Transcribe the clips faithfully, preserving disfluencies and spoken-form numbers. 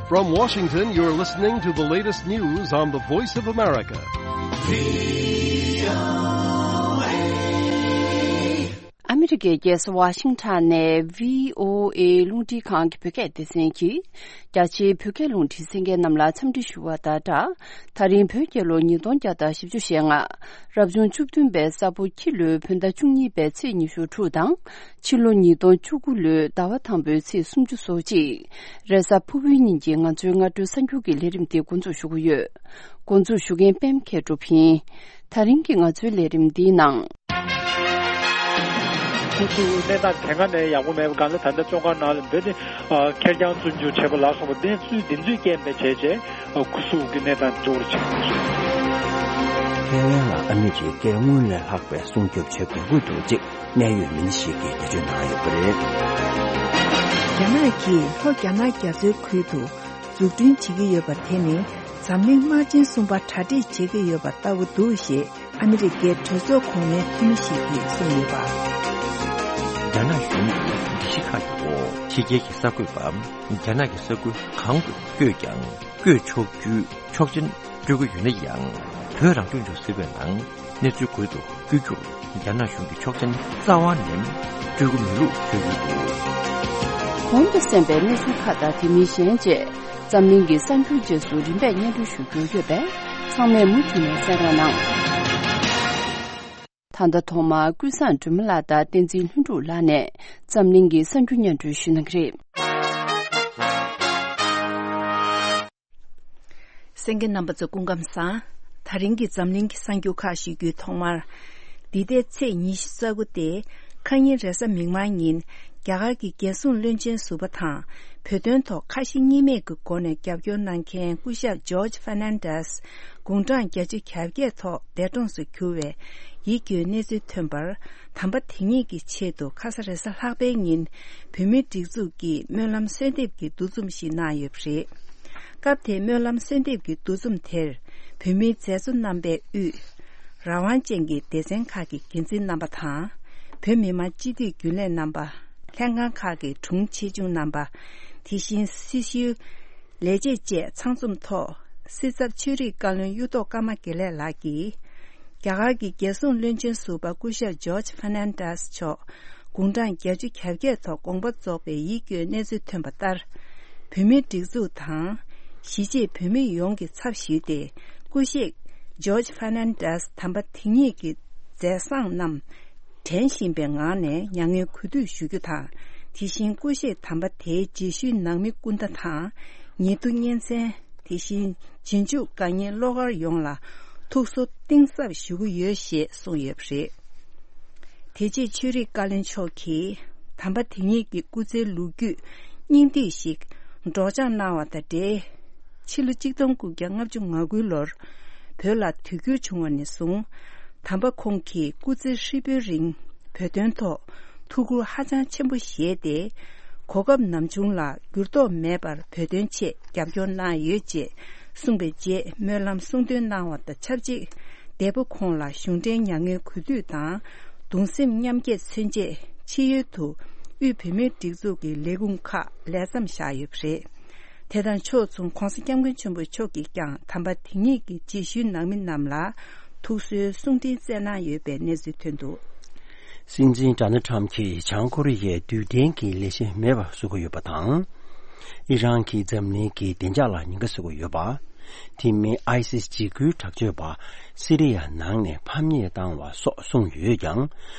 From Washington, you're listening to the latest news on the Voice of America. ཨ་མི་རི་ཀའི་རྒྱལ་ས་ཝ་ཤིང་ཊོན་ནས་བྷི་ཨོ་ཨེ་རླུང་འཕྲིན་ཁང་གི་བོད་སྐད་སྡེ་ཚན་གྱིས། རྒྱ་ཆེའི་བོད་སྐད་རླུང་འཕྲིན་གསན་མཁན་རྣམས་ལ་འཚམས་འདྲི་ཞུ་བ་དང་སྦྲགས། ད་རིང་བོད་རྒྱལ་ལོ་ཉིས་སྟོང་བརྒྱ་དང་བཞི་བཅུ་ཞེ་ལྔ། རབ་བྱུང་བཅུ་བདུན་པའི་ས་ཕོ་ཁྱི་ལོའི་བོད་ཟླ་བཅུ་གཉིས་པའི་ཚེས་ཉི་ཤུ་དྲུག་དང་། ཕྱི་ལོ་ཉིས་སྟོང་བཅུ་དགུ་ལོའི་ཟླ་བ་དང་པོའི་ཚེས་སུམ་ཅུ་སོ་གཅིག་རེས་གཟའ་ཕུར་བུའི་ཉིན་གྱི་ང་ཚོའི་སྔ་དྲོའི་གསར་འགྱུར་གྱི་ལས་རིམ་འདི་འགོ་འཛུགས་ཞུ་གི་ཡོད། འགོ་འཛུགས་ཞུ་མཁན་པད་མ་མཁས་གྲུབ་ཡིན། ད་རིང་གི་ང་ཚོའི་ལས་རིམ་འདིའི་ནང་། ཁོ་ཚོའི་གནས་སྟངས་དེ་སྔ་ནས་ཡག་པོ་མེད་པ་གང་ལྟར་ད་ལྟ་བཙོན་ཁང་ནང་ལ་འབོད་དེ་ཁེར་རྐྱང་བཙོན་འཇུག་བྱས་པ་ལ་སོགས་པ་གནས་ཚུལ་འདི་ཚོའི་རྐྱེན་པས་བྱས་རྗེས་ཁོ་ཚོ་གི་གནས་སྟངས་འགྱུར་བ་ཕྱིན་པ་རེད། ཐའེ་ཝན་ལ་ཨ་མི་རི་ཀས་སྔོན་ལས་ལྷག་པའི་སྲུང་སྐྱོབ་བྱེད་དགོས་ཀྱི་འདུག་ཅེས་གནད་ཡོད་མི་སྣ་ཞིག་གིས་འགྲེལ་བརྗོད་གནང་ཡོད་པ་རེད། རྒྱ་ནག་གིས་ལྷོ་རྒྱ་ནག་རྒྱ་མཚོའི་ཁུལ་དུ་འཛུགས་སྐྲུན་བྱེད་ཀྱི་ཡོད་པ་དེ་ནི་འཛམ་གླིང་དམག་ཆེན་གསུམ་པ་གྲ་སྒྲིག་བྱེད་ཀྱི་ཡོད་པ་ལྟ་བུ་འདུག་ཞེས་ཨ་མི་རི་ཀའི་གྲོས་ཚོགས་གོང་མའི་འཐུས་མི་ཞིག་གིས་གསུངས་ཡོད་པ། རྒྱ་ནག་གཞུང་གི་སྒྲིག་གཞི་ཁག་ཡོད། ཕྱི་རྒྱལ་གྱི་གསར་འགོད་པ་རྒྱ་ནག་གི་ས་ཁུལ་གང་དུ་བསྐྱོད་ཀྱང་བསྐྱོད་ཆོག་རྒྱུའི་ཆོག་མཆན་སྤྲོད་ཀྱི་ཡོད་ན་ཡང་། བོད་རང་སྐྱོང་ལྗོངས་ཟེར་བའི་ནང་གནས་ཚུལ་འགོད་དུ་བསྐྱོད་རྒྱུར་རྒྱ་ནག་གཞུང་གིས་ཆོག་མཆན་རྩ་བ་ནས་སྤྲོད་ཀྱི་མེད་ལུགས་བརྗོད་ཡོད་འདུག་གོང་དུ་གསན་པའི་གནས་ཚུལ་ཁག་དང་དེ་མིན་གཞན་བཅས་འཛམ་གླིང་གི་གསར་འགྱུར་རྗེས་སུ་རིམ་པས་སྙན་སྒྲོན་ཞུ་རྒྱུ་ཡོད་པས་ཚང་མས་མུ་མཐུད་ནས་གསན་རོགས་གནང་། ད་ལྟ་ཐོག་མར་ཀུན་བཟང་སྒྲོལ་མ་ལགས་དང་བསྟན་འཛིན་ལྷུན་གྲུབ་ལགས་ནས་འཛམ་གླིང་གི་གསར་འགྱུར་སྙན་སྒྲོན་ཞུ་གནང་གི་རེད། གསན་མཁན་རྣམ་པ་ཚོ་སྐུ་ཁམས་བཟང་། ད་རིང་གི་འཛམ་གླིང་གི་གསར་འགྱུར་ཁག་ཞུ་རྒྱུའི་ཐོག་མར། འདི་ཟླའི་ཚེས་ཉི་ཤུ་རྩ་དགུ་སྟེ། ཁ་ཉིན་རེས་གཟའ་མིག་དམར་ཉིན། རྒྱ་གར་གྱི་རྒྱལ་སྲུང་བློན་ཆེན་ཟུར་པ་དང་། བོད་དོན་ཐོག་ཁ་ཞེ་གཉིས་མེད་ཀྱི་སྒོ་ནས་རྒྱབ་སྐྱོར་གནང་མཁན་སྐུ་ཞབས་ཇོརྗ་ཧྥར་ནན་ཌེས། དགུང་གྲངས་བརྒྱད་ཅུ་གྱ་བརྒྱད་ཐོག་འདས་གྲོངས་སུ་གྱུར་བའི་ཡིད་སྐྱོའི་གནས་ཚུལ་ཐོན་པར། དམ་པ་དེ་ཉིད་ཀྱི་ཆེད་དུ་ཁ་ས་རེས་གཟའ་ལྷག་པའི་ཉིན། བོད་མིའི་སྒྲིག་འཛུགས་ཀྱིས་སྨོན་ལམ་གསོལ་འདེབས་ཀྱི་འདུ་འཛོམས་ཤིག་གནང་ཡོད་པ་རེད། སྐབས་དེའི་སྨོན་ལམ་གསོལ་འདེབས་ཀྱི་འདུ་འཛོམས་དེར། བོད་མིའི་མཛད་གཙོ་རྣམ་པས་དབུས། རང་དབང་ཅན་གྱི་སྡེ་ཚན་ཁག་གི་འགན་འཛིན་རྣམ་པ་དང་། བོད་མི་མང་སྤྱི་འཐུས་རྒྱུན་ལས་རྣམ་པ། ལྷན་ཁང་ཁག་གི་དྲུང་ཆེ་ཆུང་རྣམ་པ། དེ་བཞིན་སྲི་ཞུའི་ལས་བྱེད་བཅས་ཚང་འཛོམས་ཐོག་སྲིད་ཚབ་ཆོས་རིག་བཀའ་བློན་གཡུ་ཐོག་ཀརྨ་དགེ་ལེགས་ལགས་ཀྱིས། རྒྱ་གར་གྱི་རྒྱལ་སྲུང་བློན་ཆེན་ཟུར་པ་སྐུ་ཞབས་ཇོརྗ་ཧྥར་ནན་ཌེས་མཆོག་དགུང་གྲངས་བརྒྱད་ཅུ་གྱ་བརྒྱད་ཐོག་དགོངས་པ་རྫོགས་པའི་ཡིད་སྐྱོའི་གནས་ཚུལ་ཐོན་པ་ལྟར། བོད་མིའི་སྒྲིག་འཛུགས་དང་། གཞིས་བྱེས་བོད་མི་ཡོངས་ཀྱི་ཚབ་ཞུས་ཏེ། སྐུ་གཤེགས་ཇོརྗ་ཧྥར་ནན་ཌེས་དམ་པ་དེ་ཉིད་ཀྱི་མཛད་བཟང་རྣམས། དྲན་བཞིན་པའི་ངང་ནས་མྱ་ངན་གུས་འདུད་ཞུ་རྒྱུ་དང་། དེ་བཞིན་སྐུ་གཤེགས་དམ་པ་དེའི་རྗེས་ཤུལ་ནང་མི་སྐུ་ཟླ་དང་། ཉེ་དུ་གཉེན་ཚན། དེ་བཞིན་རྗེས་འཇུག་དགའ་ཉེ་བློ་དཀར་ཡོངས་ལ་ཐུགས་གསོ་གཏིང་ཟབ་ཞུ་གི་ཡོད་ཞེས་གསུངས་ཡོད་པ་རེད། དེ་རྗེས་ཆོས་རིག་བཀའ་བློན་མཆོག་གིས་དམ་པ་དེ་ཉིད་ཀྱི་སྐུ་ཚེའི་ལོ་རྒྱུས་སྙིང་བསྡུས་ཤིག་སྒྲོག་སྦྱང་གནང་བ་དང་འབྲེལ། ཕྱི་ལོ་གཅིག་སྟོང་དགུ་བརྒྱ་ལྔ་བཅུ་ང་དགུའི་ལོར་བོད་ལ་དུས་འགྱུར་བྱུང་བ་ནས་བཟུང་། དམ་པ་ཁོང་གིས་སྐུ་ཚེ་ཧྲིལ་པོའི་རིང་བོད་དོན་ཐོག་ཐུགས་ཁུར་ཧ་ཅང་ཆེན་པོ་བཞེས་ཏེ། གོ་སྐབས་ནམ་བྱུང་ལ་འགྱུར་ལྡོག་མེད་པར་བོད་དོན་ཆེད་རྒྱབ་སྐྱོར་གནང་ཡོད་ཅེས་གསུངས་པའི་རྗེས་སྨོན་ལམ་གསུང་འདོན་གནང་བ་དང་ཆབས་ཅིག་འདས་པོ་ཁོང་ལ་གཞུང་འབྲེལ་མྱ་ངན་གུས་འདུད་དང་གདུང་སེམས་མཉམ་སྐྱེད་མཚོན་ཆེད་ཕྱི་ཡུལ་དུ་དབུས་བོད་མིའི་སྒྲིག་འཛུགས་ཀྱི་ལས་ཁུངས་ཁག་ལས་མཚམས་བཞག་ཡོད་པ་རེད། དེ་དང་ཕྱོགས་མཚུངས་༧གོང་ས་༧སྐྱབས་མགོན་ཆེན་པོ་མཆོག་གིས་ཀྱང་དམ་པ་དེ་ཉིད་ཀྱི་རྗེས་ཤུལ་ནང་མི་རྣམས་ལ་ཐུགས་གསོའི་གསུང་འཕྲིན་བསྩལ་གནང་ཡོད་པའི་གནས་ཚུལ་ཐོན་འདུག་སྲིད་འཛིན་ཌོ་ནལ་ཌི་ཊརམ་ཕི་གྱིས་བྱང་ཀོ་རི་ཡའི་རྡུལ་ཕྲན་གྱི་ལས་གཞི་མེད་པར་བཟོ་གི་ཡོད་པ་དང་། ཨི་རན་གྱིས་འཛམ་གླིང་གི་བདེ་འཇགས་ལ་ཉེན་ཁ་བཟོ་གི་ཡོད་པ། དེ་མིན་ཨའི་སིས་འཇིགས་སྐུལ་དྲག་སྤྱོད་པ་སི་རི་ཡ་ནང་ནས་ཕམ་ཉེས་བཏང་བ་སོགས་གསུངས་ཡོད་ཀྱང་།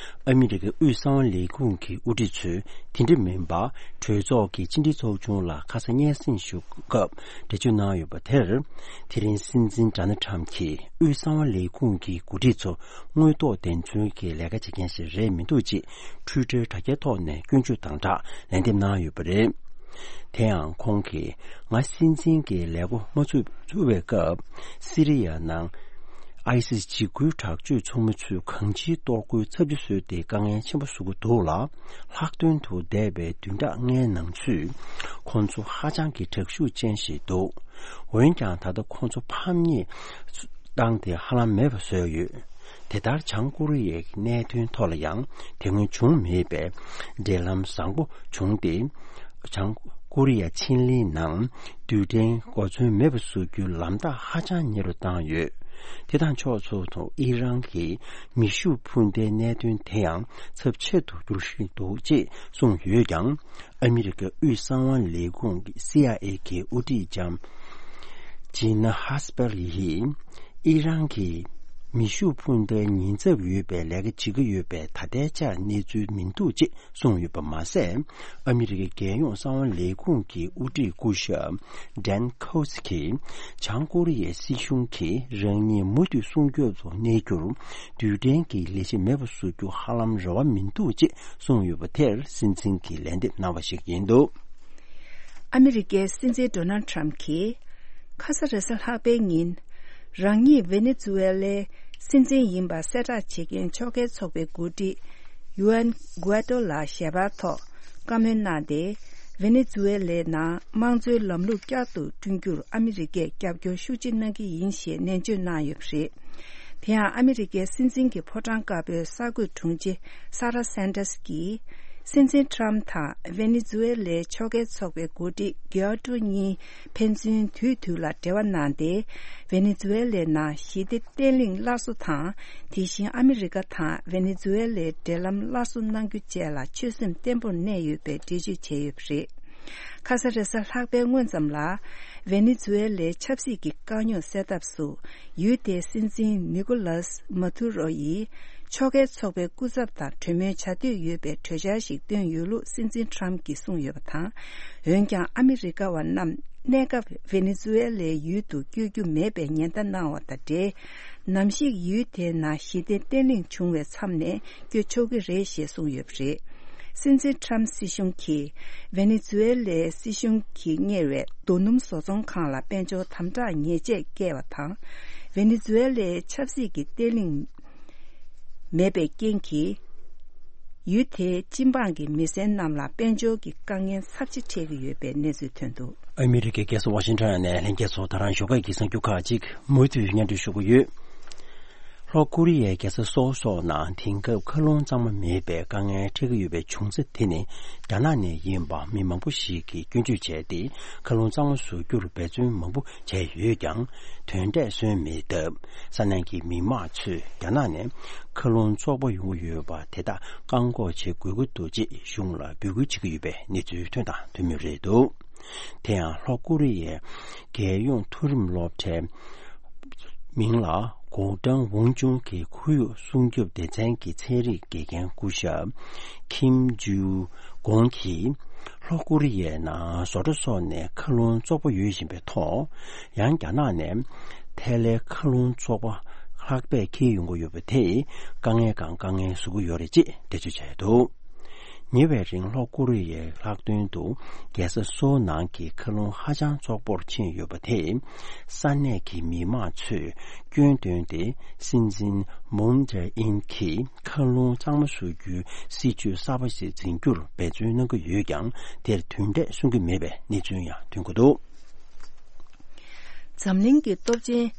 ཨ་མི་རི་ཀའི་དབུས་གསང་བ་ལས་ཁུངས་ཀྱི་དབུ་ཁྲིད་ཚོས་དེ་འདྲ་མིན་པ། གྲོས་ཚོགས་ཀྱི་སྤྱི་འཐུས་ཚོགས་ཆུང་ལ་ཁ་ས་སྙན་སེང་ཞུ་སྐབས་འགྲེལ་བརྗོད་གནང་ཡོད་པ་དེར། དེ་རིང་སྲིད་འཛིན་ཌོ་ནལ་ཌི་ཊརམ་ཕི་གྱིས་དབུས་གསང་བ་ལས་ཁུངས་ཀྱི་འགོ་ཁྲིད་ཚོ་དངོས་ཐོག་བདེན་འཚོལ་གྱི་ལས་ཀ་བྱེད་མཁན་ཞིག་རེད་མི་འདུག་ཅེས་ཊུའི་ཊར་དྲ་རྒྱའི་ཐོག་ནས་སྐྱོན་བརྗོད་དང་སྦྲགས་ལན་འདེབས་གནང་ཡོད་པ་རེད། དེ་ཡང་ཁོང་གིས་ང་སྲིད་འཛིན་གྱི་ལས་འགོ་མ་ཚུགས་ཚུགས་པའི་སྐབས་སི་རི་ཡ་ནང་ཨའི་སིས་འཇིགས་སྐུལ་དྲག་སྤྱོད་ཚོགས་མི་ཚོས་གང་ཅིའི་གཏོར་རྒོལ་ཚབས་ཆེ་བཟོས་ཏེ་དཀའ་ངལ་ཆེན་པོ་བཟོ་གི་འདུག་ལ། ལྷག་དོན་དུ་འདས་པའི་བདུན་ཕྲག་ལྔའི་ནང་ཚུད་ཁོང་ཚོ་ཧ་ཅང་གི་དྲག་ཤུགས་ཅན་ཞིག་འདུག་འོན་ཀྱང་ད་ལྟ་ཁོང་ཚོ་ཕམ་ཉེས་བཏང་སྟེ་ཧ་ལམ་མེད་པ་བཟོས་ཡོད། དེ་ལྟར་བྱང་ཀོ་རི་ཡའི་གནད་དོན་ཐོག་ལ་ཡང་དེ་སྔོན་བྱུང་མེད་པའི་འབྲེལ་ལམ་བཟང་པོ་བྱུང་སྟེ། བྱང་ ཀོ་རི་ཡ་ཆིན་ལིའི་ནང་རྡུལ་ཕྲན་གོ་མཚོན་མེད་པ་བཟོ་རྒྱུའི་ལམ་ཐག་ཧ་ཅང་ཉེ་རུ་བཏང་ཡོད། དེ་དང་ཕྱོགས་མཚུངས་སུ་ཨི་རན་གྱི་མེ་ཤུགས་འཕུར་མདའི་གནད་དོན་དེ་ཡང་ཚབས་ཆེ་རུ་འགྱུར་བཞིན་འདུག་ཅེས་གསུངས་ཡོད་ཀྱང་། ཨ་མི་རི་ཀའི་དབུས་གསང་བ་ལས་ཁུངས་ཀྱི་སི་ཨའི་ཨེ་གྱི་དབུ་ཁྲིད་ལྕམ་ཇི་ན་ཧ་སི་པེར་ཡིས་ཨི་རན་གྱིས་མེ་ཤུགས་འཕུར་མདའི་ཉེན་ཚབས་ཡོད་པའི་ལས་ཀ་བྱེད་ཀྱི་ཡོད་པའི་ད་ལྟའི་ཆར་གནས་ཚུལ་མི་འདུག་ཅེས་གསུངས་ཡོད་པ་མ་ཟད། ཨ་མི་རི་ཀའི་རྒྱལ་ཡོངས་གསང་བ་ལས་ཁུངས་ཀྱི་དབུ་ཁྲིད་སྐུ་ཞབས་ཌན་ཁོ་སི་ཀྱིས་བྱང་ཀོ་རི་ཡའི་སྲིད་གཞུང་གིས་རང་ཉིད་མུ་མཐུད་སྲུང་སྐྱོབ་ཏུ་གནས་རྒྱུར་རྡུལ་ཕྲན་གྱི་ལས་གཞི་མེད་པར་བཟོ་རྒྱུ་ཧ་ལམ་རེ་བ་མི་འདུག་ཅེས་གསུངས་ཡོད་པ་དེར་སྲིད་འཛིན་གྱིས་ལན་འདེབས་གནང་བ་ཞིག་ཡིན་འདུག། ཨ་མི་རི་ཀའི་སྲིད་འཛིན་ཌོ་ནལ་ཁྲམ་གྱིས་ཁ་ས་རེས་གཟའ་ལྷག་པའི་ཉིན། རང་ཉིད་ཝེ་ནེ་ཛུ་ཝེ་ལའི་སྲིད་འཛིན་ཡིན་པ་གསལ་བསྒྲགས་བྱེད་མཁན་ཕྱོགས་འགལ་ཚོགས་པའི་འགོ་ཁྲིད་ཡུ་ཨན་གུ་ཨེ་ཏོ་ལ་ཞལ་པར་ཐོག་བཀའ་མོལ་གནང་སྟེ། ཝེ་ནེ་ཛུ་ཝེ་ལའི་ནང་དམངས་གཙོའི་ལམ་ལུགས་བསྐྱར་དུ་བསྐྲུན་རྒྱུར་ཨ་མི་རི་ཀས་རྒྱབ་སྐྱོར་ཤུགས་ཆེ་གནང་གི་ཡིན་ཞེས་ནན་བརྗོད་གནང་ཡོད་པ་རེད། དེ་ཡང་ཨ་མི་རི་ཀའི་སྲིད་འཛིན་གྱི་ཕོ་བྲང་དཀར་པོའི་གསར་འགོད་དྲུང་ཆེ་ས་ར་སན་ཏར་སི་ཀྱིས། སྲིད་འཛིན་ཁྲམ་དང་ཝེ་ནེ་ཛུ་ཝེ་ལའི་ཕྱོགས་འགལ་ཚོགས་པའི་འགོ་ཁྲིད་གུ་ཨེ་ཏོ་གཉིས་ཕན་ཚུན་དུས་དུས་ལ་འབྲེལ་བ་གནང་སྟེ། ཝེ་ནེ་ཛུ་ཝེ་ལའི་ནང་ཞི་བདེ་བརྟན་ལྷིང་སླར་གསོ་དང་། དེ་བཞིན་ཨ་མི་རི་ཀ་དང་ཝེ་ནེ་ཛུ་ཝེ་ལའི་འབྲེལ་ལམ་སླར་གསོ་གནང་རྒྱུ་བཅས་ལ་ཆོད་སེམས་བརྟན་པོར་གནས་ཡོད་པའི་འགྲེལ་བརྗོད་བྱས་ཡོད་པ་རེད། ཁ་ས་རེས་གཟའ་ལྷག་པའི་སྔོན་ཙམ་ལ། ཝེ་ནེ་ཛུ་ཝེ་ལའི་ཆབ་སྲིད་ཀྱི་དཀའ་རྙོག་སེལ་ཐབས་སུ། ཡུལ་དེའི་སྲིད་འཛིན་ནི་ཀོ་ལཱས་མ་ཐུ་རོ་ཡིས། ཕྱོགས་འགལ་ཚོགས་པའི་སྐུ་ཚབ་དང་གྲོས་མོལ་བྱ་འདོད་ཡོད་པའི་གྲོས་འཆར་ཞིག་བཏོན་ཡོད་ལུགས་སྲིད་འཛིན་ཁྲམ་གྱིས་གསུངས་ཡོད་པ་དང་། འོན་ཀྱང་ཨ་མི་རི་ཀ་བ་རྣམས་གནས་སྐབས་ཝེ་ནེ་ཛུ་ཝེ་ལའི་ཡུལ་དུ་བསྐྱོད་རྒྱུ་མེད་པའི་ཉེན་བརྡ་གནང་བ་དང་འབྲེལ། ནམ་ཞིག་ཡུལ་དེའི་ནང་ཞི་བདེ་བརྟན་ལྷིང་བྱུང་བའི་མཚམས་ནས་བསྐྱོད་ཆོག་གི་རེད་ཞེས་གསུངས་ཡོད་པ་རེད། སྲིད་འཛིན་ཁྲམ་སྲིད་གཞུང་གིས་ཝེ་ནེ་ཛུ་ཝེ་ལའི་སྲིད་གཞུང་གིས་གཉེར་བའི་རྡོ་སྣུམ་བཟོ་ཚོང་ཁང་ལ་དཔལ་འབྱོར་དམ་དྲག་ཉེས་ཆད་བཀལ་བ་དང་། ཝེ་ནེ་ཛུ་ཝེ་ལའི་ཆབ་སྲིད་ཀྱི་བརྟན་ལྷིང་མེད་པའི་རྐྱེན་གྱིས། ཡུལ་དེའི་སྤྱི་འབངས་ཀྱི་མི་སེར་རྣམས་ལ་དཔལ་འབྱོར་གྱི་དཀའ་ངལ་ཚབས་ཆེ་འཕྲད་ཀྱི་ཡོད་པའི་གནས་ཚུལ་ཐོན་འདུག། ཨ་མི་རི་ཀའི་རྒྱལ་ས་ཝ་ཤིང་ཊོན་ནས་ལྷན་རྒྱས་ཚོ་ད་རང་ཞོགས་ཀས་ཀྱི་གསར་འགྱུར་ཁག་ཅིག་མུ་མཐུད་སྙན་སྒྲོན་ཞུ་གི་ཡོད། ལྷོ་ཀོ་རི་ཡའི་རྒྱལ་ས་སོལ་སོགས་ནང་དེང་སྐབས་མཁའ་རླུང་གཙང་མ་མེད་པའི་དཀའ་ངལ་འཕྲད་ཀྱི་ཡོད་པའི་བྱུང་ཚེ་དེ་ནི་རྒྱ་ནག་ནས་ཡིན་པ་མི་མང་པོ་ཞིག་གིས་སྐྱོན་བརྗོད་བྱས་ཏེ། མཁའ་རླུང་གཙང་མ་བཟོ་རྒྱུར་འབད་བརྩོན་མང་པོ་བྱས་ཡོད་ཀྱང་། དོན་འབྲས་སོན་མེད་སྟབས། ས་གནས་ཀྱི་མི་མང་ཚོས་རྒྱ་ནག་ནས་མཁའ་རླུང་བཙོག་པ་ཡོང་གི་ཡོད་པ་དེ་དག་བཀག་འགོག་བྱེད་དགོས་ཀྱི་འདུག་ཅེས་གཞུང་ལ་འབོད་སྐུལ་བྱེད་ཀྱི་ཡོད་པའི་གནས་ཚུལ་ཐོན་དང་ཐོན་མུས་རེད་འདུག། དེ་ཡང་ལྷོ་ཀོ་རི་ཡའི་རྒྱལ་ཡོངས་མཐོ་རིམ་སློབ་གྲྭའི་མིང་ལ་གོ་ཀྲང་ཝུང་ཅུང་གི་ཁོར་ཡུག་སྲུང་སྐྱོབ་སྡེ་ཚན་གྱི་ཚན་རིག་དགེ་རྒན་སྐུ་ཞབས་ཁིམ་ཇུ་གོང་གིས། ལྷོ་ཀོ་རི་ཡའི་ནང་བཟོ་གྲྭ་སོགས་ནས་མཁའ་རླུང་བཙོག་པ་ཡོད་བཞིན་པའི་ཐོག། ཡང་རྒྱ་ནག་ནས་ཐལ་ལའི་མཁའ་རླུང་བཙོག་པ་ལྷགས་པས་འཁྱེར་ཡོང་གི་ཡོད་པ་དེས་དཀའ་ངལ་གང་དཀའ་ངལ་བཟོ་གི་ཡོད་རེད་ཅེས་འགྲེལ་བརྗོད་བྱས་འདུག། ཉེ་བའི་རིང་ལྷོ་ཀོ་རི་ཡའི་ལྷག་དོན་དུ་རྒྱལ་ས་སོའུ་ནང་གི་མཁའ་རླུང་ཧ་ཅང་བཙོག་པོར་ཕྱིན་ཡོད་པ་དེས། ས་གནས་ཀྱི་མི་མང་ཚོས་སྐྱོན་བཏོན་ཏེ། སྲིད་འཛིན་མུན་ཇེ་ཨིན་གྱིས་མཁའ་རླུང་གཙང་མ་བཟོ་རྒྱུའི་སྲིད་ཇུས་གསར་པ་ཞིག་འཛིན་རྒྱུར་འབད་བརྩོན་གནང་གི་ཡོད་ཀྱང་། དེར་དོན་འབྲས་སོན་གྱི་མེད་པའི་གནས་ཚུལ་ཡང་ཐོན་གྱི་འདུག། འཛམ་གླིང་གི་སྟོབས་ཆེན།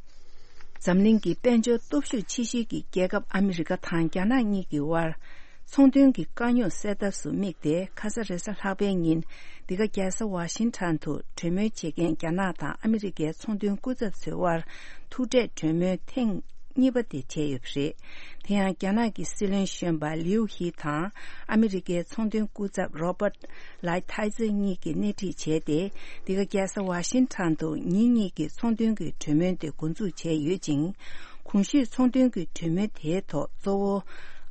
འཛམ་གླིང་གི་དཔལ་འབྱོར་སྟོབས་ཤུགས་ཆེ་ཤོས་ཀྱི་རྒྱལ་ཁབ་ཨ་མི་རི་ཀ་དང་རྒྱ་ནག་གཉིས་ཀྱི་དབར། ཚོང་དོན་གྱི་དཀའ་རྙོག་སེལ་ཐབས་སུ་དམིགས་ཏེ། ཁ་ས་རེས་གཟའ་ལྷག་པའི་ཉིན། འདི་ག་རྒྱལ་ས་ཝ་ཤིང་ཊོན་དུ་གྲོས་མོལ་བྱེད་མཁན་རྒྱ་ནག་དང་ཨ་མི་རི་ཀའི་ཚོང་དོན་སྐུ་ཚབ་ཚོའི་དབར། ཐུག་འཕྲད་གྲོས་མོལ་ཐེངས་གཉིས་པ་དེ་བྱས་ཡོད་པ་རེད། དེ་ཡང་རྒྱ་ནག་གི་སྲིད་བློན་གཞོན་པ་ལིའུ་ཧི་དང་ཨ་མི་རི་ཀའི་ཚོང་དོན་སྐུ་ཚབ་རོ་པར་ལའི་ཐའི་ཙེ་གཉིས་ཀྱིས་སྣེ་ཁྲིད་བྱས་ཏེ། འདི་ག་རྒྱལ་ས་ཝ་ཤིང་ཊོན་དུ་ཉིན་གཉིས་ཀྱི་ཚོང་དོན་གྱི་གྲོས་མོལ་དེ་འགོ་འཛུགས་བྱས་ཡོད་ཅིང་། གོང་ཞུས་ཚོང་དོན་གྱི་གྲོས་མོལ་དེའི་ཐོག་གཙོ་བོ་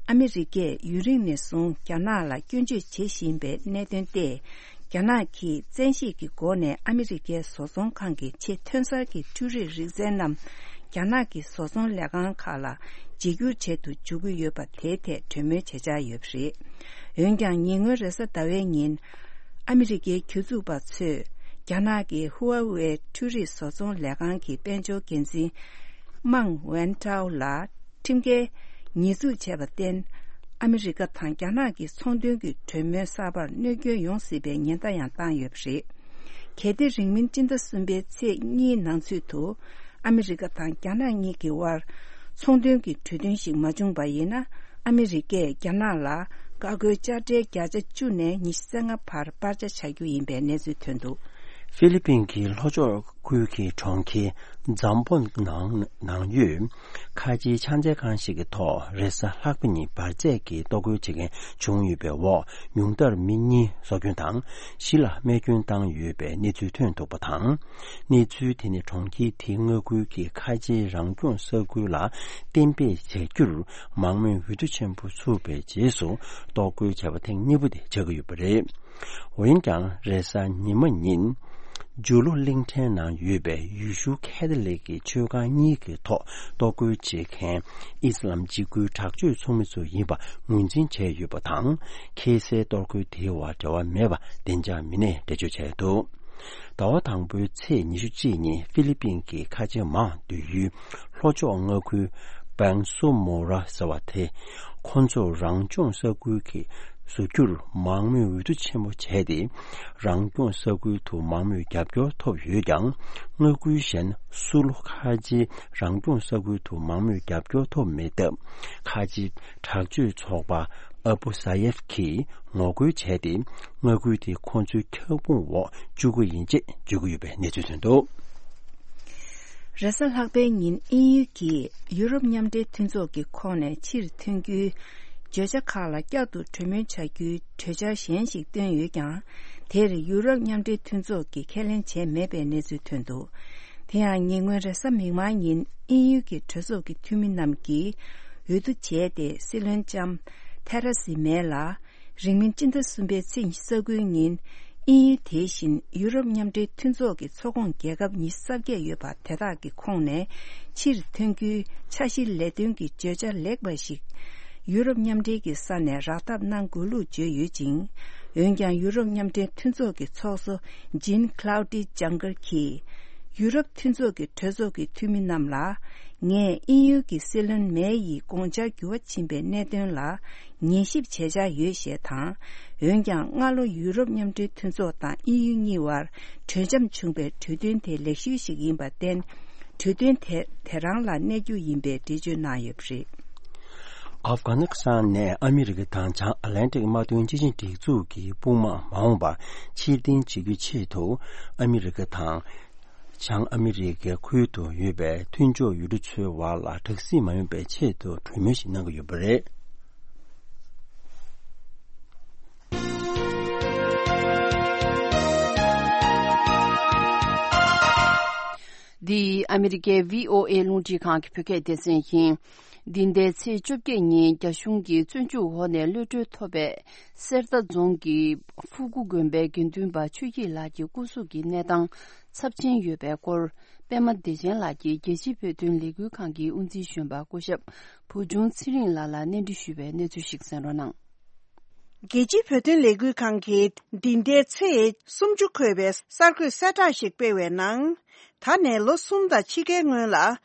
ཨ་མི་རི་ཀས་ཡུན་རིང་ནས་བཟུང་རྒྱ་ནག་ལ་སྐྱོན་བརྗོད་བྱེད་བཞིན་པའི་གནད་དོན་ཏེ། རྒྱ་ནག་གིས་བཙན་ཤེད་ཀྱི་སྒོ་ནས་ཨ་མི་རི་ཀའི་བཟོ་ཚོང་ཁང་གི་ཆེས་ཐོན་གསར་གྱི་འཕྲུལ་རིག་རིག་རྩལ་རྣམས་རྒྱ་ནག་གི་བཟོ་ཚོང་ལས་ཁང་ཁག་ལ་བརྗེ་སྒྱུར་བྱེད་དུ་འཇུག་གི་ཡོད་པ་དེའི་ཐད་གྲོས་མོལ་བྱེད་འཆར་ཡོད་པ་རེད། འོན་ཀྱང་ཉེ་སྔོན་རེས་གཟའ་ཟླ་བའི་ཉིན། ཨ་མི་རི་ཀའི་གྱོད་འཛུགས་པ་ཚོས་རྒྱ་ནག་གི་ཧུའུ་ཝེ་འཕྲུལ་རིག་བཟོ་ཚོང་ལས་ཁང་གི་དཔལ་འབྱོར་འགན་འཛིན་མང་ཝན་ཀྲའོ་ལ་ཁྲིམས་འགལ་ཉེས་འཛུགས་བྱས་པར་བརྟེན། ཨ་མི་རི་ཀ་དང་རྒྱ་ནག་གི་ཚོང་དོན་གྱི་གྲོས་མོལ་གསར་པར་གནོད་སྐྱོན་ཡོང་སྲིད་པའི་ཉེན་བརྡ་ཡང་བཏང་ཡོད་པ་རེད། གལ་ཏེ་རིང་མིན་སྤྱི་ཟླ་གསུམ་པའི་ཚེས་གཉིས་ནང་ཚུད་དུ། ཨ་མི་རི་ཀ་དང་རྒྱ་ནག་གཉིས་ཀྱི་དབར་ཚོང་དོན་གྱི་གྲོས་མཐུན་ཞིག་མ་བྱུང་པ་ཡིན་ན། ཨ་མི་རི་ཀས་རྒྱ་ནག་ལ་ ཀ་ཁོལ་དཔྱ་ཁྲལ་བརྒྱ་ཆ་བཅུ་ནས་ཉི་ཤུ་རྩ་ལྔ་བར་སྤར་ཆ་བྱ་རྒྱུ་ཡིན་པའི་གནས་ཚུལ་ཐོན་འདུག་ཧྥི་ལི་པིན་གྱི་ལྷོ་ཕྱོགས་ཁུལ་གྱི་གྲོང་ཁྱེར་ཛམ་པོ་ནང་ནང་ཡོད་ཁ་ཆེའི་ཕྱག་འཚལ་ཁང་ཞིག་གི་ཐོག་རེས་གཟའ་ལྷག་པ་ཉིན་འབར་རྫས་ཀྱི་གཏོར་རྒོལ་བྱེད་མཁན་བྱུང་ཡོད་པའི་འོག་ཉུང་མཐར་མི་གཉིས་སྲོག་སྐྱོན་དང་བཞི་ལ་རྨས་སྐྱོན་བཏང་ཡོད་པའི་གནས་ཚུལ་ཐོན་འདུག་པ་དང་། གནས་ཚུལ་དེ་ནི་གྲོང་ཁྱེར་དེའི་མངའ་ཁུལ་གྱི་ཁ་ཆེའི་རང་སྐྱོང་ས་ཁུལ་ལ་གཏན་འབེབས་བྱ་རྒྱུར་མང་མོས་འོས་བསྡུ་ཆེན་པོ་ཚུགས་པའི་རྗེས་སུ་གཏོར་རྒོལ་བྱས་པ་ཐེངས་གཉིས་པ་དེ་ཆགས་ཀྱི་ཡོད་པ་རེད། འོན་ཀྱང་རེས་གཟའ་ཉི་མ་ཉིན། ཇུ་ལུ་གླིང་ཕྲན་ནང་ཡོད་པའི་ཡེ་ཤུ་ཁེ་ཐོ་ལིག་གི་ཆོས་ཁང་གཉིས་ཀྱི་ཐོག་གཏོར་རྒོལ་བྱེད་མཁན་ཨི་སི་ལམ་འཇིགས་སྐུལ་དྲག་སྤྱོད་ཚོགས་མི་ཚོ་ཡིན་པ་ངོས་འཛིན་བྱས་ཡོད་པ་དང་། ཁེ་སའི་གཏོར་རྒོལ་དེའི་བར་འབྲེལ་བ་མེད་པ་བདེ་འཇགས་མི་སྣས་འགྲེལ་བརྗོད་བྱས་འདུག་ཟླ་བ་དང་པོའི་ཚེས་ཉི་ཤུ་གཅིག་ཉིན་ཧྥི་ལི་པིན་གྱི་ཁ་ཆེ་མང་སྡོད་ཡུལ་ལྷོ་ཕྱོགས་མངའ་ཁུལ་པན་སོ་མོ་ར་ཟེར་བ་དེ། ཁོ་ཚོ་རང་སྐྱོང་ས་ཁུལ་གྱི་བཟོ་རྒྱུར་མང་མོས་འོས་བསྡུ་ཆེན་པོ་བྱས་ཏེ། རང་སྐྱོང་ས་ཁུལ་དུ་མང་མོས་རྒྱབ་སྐྱོར་ཐོབ་ཡོད་ཀྱང་། མངའ་ཁུལ་གཞན་སུ་ལུ་ཁ་ཆེའི་རང་སྐྱོང་ས་ཁུལ་དུ་མང་མོས་རྒྱབ་སྐྱོར་ཐོབ་མེད་སྟབས། ཁ་ཆེའི་དྲག་སྤྱོད་ཚོགས་པ་ཨ་བུ་ས་ཡེབ་ཀྱིས་ངོ་རྒོལ་བྱས་ཏེ། མངའ་ཁུལ་དེ་ཁོ་ཚོའི་ཁྱབ་ཁོངས་འོག་བཅུག་གི་ཡིན་ཅེས་བརྗོད་ཀྱི་ཡོད་པའི་གནས་ཚུལ་ཐོན་འདུག་རེས་གཟའ་ལྷག་པའི་ཉིན་དབྱིན་ཡུལ་གྱིས་ཡུ་རོབ་མཉམ་འབྲེལ་མཐུན་ཚོགས་ཀྱི་ཁོངས་ནས་ཕྱིར་ཐོན་རྒྱུའི་བརྗོད་བྱ་ཁག་ལ་བསྐྱར་དུ་གྲོས་མོལ་བྱ་རྒྱུའི་གྲོས་འཆར་གཞན་ཞིག་བཏོན་ཡོད་ཀྱང་། དེར་ཡུ་རོབ་མཉམ་འབྲེལ་མཐུན་ཚོགས་ཀྱིས་ཁས་ལེན་བྱས་མེད་པའི་གནས་ཚུལ་ཐོན་འདུག་དེ་ཡང་ཉེ་སྔོན་རེས་གཟའ་མིག་དམར་ཉིན་དབྱིན་ཡུལ་གྱི་གྲོས་ཚོགས་ཀྱི་འཐུས་མི་རྣམས་ཀྱིས་འོས་བསྡུ་བྱས་ཏེ། སྲིད་བློན་ལྕམ་ཐེ་ར་སི་མེ་ལ། རིང་མིན་སྤྱི་ཟླ་གསུམ་པའི་ཚེས་ཉི་ཤུ་རྩ་དགུའི་ཉིན། དབྱིན་ཡུལ་དེ་བཞིན་ཡུ་རོབ་མཉམ་འབྲེལ་མཐུན་ཚོགས་ཀྱི་ཚོགས་ཁོངས་རྒྱལ་ཁབ་ཉི་ཤུ་རྩ་བརྒྱད་ཡོད་པ་དེ་དག་གི་ཁོངས་ནས་ཕྱིར་ཐོན་རྒྱུའི་འཆར་གཞིའི་ལས་དོན་གྱི་བརྗོད་བྱ་ལེགས་པ་ཞིག་ཡུ་རོབ་མཉམ་འབྲེལ་གྱི་ས་ནས་རག་ཐབས་གནང་དགོས་ལུགས་བརྗོད་ཡོད་ཅིང་། འོན་ཀྱང་ཡུ་རོབ་མཉམ་འབྲེལ་མཐུན་ཚོགས་ཀྱི་ཚོགས་གཙོ་ཇིན་ཁ་ལའུ་ཏི་ཇང་གར་གྱིས། ཡུ་རོབ་མཐུན་ཚོགས་ཀྱི་གྲོས་ཚོགས་ཀྱི་འཐུས་མི་རྣམས་ལ། ངས་དབྱིན་ཡུལ་གྱི་སྲིད་བློན་མེ་ཡི་དགོངས་འཆར་འགྱུར་བ་ཕྱིན་པའི་གནད་དོན་ལ་ཉན་ཞིབ་བྱེད་འཆར་ཡོད་ཞེས་དང་། འོན་ཀྱང་སྔ་ལོ་ཡུ་རོབ་མཉམ་འབྲེལ་མཐུན་ཚོགས་དང་དབྱིན་ཡུལ་གཉིས་བར་གྲོས་འཆམ་བྱུང་པའི་གྲོས་མཐུན་དེ་ལེགས་ཤོས་ཤིག་ཡིན་པར་བརྟེན། གྲོས་མཐུན་དེ་དེ་རང་ལ་གནས་རྒྱུ་ཡིན་པའི་འགྲེལ་བརྗོད་གནང་ཡོད་པ་རེད། ཨབ་གྷ་ནི་སི་ཐན་ནས་ཨ་མི་རི་ཀ་དང་བྱང་ཨ་ལན་ཏིག་དམག་དོན་སྤྱི་ཆིངས་སྒྲིག་འཛུགས་ཀྱི་དཔུང་དམག་མ་འོངས་པར་ཕྱིར་འཐེན་བྱེད་རྒྱུའི་ཆེད་དུ། ཨ་མི་རི་ཀ་དང་། བྱང་ཨ་མི་རི་ཀའི་ཁུལ་དུ་ཡོད་པའི་མཐུན་ཕྱོགས་ཡུལ་གྲུ་ཚོའི་བར་ལ་དྲག་ཟིང་མ་ཡོང་པའི་ཆེད་དུ་གྲོས་མོལ་ཞིག་གནང་གི་ཡོད་པ་རེད། འདི་ཨ་མི་རི་ཀའི་བྷི་ཨོ་ཨེ་རླུང་འཕྲིན་ཁང་གི་བོད་སྐད་སྡེ་ཚན་ཡིན། འདི་ཟླའི་ཚེས་བཅོ་བརྒྱད་ཉིན་རྒྱ་གཞུང་གིས་བཙོན་འཇུག་འོག་ནས་གློད་གྲོལ་ཐོབ་པའི་གསེར་རྟ་རྫོང་གི་ཕུ་གུ་དགོན་པའི་དགེ་འདུན་པ་ཆོས་སྐྱིད་ལགས་ཀྱི་སྐུ་གཟུགས་ཀྱི་གནས་སྟངས་ཚབས་ཆེན་ཡོད་པའི་སྐོར། པད་མ་བདེ་ཆེན་ལགས་ཀྱིས་རྒྱལ་སྤྱིའི་བོད་དོན་ལས་འགུལ་ཁང་གི་དབུ་འཛིན་གཞོན་པ་སྐུ་ཞབས་བུ་ཆུང་ཚེ་རིང་ལགས་ལ་གནས་འདྲི་ཞུས་པའི་གནས་ཚུལ་ཞིག་གསན་རོགས་གནང་། རྒྱལ་སྤྱིའི་བོད་དོན་ལས་འགུལ་ཁང་གིས་འདི་ཟླའི་ཚེས་སུམ་ཅུ་འཁོད་པའི་གསར་འགོད་གསལ་བསྒྲགས་ཤིག་སྤེལ་བའི་ནང་། ད་ནས་ལོ་གསུམ་དང་ཕྱེད་ཀའི་སྔོན་ལ་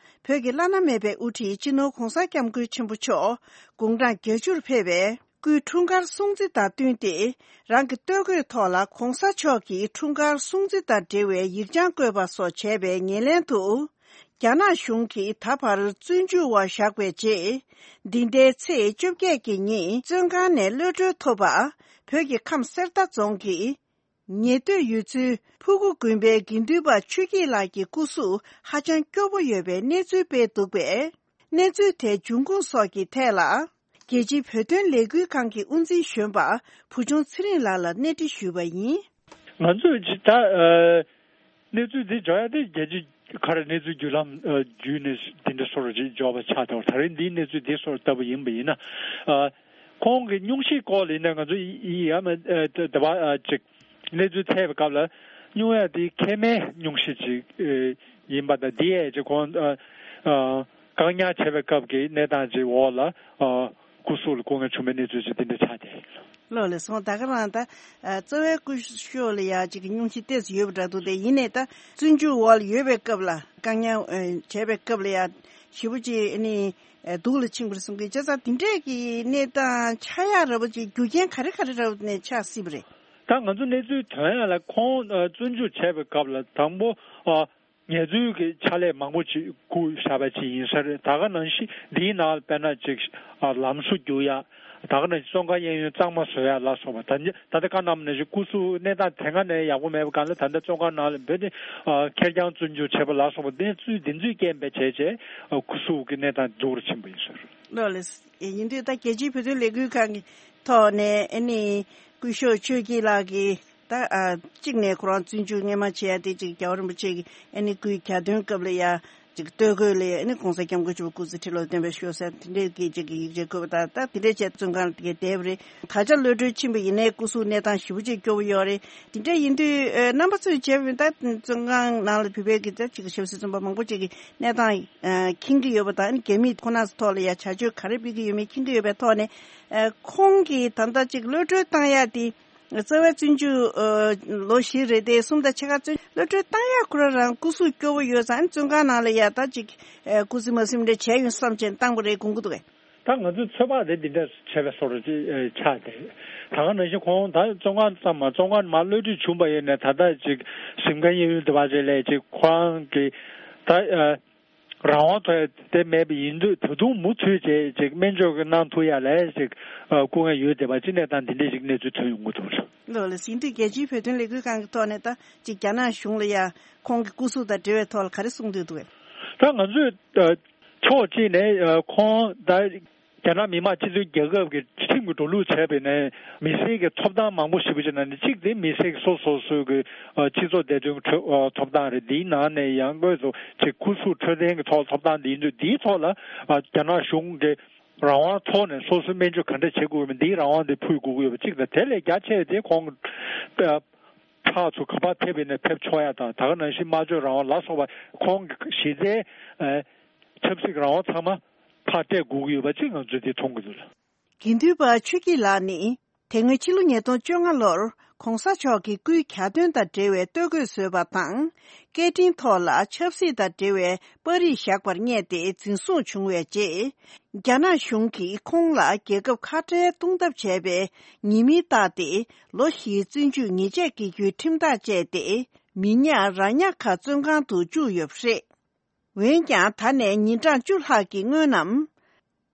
བོད་ཀྱི་བླ་ན་མེད་པའི་དབུ་ཁྲིད་སྤྱི་ནོར་༧གོང་ས་༧སྐྱབས་མགོན་ཆེན་པོ་མཆོག་དགུང་གྲངས་བརྒྱད་ཅུར་ཕེབས་པའི་སྐུའི་འཁྲུངས་སྐར་སྲུང་བརྩི་དང་བསྟུན་ཏེ། རང་གི་སྟོད་གོས་ཐོག་ལ་༧གོང་ས་མཆོག་གི་འཁྲུངས་སྐར་སྲུང་བརྩི་དང་འབྲེལ་བའི་ཡིག་བྱང་བཀོད་པ་སོགས་བྱས་པའི་ཉེར་ལེན་དུ། རྒྱ་ནག་གཞུང་གིས་ད་བར་བཙོན་འཇུག་འོག་བཞག་པའི་རྗེས། འདི་ཟླའི་ཚེས་བཅོ་བརྒྱད་ཀྱི་ཉིན་བཙོན་ཁང་ནས་གློད་གྲོལ་ཐོབ་པ། བོད་ཀྱི་ཁམས་གསེར་རྟ་རྫོང་གི་ཉེ་སྟོད་ཡུལ་ཚོའི་ཕུ་གུ་དགོན་པའི་དགེ་འདུན་པ་ཆོས་སྐྱིད་ལགས་ཀྱི་སྐུ་གཟུགས་ཧ་ཅང་སྐྱོ་པོ་ཡོད་པའི་གནས་ཚུལ་སྤེལ་འདུག་པས། གནས་ཚུལ་དེའི་འབྱུང་ཁུངས་སོགས་ཀྱི་ཐད་ལ། རྒྱལ་སྤྱིའི་བོད་དོན་ལས་འགུལ་ཁང་གི་དབུ་འཛིན་གཞོན་པ་བུ་ཆུང་ཚེ་རིང་ལགས་ལ་གནས་འདྲི་ཞུས་པ་ཡིན། ང་ཚོས་ད་ཨ་གནས་ཚུལ་འདི་འཇོག་ཡ་དེ་རྒྱལ་སྤྱི་ག་རེ་གནས་ཚུལ་བརྒྱུད་ལམ་ཨ་བརྒྱུད་ནས་འདི་འདྲ་སོར་ཅིག་འཇོག་པ་ཆགས་ཐལ། ད་རེས་འདིའི་གནས་ཚུལ་འདི་སོར་ལྟ་བུ་ཡིན་པ་ཡིན་ན། ཨ་ཁོང་གི་སྙུང་གཞི་སྐོར་ལ་ཡིན་ན་ང་ཚོ་ཡི་ཡ་མ་ཨ་ད་བ་ཨ་ཅིག་གནས་ཚུལ་འཚོལ་བའི་སྐབས་ལ་སྙུང་ཡ་དེ་མཁལ་མའི་སྙུང་གཞི་ཅིག་ཨ་ཡིན་པ་དང་། འདི་ཡས་ཅིག་ཁོང་ཨ་ཨ་བཀག་ཉར་བྱས་པའི་སྐབས་ཀྱི་གནས་སྟངས་ཅིག་འོག་ལ་ཨ་སྐུ་གཟུགས་ལ་སྐུ་ངལ་བྱུང་བའི་གནས་ཚུལ་ཅིག་འདི་འདྲ་ཆགས་ཏེ། ལགས་ལགས་སོ། ད་ག་རང་ད་ཨ་རྩ་བའི་སྐུ་ཞབས་ལ་ཡ་ཅིག་གི་སྙུང་གཞི་ཏོག་ཙམ་ཡོད་པ་འདྲ་འདུག་སྟེ། ཡིན་ནའི་ད་བཙོན་འཇུག་འོག་ལ་ཡོད་པའི་སྐབས་ལ་བཀག་ཉར་ཨ་བྱས་པའི་སྐབས་ལ་ཡ་ཞེ་པོ་ཅིག་ཨ་ནི་ཨ་སྡུག་ལ་ཕྱིན་པར་གསུང་གི། བྱས་ཙང་འདི་འདྲས་ཀྱི་གནས་སྟངས་ཆགས་ཡག་འདྲ་པོ་ཅིག་རྒྱུ་རྐྱེན་ག་རེ་ག་རེ་འདྲ་པོ་ནས་ཆགས་སྲིད་པ་རེད། ད་ང་ཚོ་གནས་ཚུལ་ཐོན་ཡག་ལ་ཁོང་ཨ་བཙོན་འཇུག་བྱས་པའི་སྐབས་ལ་དང་པོ་ཨ་ངལ་རྩོལ་གྱི་ཕྱག་ལས་མང་པོ་ཅིག་བསྐུར་བཞག་པ་ཅིག་ཡིན་ས་རེད། ད་ག་ནང་བཞིན་འདིའི་ནང་དཔེར་ན་ཅིག་ཨ་ལམ་བཟོ་རྒྱུག་ཡ། ད་ག་ནང་བཞིན་བཙོན་ཁང་གཡས་གཡོན་གཙང་མ་བཟོ་ཡ་ལ་སོགས་པ། ད་ད་ལྟ་བཀའ་གནང་ནང་བཞིན་སྐུ་གཟུགས་གནས་སྟངས་དེ་སྔ་ནས་ཡག་པོ་མེད་པ་གང་ལ། ད་ལྟ་བཙོན་ཁང་ནང་ལ་འབོད་དེ་ཁེར་རྐྱང་བཙོན་འཇུག་བྱས་པ་ལ་སོགས་པ། གནས་ཚུལ་འདི་ཚོའི་སྐད་འབད་བྱས་བྱས་སྐུ་གཟུགས་ཀྱི་གནས་སྟངས་སྡུག་རུ་ཕྱིན་པ་ཡིན་ཟེར། ལགས་ལགས། ཡིན་དུས་ད་རྒྱལ་སྤྱིའི་བོད་དོན་ལས་འགུལ་ཁང་གི་ཐོག་ནས་ཨ་ནི་སྐུ་ཞབས་ཆོས་སྐྱིད་ལགས་ཀྱིས་ད་ཨ་གཅིག་ནས་ཁོ་རང་བཙོན་འཇུག་སྔོན་མ་བྱས་ཡ་དེ་གཅིག་རྒྱལ་བ་རིན་པོ་ཆེ་གི་ཨ་ནི་སྐུའི་གྱ་སྟོན་སྐབས་ལ་ཡ་གཅིག་སྟོད་གོས་ལ་ཡ་ཨ་ནི་༸གོང་ས་༸སྐྱབས་མགོན་ཆེན་པོ་སྐུ་ཚེ་ཁྲི་ལོ་བརྟན་པར་ཤོག་ཟེར་དེ་འདྲའི་གི་གཅིག་གི་ཡིག་ཆ་བཀོད་པ་དང་། ད་དེ་འདྲའི་བྱས་བཙོན་ཁང་ལ་དེ་གའི་བསྡད་པ་རེད། ད་ཆ་གློད་གྲོལ་ཕྱིན་པ་ཡིན་ནའི་སྐུ་གཟུགས་གནས་སྟངས་ཞེ་པོ་ཅིག་སྐྱོ་བོ་ཡོད་རེད། དེ་འདྲ་ཡིན་དུས་ཨ་རྣམ་པ་ཚོས་བྱས་པ་ཡིན་ད་བཙོན་ཁང་ནང་ལ་བོད་པའི་གི་ད་གཅིག་གི་ཞབས་ཞུ་བཙོན་པ་མང་པོ་ཅིག་གི་གནས་སྟངས་ཨ་མཁྱེན་གྱི་ཡོད་པ་དང་། རྒྱ་མིས་ཁོ་ན་ཚོ་ཐོག་ལ་ཡ་བྱ་སྤྱོད་ག་རེ་སྤེལ་གྱི་ཡོད་མེད་མཁྱེན་གྱི་ཡོད་པའི་ཐོག་ནས། ཨ་ཁོང་གིས་ད་ལྟ་ཅིག་གློད་གྲོལ་བཏང་ཡ་དེ་རྩ་བའི་བཙོན་འཇུག་ཨ་ལོ་བཞི་རེ་དེ་གསུམ་དང་ཕྱེད་ཀ་བཙོན་གློད་གྲོལ་བཏང་ཡ་ཁོ་རང་རང་སྐུ་གཟུགས་སྐྱོ་བོ་ཡོད་ཙང་། བཙོན་ཁང་ནང་ལ་ཡ་ད་ཅིག་ཨ་སྐུ་ཚེ་མ་ཟིན་འདྲ་བྱས་ཡོང་བསམ་བྱས་བཏང་པ་རེད་དགོངས་ཀྱི་འདུག་གས། ད་ང་ཚོའི་ཚོད་དཔག་དེ་འདི་འདྲ་བྱས་པའི་བཟོ་འདྲ་ཅིག་ཨ་ཆགས་ཏེ། ད་ག་ནང་བཞིན་ཁོང་ད་བཙོན་ཁང་ཙམ་མ་བཙོན་ཁང་མར་གློད་གྲོལ་བྱུང་པ་ཡིན་ནའི་ད་ལྟ་ཅིག་གཟིམ་ཁང་གཡས་གཡོན་དེ་བ་ཅིག་ལས་ཅིག་ཁོ་རང་གི་ད་ཨ། རང་དབང་ཐོབ་ཡ་དེ་མེད་པ་ཡིན་དུས་ད་དུང་མུ་མཐུད་བྱས་ཅིག་སྨན་བཅོས་ཀྱི་གནང་ཐུབ་ཡ་ལ་ཅིག་ཨ་སྐུ་ངལ་ཡོད་བསྡད་པ་ཅིག་གནས་སྟངས་འདི་འདྲའི་ཞིག་གནས་ཚུལ་ཐོན་ཡོང་གི་འདུག་ལགས། ལགས་ལགས། ཡིན་དུས་རྒྱལ་སྤྱིའི་བོད་དོན་ལས་འགུལ་ཁང་གི་ཐོག་ནས་ད་ཅིག་རྒྱ་ནག་གཞུང་ལ་ཡ་ཁོང་གི་སྐུ་གཟུགས་དང་འབྲེལ་བའི་ཐོག་ལ་ག་རེ་གསུང་འདོད་འདུག་གས། ད་ང་ཚོས་ཨ་ཕྱོགས་གཅིག་ནས་ཨ་ཁོང་ད་རྒྱ་ནག་མི་དམངས་སྤྱི་མཐུན་རྒྱལ་ཁབ་ཀྱི་ཁྲིམས་ཀྱི་འགྲོ་ལུགས་བྱས་པ་ཡིན་ནའི་མི་སེར་གྱི་ཐོབ་ཐང་མང་པོ་ཞེ་པོ་ཅིག་ནང་ནས་གཅིག་དེ་མི་སེར་གྱི་སོ་སོ་སོའི་གི་ཨ་སྤྱི་ཚོགས་བདེ་དོན་གྱི་ཁྲོད་ཨ་ཐོབ་ཐང་རེད། དེའི་ནང་ནས་ཡང་སྒོས་སུ་ཅིག་སྐུ་གཟུགས་འཕྲོད་བསྟེན་གྱི་ཐོག་ཐོབ་ཐང་དེ་ཡིན་དུས། དེའི་ཐོག་ལ་ཨ་རྒྱ་ནག་གཞུང་གི་རང་དབང་ཐོག་ནས་སོ་སོའི་སྨན་བཅོས་ག་འདྲ་བྱེད་དགོས་མིན་དེའི་རང་དབང་དེ་ཕུལ་དགོས་ཀྱི་ཡོད་པ་གཅིག་དང་། དེ་ལས་རྒྱ་ཆེ་བ་དེ་ཁོང་གི་ཨ་ཕར་ཚུར་ག་པར་ཕེབས་པ་ཡིན་ནའི་ཕེབས་ཆོག་ཡ་དང་། ད་ག་ནང་བཞིན་སྨྲ་བརྗོད་རང་དབང་ལ་སོགས་པ་ཁོང་གི་གཞི་རྩའི་ཨ་ཆབ་སྲིད་ཀྱི་རང་དབང་ཚང་མ་ཕར་སྤྲད་དགོས་ཀྱི་ཡོད་པ་གཅིག་ང་ཚོས་འདི་མཐོང་གི་འདུག་ལགས། དགེ་འདུན་པ་ཆོས་སྐྱིད་ལགས་ནི་དེ་སྔོན་ཕྱི་ལོ་ཉིས་སྟོང་བཅོ་ལྔ་ལོར་༸གོང་ས་མཆོག་གི་སྐུའི་གྱ་སྟོན་དང་འབྲེལ་བའི་སྟོད་གོས་བཟོས་པ་དང་། སྐད་འཕྲིན་ཐོག་ལ་ཆབ་སྲིད་དང་འབྲེལ་བའི་པར་རིས་བཞག་པར་བསྙད་དེ་འཛིན་བཟུང་བྱུང་བའི་རྗེས། རྒྱ་ནག་གཞུང་གིས་ཁོང་ལ་རྒྱལ་ཁབ་ཁ་བྲལ་གཏོང་ཐབས་བྱས་པའི་ཉེས་མིང་བཏགས་ཏེ། ལོ་བཞིའི་བཙོན་འཇུག་ཉེས་ཆད་འགེལ་རྒྱུའི་ཁྲིམས་ཐག་བཅད་དེ། མི་ཉག་ར་ཉག་ཁ་བཙོན་ཁང་དུ་བཅུག་ཡོད་པ་རེད། འོན་ཀྱང་ད་ནས་ཉིན་གྲངས་བཅུ་ལྷག་གི་སྔོན་ནམ།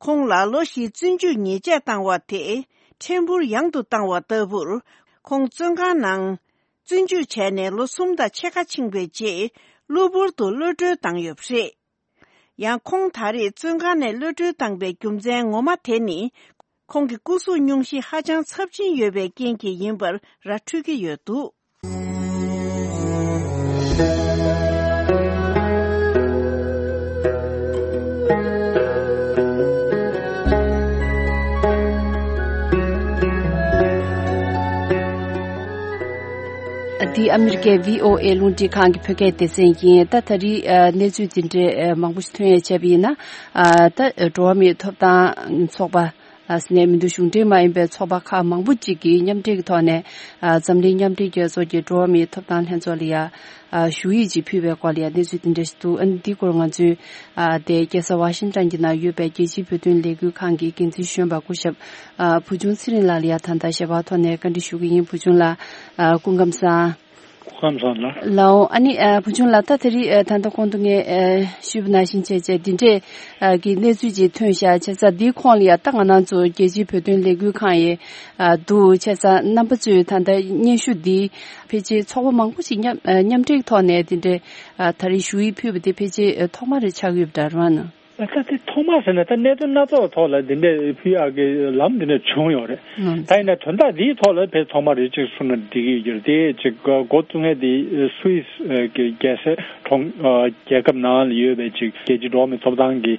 ཁོང་ལ་ལོ་བཞིའི་བཙོན་འཇུག་ཉེས་ཆད་བཏང་བ་དེ་ཕྲན་བུ་ཡང་དུ་བཏང་བ་ལྟ་བུར། ཁོང་བཙོན་ཁང་ནང་བཙོན་འཇུག་བྱས་ནས་ལོ་གསུམ་དང་ཕྱེད་ཀ་ཕྱིན་པའི་རྗེས། གློ་བུར་དུ་གློད་གྲོལ་བཏང་ཡོད་པ་རེད། ཡང་ཁོང་ད་རེས་བཙོན་ཁང་ནས་གློད་གྲོལ་བཏང་པའི་རྒྱུ་མཚན་ངོ་མ་དེ་ནི། ཁོང་གི་སྐུ་གཟུགས་སྙུང་གཞི་ཧ་ཅང་ཚབས་ཆེན་ཡོད་པའི་རྐྱེན་གྱིས་ཡིན་པར་ར་འཕྲོད་ཀྱི་ཡོད་འདུག། འདི་ཨ་མི་རི་ཀའི་བྷི་ཨོ་ཨེ་རླུང་འཕྲིན་ཁང་གི་བོད་སྐད་སྡེ་ཚན་ཡིན། ད་ད་རེས་ཨ་གནས་ཚུལ་འདི་འདྲའི་ཨ་མང་པོ་ཞིག་ཐོན་ཡས་བྱས་པ་ཡིན་ན། ཨ་ད་འགྲོ་བ་མིའི་ཐོབ་ཐང་ཚོགས་པ། ཨ་ཟེར་ནས་མི་འདུག་གཞུང་འབྲེལ་མ་ཡིན་པའི་ཚོགས་པ་ཁག་མང་པོ་ཅིག་གིས་མཉམ་འབྲེལ་གྱི་ཐོག་ནས། ཨ་འཛམ་གླིང་མཉམ་འབྲེལ་རྒྱལ་ཚོགས་ཀྱི་འགྲོ་བ་མིའི་ཐོབ་ཐང་ལྷན་ཚོགས་ལ་ཡ། ཨ་ཞུ་ཡིག་ཅིག་ཕུལ་བའི་སྐོར་ལ་ཡ་གནས་ཚུལ་དེ་འདྲ་ཞིག་འདུག། ཨ་ནི་འདིའི་སྐོར་ང་ཚོས་ཨ་དེ་རྒྱལ་ས་ཝ་ཤིང་ཊོན་གྱི་ནང་ཡོད་པའི་རྒྱལ་སྤྱིའི་བོད་དོན་ལས་འགུལ་ཁང་གི་འགན་འཛིན་གཞོན་པ་སྐུ་ཞབས་ཨ་བུ་ཆུང་ཚེ་རིང་ལགས་ལ་ཡ་ད་ལྟ་ཞལ་པར་ཐོག་ནས་བཀའ་འདྲི་ཞུ་གི་ཡིན། བུ་ཆུང་ལགས། ཨ་སྐུ་ཁམས་བཟང་། སྐུ་ཁམས་བཟང་ལགས། ལགས་འོང་། ཨ་ནི་ཨ་བུ་ཆུང་ལགས། ད་དེ་རིང་ཨ་ད་ལྟ་གོང་དུ་ངས་ཨ་ཞུས་པ་ནང་བཞིན་བྱས་བྱས་འདི་འདྲས་ཨ་གི་གནས་ཚུལ་ཅིག་ཐོན་ཤག། བྱས་ཙང་འདིའི་ཁོངས་ལ་ཡ་ད་ང་རང་ཚོ་རྒྱལ་སྤྱིའི་བོད་དོན་ལས་འགུལ་ཁང་ཡི་ཨ་འདུག། བྱས་ཙང་རྣམ་པ་ཚོས་ད་ལྟ་སྙན་ཞུ་འདི་ཕལ་ཆེར་ཚོགས་པ་མང་པོ་ཞིག་མཉམ་ཨ་མཉམ་འབྲེལ་ཐོག་ནས་འདི་འདྲས་ཨ་ད་རེས་ཞུ་ཡིག་ཕུལ་བ་འདི་ཕལ་ཆེར་ཨ་ཐོག་མ་རེ་ཆགས་ཡོད་པ་འདྲ་རེད་བ་ན། ད་དེ་ཐོག་མ་ཟེར་ན་ད་གནད་དོན་སྣ་ཚོགས་ཐོག་ལ་འདི་འདྲས་ཕུལ་ཡག་གི་ལམ་འདི་འདྲས་བྱུང་ཡོད་རེད། ད་ཡིན་ན་དོན་དག་འདིའི་ཐོག་ལ་ཕལ་ཐོག་མ་རེ་གཅིག་གསུངས་ན་འགྲིག་གི་ཡོད་རེད། དེ་གཅིག་འགོ་བཙུགས་མཁན་དེ་སུད་སི་གི་རྒྱལ་སའི་གྲོང་རྒྱལ་ཁབ་ནང་ལ་ཡོད་པའི་གཅིག་རྒྱལ་སྤྱིའི་འགྲོ་བ་མིའི་ཐོབ་ཐང་གི་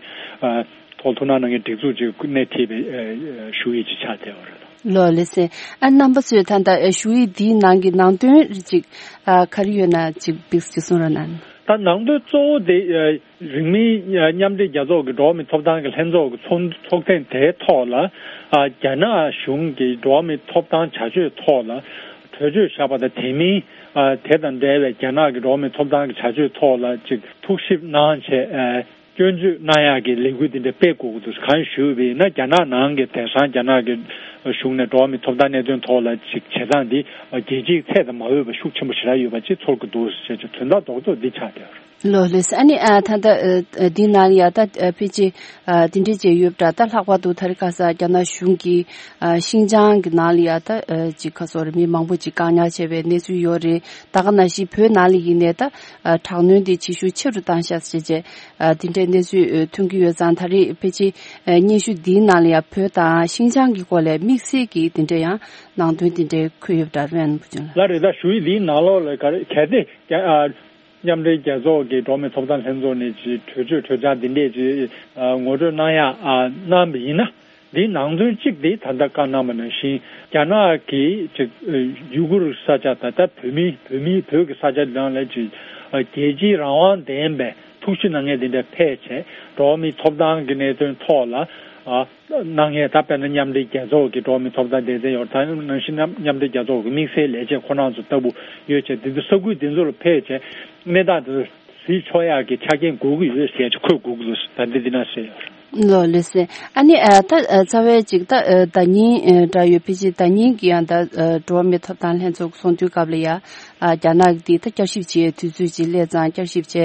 ཐོག་ཐུགས་སྣང་གནང་མཁན་སྒྲིག་འཛུགས་ཅིག་སྣེ་ཁྲིད་པའི་ཞུ་ཡིག་ཅིག་ཆགས་བསྡད་ཡོད་རེད། ལགས་ལགས་སེ། ཨ་རྣམ་པ་ཚོས་ད་ལྟ་ཞུ་ཡིག་འདིའི་ནང་གི་ནང་དོན་རེ་ཅིག་ག་རེ་ཡོད་ན་ཅིག་ཏོག་ཙམ་ཅིག་གསུང་རོགས་གནང་། ད་ནང་དོན་གཙོ་བོ་དེ་རིང་མིན་མཉམ་འབྲེལ་རྒྱལ་ཚོགས་ཀྱི་འགྲོ་བ་མིའི་ཐོབ་ཐང་གི་ལྷན་ཚོགས་ཀྱི་ཚོགས་ཚོགས་ཐེངས་དེའི་ཐོག་ལ་རྒྱ་ནག་གཞུང་གི་འགྲོ་བ་མིའི་ཐོབ་ཐང་བྱ་སྤྱོད་ཐོག་ལ་གྲོས་ཆོད་བཞག་པ་དང་། དེ་མིན་དེ་དང་འབྲེལ་བའི་རྒྱ་ནག་གི་འགྲོ་བ་མིའི་ཐོབ་ཐང་གི་བྱ་སྤྱོད་ཐོག་ལ་ཅིག་ཐུགས་ཞིབ་གནང་བྱས། སྐྱོན་བརྗོད་གནང་ཡག་གི་ལས་འགུལ་འདི་འདྲ་སྤེལ་དགོས་ཀྱི་འདུག། གང་ཞུས་པ་ཡིན་ན་རྒྱ་ནག་ནང་གི་དེང་སང་རྒྱ་ནག་གི་ གཞུང་ནས་འགྲོ་བ་མིའི་ཐོབ་ཐང་གནད་དོན་ཐོག་ལ་ཅིག་བྱེད་སྟངས་འདི་རྒྱལ་སྤྱིའི་ཚད་དང་མ་འོས་པ་ཤུགས་ཆེན་པོ་ཞེ་དྲག་ཡོད་པ་ཅིག་ཚོར་གྱི་འདུག་ཟེར་བྱས་དོན་དག་རྡོག་རྡོག་འདི་ཆགས་བསྡད་ཡོད་རེད། ལོ་ལེགས། ཨ་ནི་ཨ་ད་ལྟ་ཨ་འདི་ནང་ལ་ཡ་ད་ཨ་ཕལ་ཆེར་ཨ་འདི་འདྲས་བྱས་ཡོད་པ་འདྲ། ད་ལྷག་པར་དུ་དེ་རིང་ཁ་སང་རྒྱ་ནག་གཞུང་གིས་ཨ་ཤིན་ཅང་གི་ནང་ལ་ཡ་ད་ཨ་ཅིག་ག་སོགས་རེད། མི་མང་པོ་ཅིག་བཀག་ཉར་བྱས་པའི་གནས་ཚུལ་ཡོད་རེད། ད་ག་ནང་བཞིན་བོད་ནང་ལ་ཡིན་ནའི་ད་ཨ་དྲག་གནོན་དེ་བྱེད་ཤུགས་ཆེ་རུ་བཏང་ཤག་ཟེར་བྱས་ཨ་འདི་འདྲས་གནས་ཚུལ་ཨ་ཐོན་གྱི་ཡོད་ཙང་། ད་རེས་ཕལ་ཆེར་ཨ་སྙན་ཞུ་འདིའི་ནང་ལ་ཡ་བོད་དང་ཤིན་ཅང་གི་སྐོར་ལ་དམིགས་བསལ་གྱི་འདི་འདྲས་ཡང་ནང་དོན་འདི་འདྲས་འཁོད་ཡོད་པ་འདྲ། རེད་བན་བུ་ཆུང་ལགས། ལགས་རེད། ད་ཞུ་ཡིག་འདིའི་ནང་ལོགས་ལ་ག་རེ་གལ་ཏེ་རྒྱ་ཨ། མཉམ་འབྲེལ་རྒྱལ་ཚོགས་ཀྱི་འགྲོ་བ་མིའི་ཐོབ་ཐང་ལྷན་ཚོགས་ནས་ཀྱི་གྲོས་ཆོད་གྲོས་འཆར་འདི་འདྲས་ཀྱི་ངོ་སྤྲོད་གནང་ཡག་གནང་བ་ཡིན་ན། འདིའི་ནང་དོན་གཅིག་འདི་ད་ལྟ་བཀའ་གནང་བ་ནང་བཞིན་རྒྱ་ནག་གིས་ཅིག་ཡུ་གུར་ས་ཆ་དང་ད་བོད་མི་བོད་མི་བོད་ཀྱི་ས་ཆ་འདི་ནང་ལ་ཅིག་རྒྱལ་སྤྱིའི་རང་དབང་ལྡན་པའི་ཐུགས་ཞིབ་གནང་མཁན་འདི་འདྲ་ཕེབས་བྱས་འགྲོ་བ་མིའི་ཐོབ་ཐང་གི་གནད་དོན་ཐོག་ལ། གནང་མཁན་ད་དཔེར་ན་མཉམ་འབྲེལ་རྒྱལ་ཚོགས་ཀྱི་འགྲོ་བ་མིའི་ཐོབ་ཐང་སྡེ་ཚན་ཡོད་རེད། ད་ནང་བཞིན་མཉམ་མཉམ་འབྲེལ་རྒྱལ་ཚོགས་ཀྱི་དམིགས་བསལ་ལས་བྱེད་ཁོ་རང་ཚོ་ལྟ་བུ་ཡོད་ཅེས། དེ་ཚོ་ས་ཁུལ་དེ་ཚོ་ལ་ཕེབས་བྱས་གནས་སྟངས་དེ་ཚོ་གཟིགས་ཆོག་ཡག་གི་ཆ་རྐྱེན་དགོས་ཀྱི་ཡོད་ཟེར་ཅིག་འཁོད་དགོས་ཀྱི་འདུག་ད་འདི་འདི་ན་ཟེར་ཡོད་རེད། ལོ་ལེགས་སེ། ཨ་ནི་ཨ་ད་ཨ་རྩ་བའི་ཅིག་ད་ཨ་ཟླ་ཉིན་ཨ་འདྲ་ཡོད། ཕལ་ཆེར་ཟླ་ཉིན་གྱི་ཡང་ད་ཨ་འགྲོ་བ་མིའི་ཐོབ་ཐང་ལྷན་ཚོགས་ཚོགས་འདུའི་སྐབས་ལ་ཡ་ཨ་རྒྱ་ནག་གིས་ད་བསྐྱར་ཞིབ་བྱེད་དུས་ཚོད་ཅིག་སླེབས་ཙང་། བསྐྱར་ཞིབ་བྱས་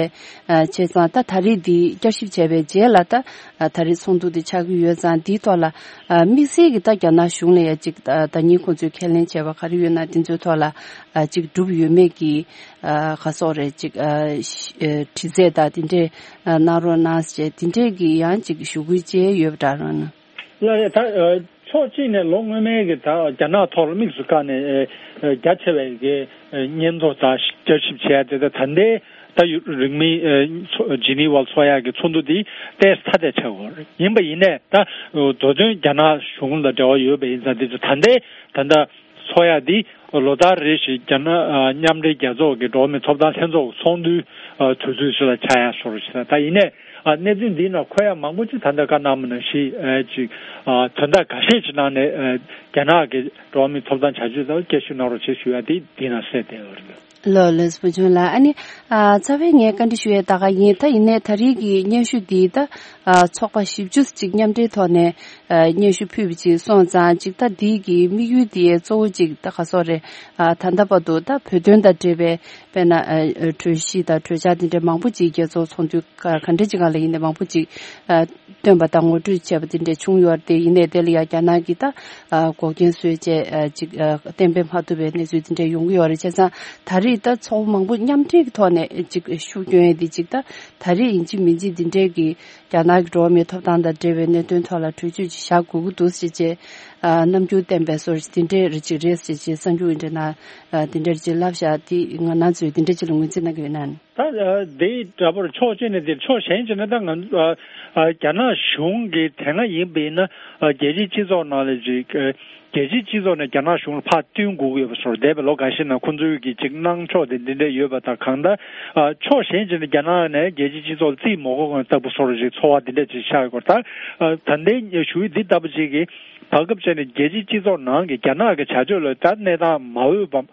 ཨ་བྱས་ཙང་ད་ད་རེས་འདི་བསྐྱར་ཞིབ་བྱས་པའི་རྗེས་ལ་ད་ཨ་ད་རེས་ཚོགས་འདུ་འདི་ཆགས་ཀྱི་ཡོད་ཙང་། འདིའི་ཐོག་ལ་ཨ་དམིགས་བསལ་གྱི་ད་རྒྱ་ནག་གཞུང་ལ་ཡ་ཅིག་ཨ་ཟླ་ཉིན་ཁོང་ཚོས་ཁས་ལེན་བྱས་པ་ག་རེ་ཡོད་ན་དེ་ཚོའི་ཐོག་ལ་ཨ་ཅིག་གྲུབ་ཡོད་མེད་ཀྱི་ཨ་ག་སོགས་རེད། ཅིག་ཨ་ཤ་ཨ་དྲི་རྩད་དང་དེ་འདྲས་ཨ་གནང་རོགས་གནང་ཟེར་དེ་འདྲས་ཀྱི་ཡང་ཅིག་ཞུ་སྐུལ་བྱས་ཡོད་པ་འདྲ་རང་ན། ལགས་རེད། ད་ཨ་ཕྱོགས་གཅིག་ནས་ལོ་སྔོན་མའི་གི་ད་རྒྱ་ནག་ཐོག་ལ་དམིགས་སུ་བཀར་ནས་ཨ་ཨ་རྒྱ་ཆེ་བའི་གི་ཨ་སྙན་ཐོ་དང་བསྐྱར་ཞིབ་བྱས་ཏེ། ད་ད་ལྟའི་ད་ཡུ་རིང་མིན་ཨ་ཚོ་ཇི་ནི་ཝར་ཚོགས་ཡག་གི་ཚོགས་འདུ་འདི་ཏོག་ཙམ་ཐ་དད་ཆགས་ཡོད་རེད། ཡིན་པ་ཡིན་ནས་ད་མདོ་དོན་རྒྱ་ནག་གཞུང་ལ་འབྲེལ་བ་ཡོད་པ་ཡིན་ཙང་། འདི་ཚོ་ད་ལྟའི་ད་ལྟ་ཚོགས་ཡག་འདི་ལོ་ལྟར་རེ་བཞིན་རྒྱ་ནག་ཨ་མཉམ་འབྲེལ་རྒྱལ་ཚོགས་ཀྱི་འགྲོ་བ་མིའི་ཐོབ་ཐང་ལྷན་ཚོགས་ཚོགས་འདུའི་ཨ་དུས་ཚོད་ཞིག་ལ་ཆགས་ཡག་བཟོ་འདྲ་ཞིག་དང་། ད་ཡིན་ནས་ཨ་གནས་ཚུལ་འདིའི་ནང་འཁོད་ཡག་མང་པོ་ཅིག་ད་ལྟ་བཀའ་གནང་བ་ནང་བཞིན་ཨ་ཅིག་ཨ་དོན་དག་འགའ་ཤས་ཅིག་གནང་ནས་ཨ་རྒྱ་ནག་གི་འགྲོ་བ་མིའི་ཐོབ་ཐང་བྱ་སྤྱོད་དང་བསྐྱར་ཞིབ་གནང་རོགས་བྱེད་ཞུ་ཡག་འདི་འདི་ནང་གསལ་བསྡད་ཡོད་རེད། ལགས་ལགས་སོ། བུ་ཆུང་ལགས། ཨ་ནི་ཨ་རྩ་བའི་ངས་བཀའ་འདྲི་ཞུ་ཡས་ད་ག་ཡིན། ད་ཡིན་ནའི་ད་རེས་ཀྱི་སྙན་ཞུ་འདི་ད་ཨ་ཚོགས་པ་བཞི་བཅུ་ཅིག་མཉམ་འབྲེལ་ཐོག་ནས་ཨ་སྙན་ཞུ་ཕུལ་བ་ཅིག་སོང་ཙང་། ཅིག་ད་འདི་གི་དམིགས་ཡུལ་འདི་གཙོ་བོ་ཅིག་ད་ག་སོགས་རེད། ཨ་ད་ལྟ་བར་དུ་ད་བོད་དོན་དང་འབྲེལ་བའི་དཔེར་ན་ཨ་གྲོས་གཞི་དང་གྲོས་འཆར་འདི་འདྲ་མང་པོ་ཅིག་རྒྱལ་ཚོགས་ཚོགས་འདུ་ག་ག་འདྲ་ཅིག་སྒང་ལ་ཡིན་ནའི་མང་པོ་ཅིག་ཨ་བཏོན་པ་དང་ངོ་སྤྲོད་བྱས་པ་དེ་འདྲ་བྱུང་ཡོད་རེད། དེ་ཡིན་ནའི་དེ་ལ་ཡང་རྒྱ་ནག་གིས་ད་ཨ་འགོག་རྐྱེན་བཟོས་བྱས་ཨ་ཅིག་ཨ་གཏན་འབེབས་མ་ཐུབ་པའི་གནས་ཚུལ་དེ་འདྲ་ཡོང་གི་ཡོད་རེད། བྱས་ཙང་ད་རེས་ད་ཚོགས་པ་མང་པོ་མཉམ་འབྲེལ་གྱི་ཐོག་ནས་ཅིག་ཤུགས་སྐྱོན་ཡས་དེ་ཅིག་ད་ད་རེས་ཡིན་གཅིག་མིན་གཅིག་འདི་འདྲའི་གི་རྒྱ་ནག་གི་འགྲོ་བ་མིའི་ཐོབ་ཐང་དང་འབྲེལ་བའི་གནད་དོན་ཐོག་ལ་གྲོས་ཆོད་ཅིག་བཞག་དགོས་ཀྱི་འདུག་ཟེར་བྱས་ཨ་རྣམ་འགྱུར་བསྟན་པའི་བཟོ་འདི་འདྲའི་རིགས་ཅིག་རེད་ཟེར་བྱས་གསར་འགྱུར་འདི་འདྲ་ནང་ཨ་འདི་འདྲ་ཅིག་ལབ་བཞག་དེ་ང་རང་ཚོས་འདི་འདྲ་ཅིག་ལ་ངོས་འཛིན་གནང་གི་ཡོད་ན། ད་ཨ་དེ་འདྲ་པོར་ཕྱོགས་གཅིག་ནས་དེ། ཕྱོགས་གཞན་ཅིག་ནས་ད་ང་ཚོ་ཨ་ཨ་རྒྱ་ནག་གཞུང་གི་དེ་སྔ་ཡིན་པ་ཡིན་ན་ཨ་རྒྱལ་སྤྱིའི་སྤྱི་ཚོགས་ནང་ལ་ཅིག་ཨ་རྒྱལ་སྤྱིའི་སྤྱི་ཚོགས་ནས་རྒྱ་ནག་གཞུང་ལ་ཕར་བསྟུན་དགོས་ཀྱི་ཡོད་པ་བཟོ་འདྲ། འདས་པའི་ལོ་འགའ་ཤས་ནང་ཁོང་ཚོའི་གི་ཅིག་གནང་ཕྱོགས་དེ་འདི་འདྲ་ཡོད་པ་དང་། གང་ལྟར་ཨ་ཕྱོགས་གཞན་ཅིག་ནས་རྒྱ་ནག་ནས་རྒྱལ་སྤྱིའི་སྤྱི་ཚོགས་ལ་རྩིས་མ་དགོས་གོང་ལྟ་བུ་བཟོ་འདྲ་ཅིག་ཚོར་བ་འདི་འདྲ་ཅིག་ཤར་ཡོད་སྐོར། ད་ཨ་ད་ལྟའི་ཞུ་ཡིག་འདི་ལྟ་བུ་ཅིག་གིས་བར་སྐབས་ཅིག་ནས་རྒྱལ་སྤྱིའི་སྤྱི་ཚོགས་ནང་གི་རྒྱ་ནག་གི་བྱ་སྤྱོད་ལ་ད་གནས་སྟངས་མ་འོས་པ་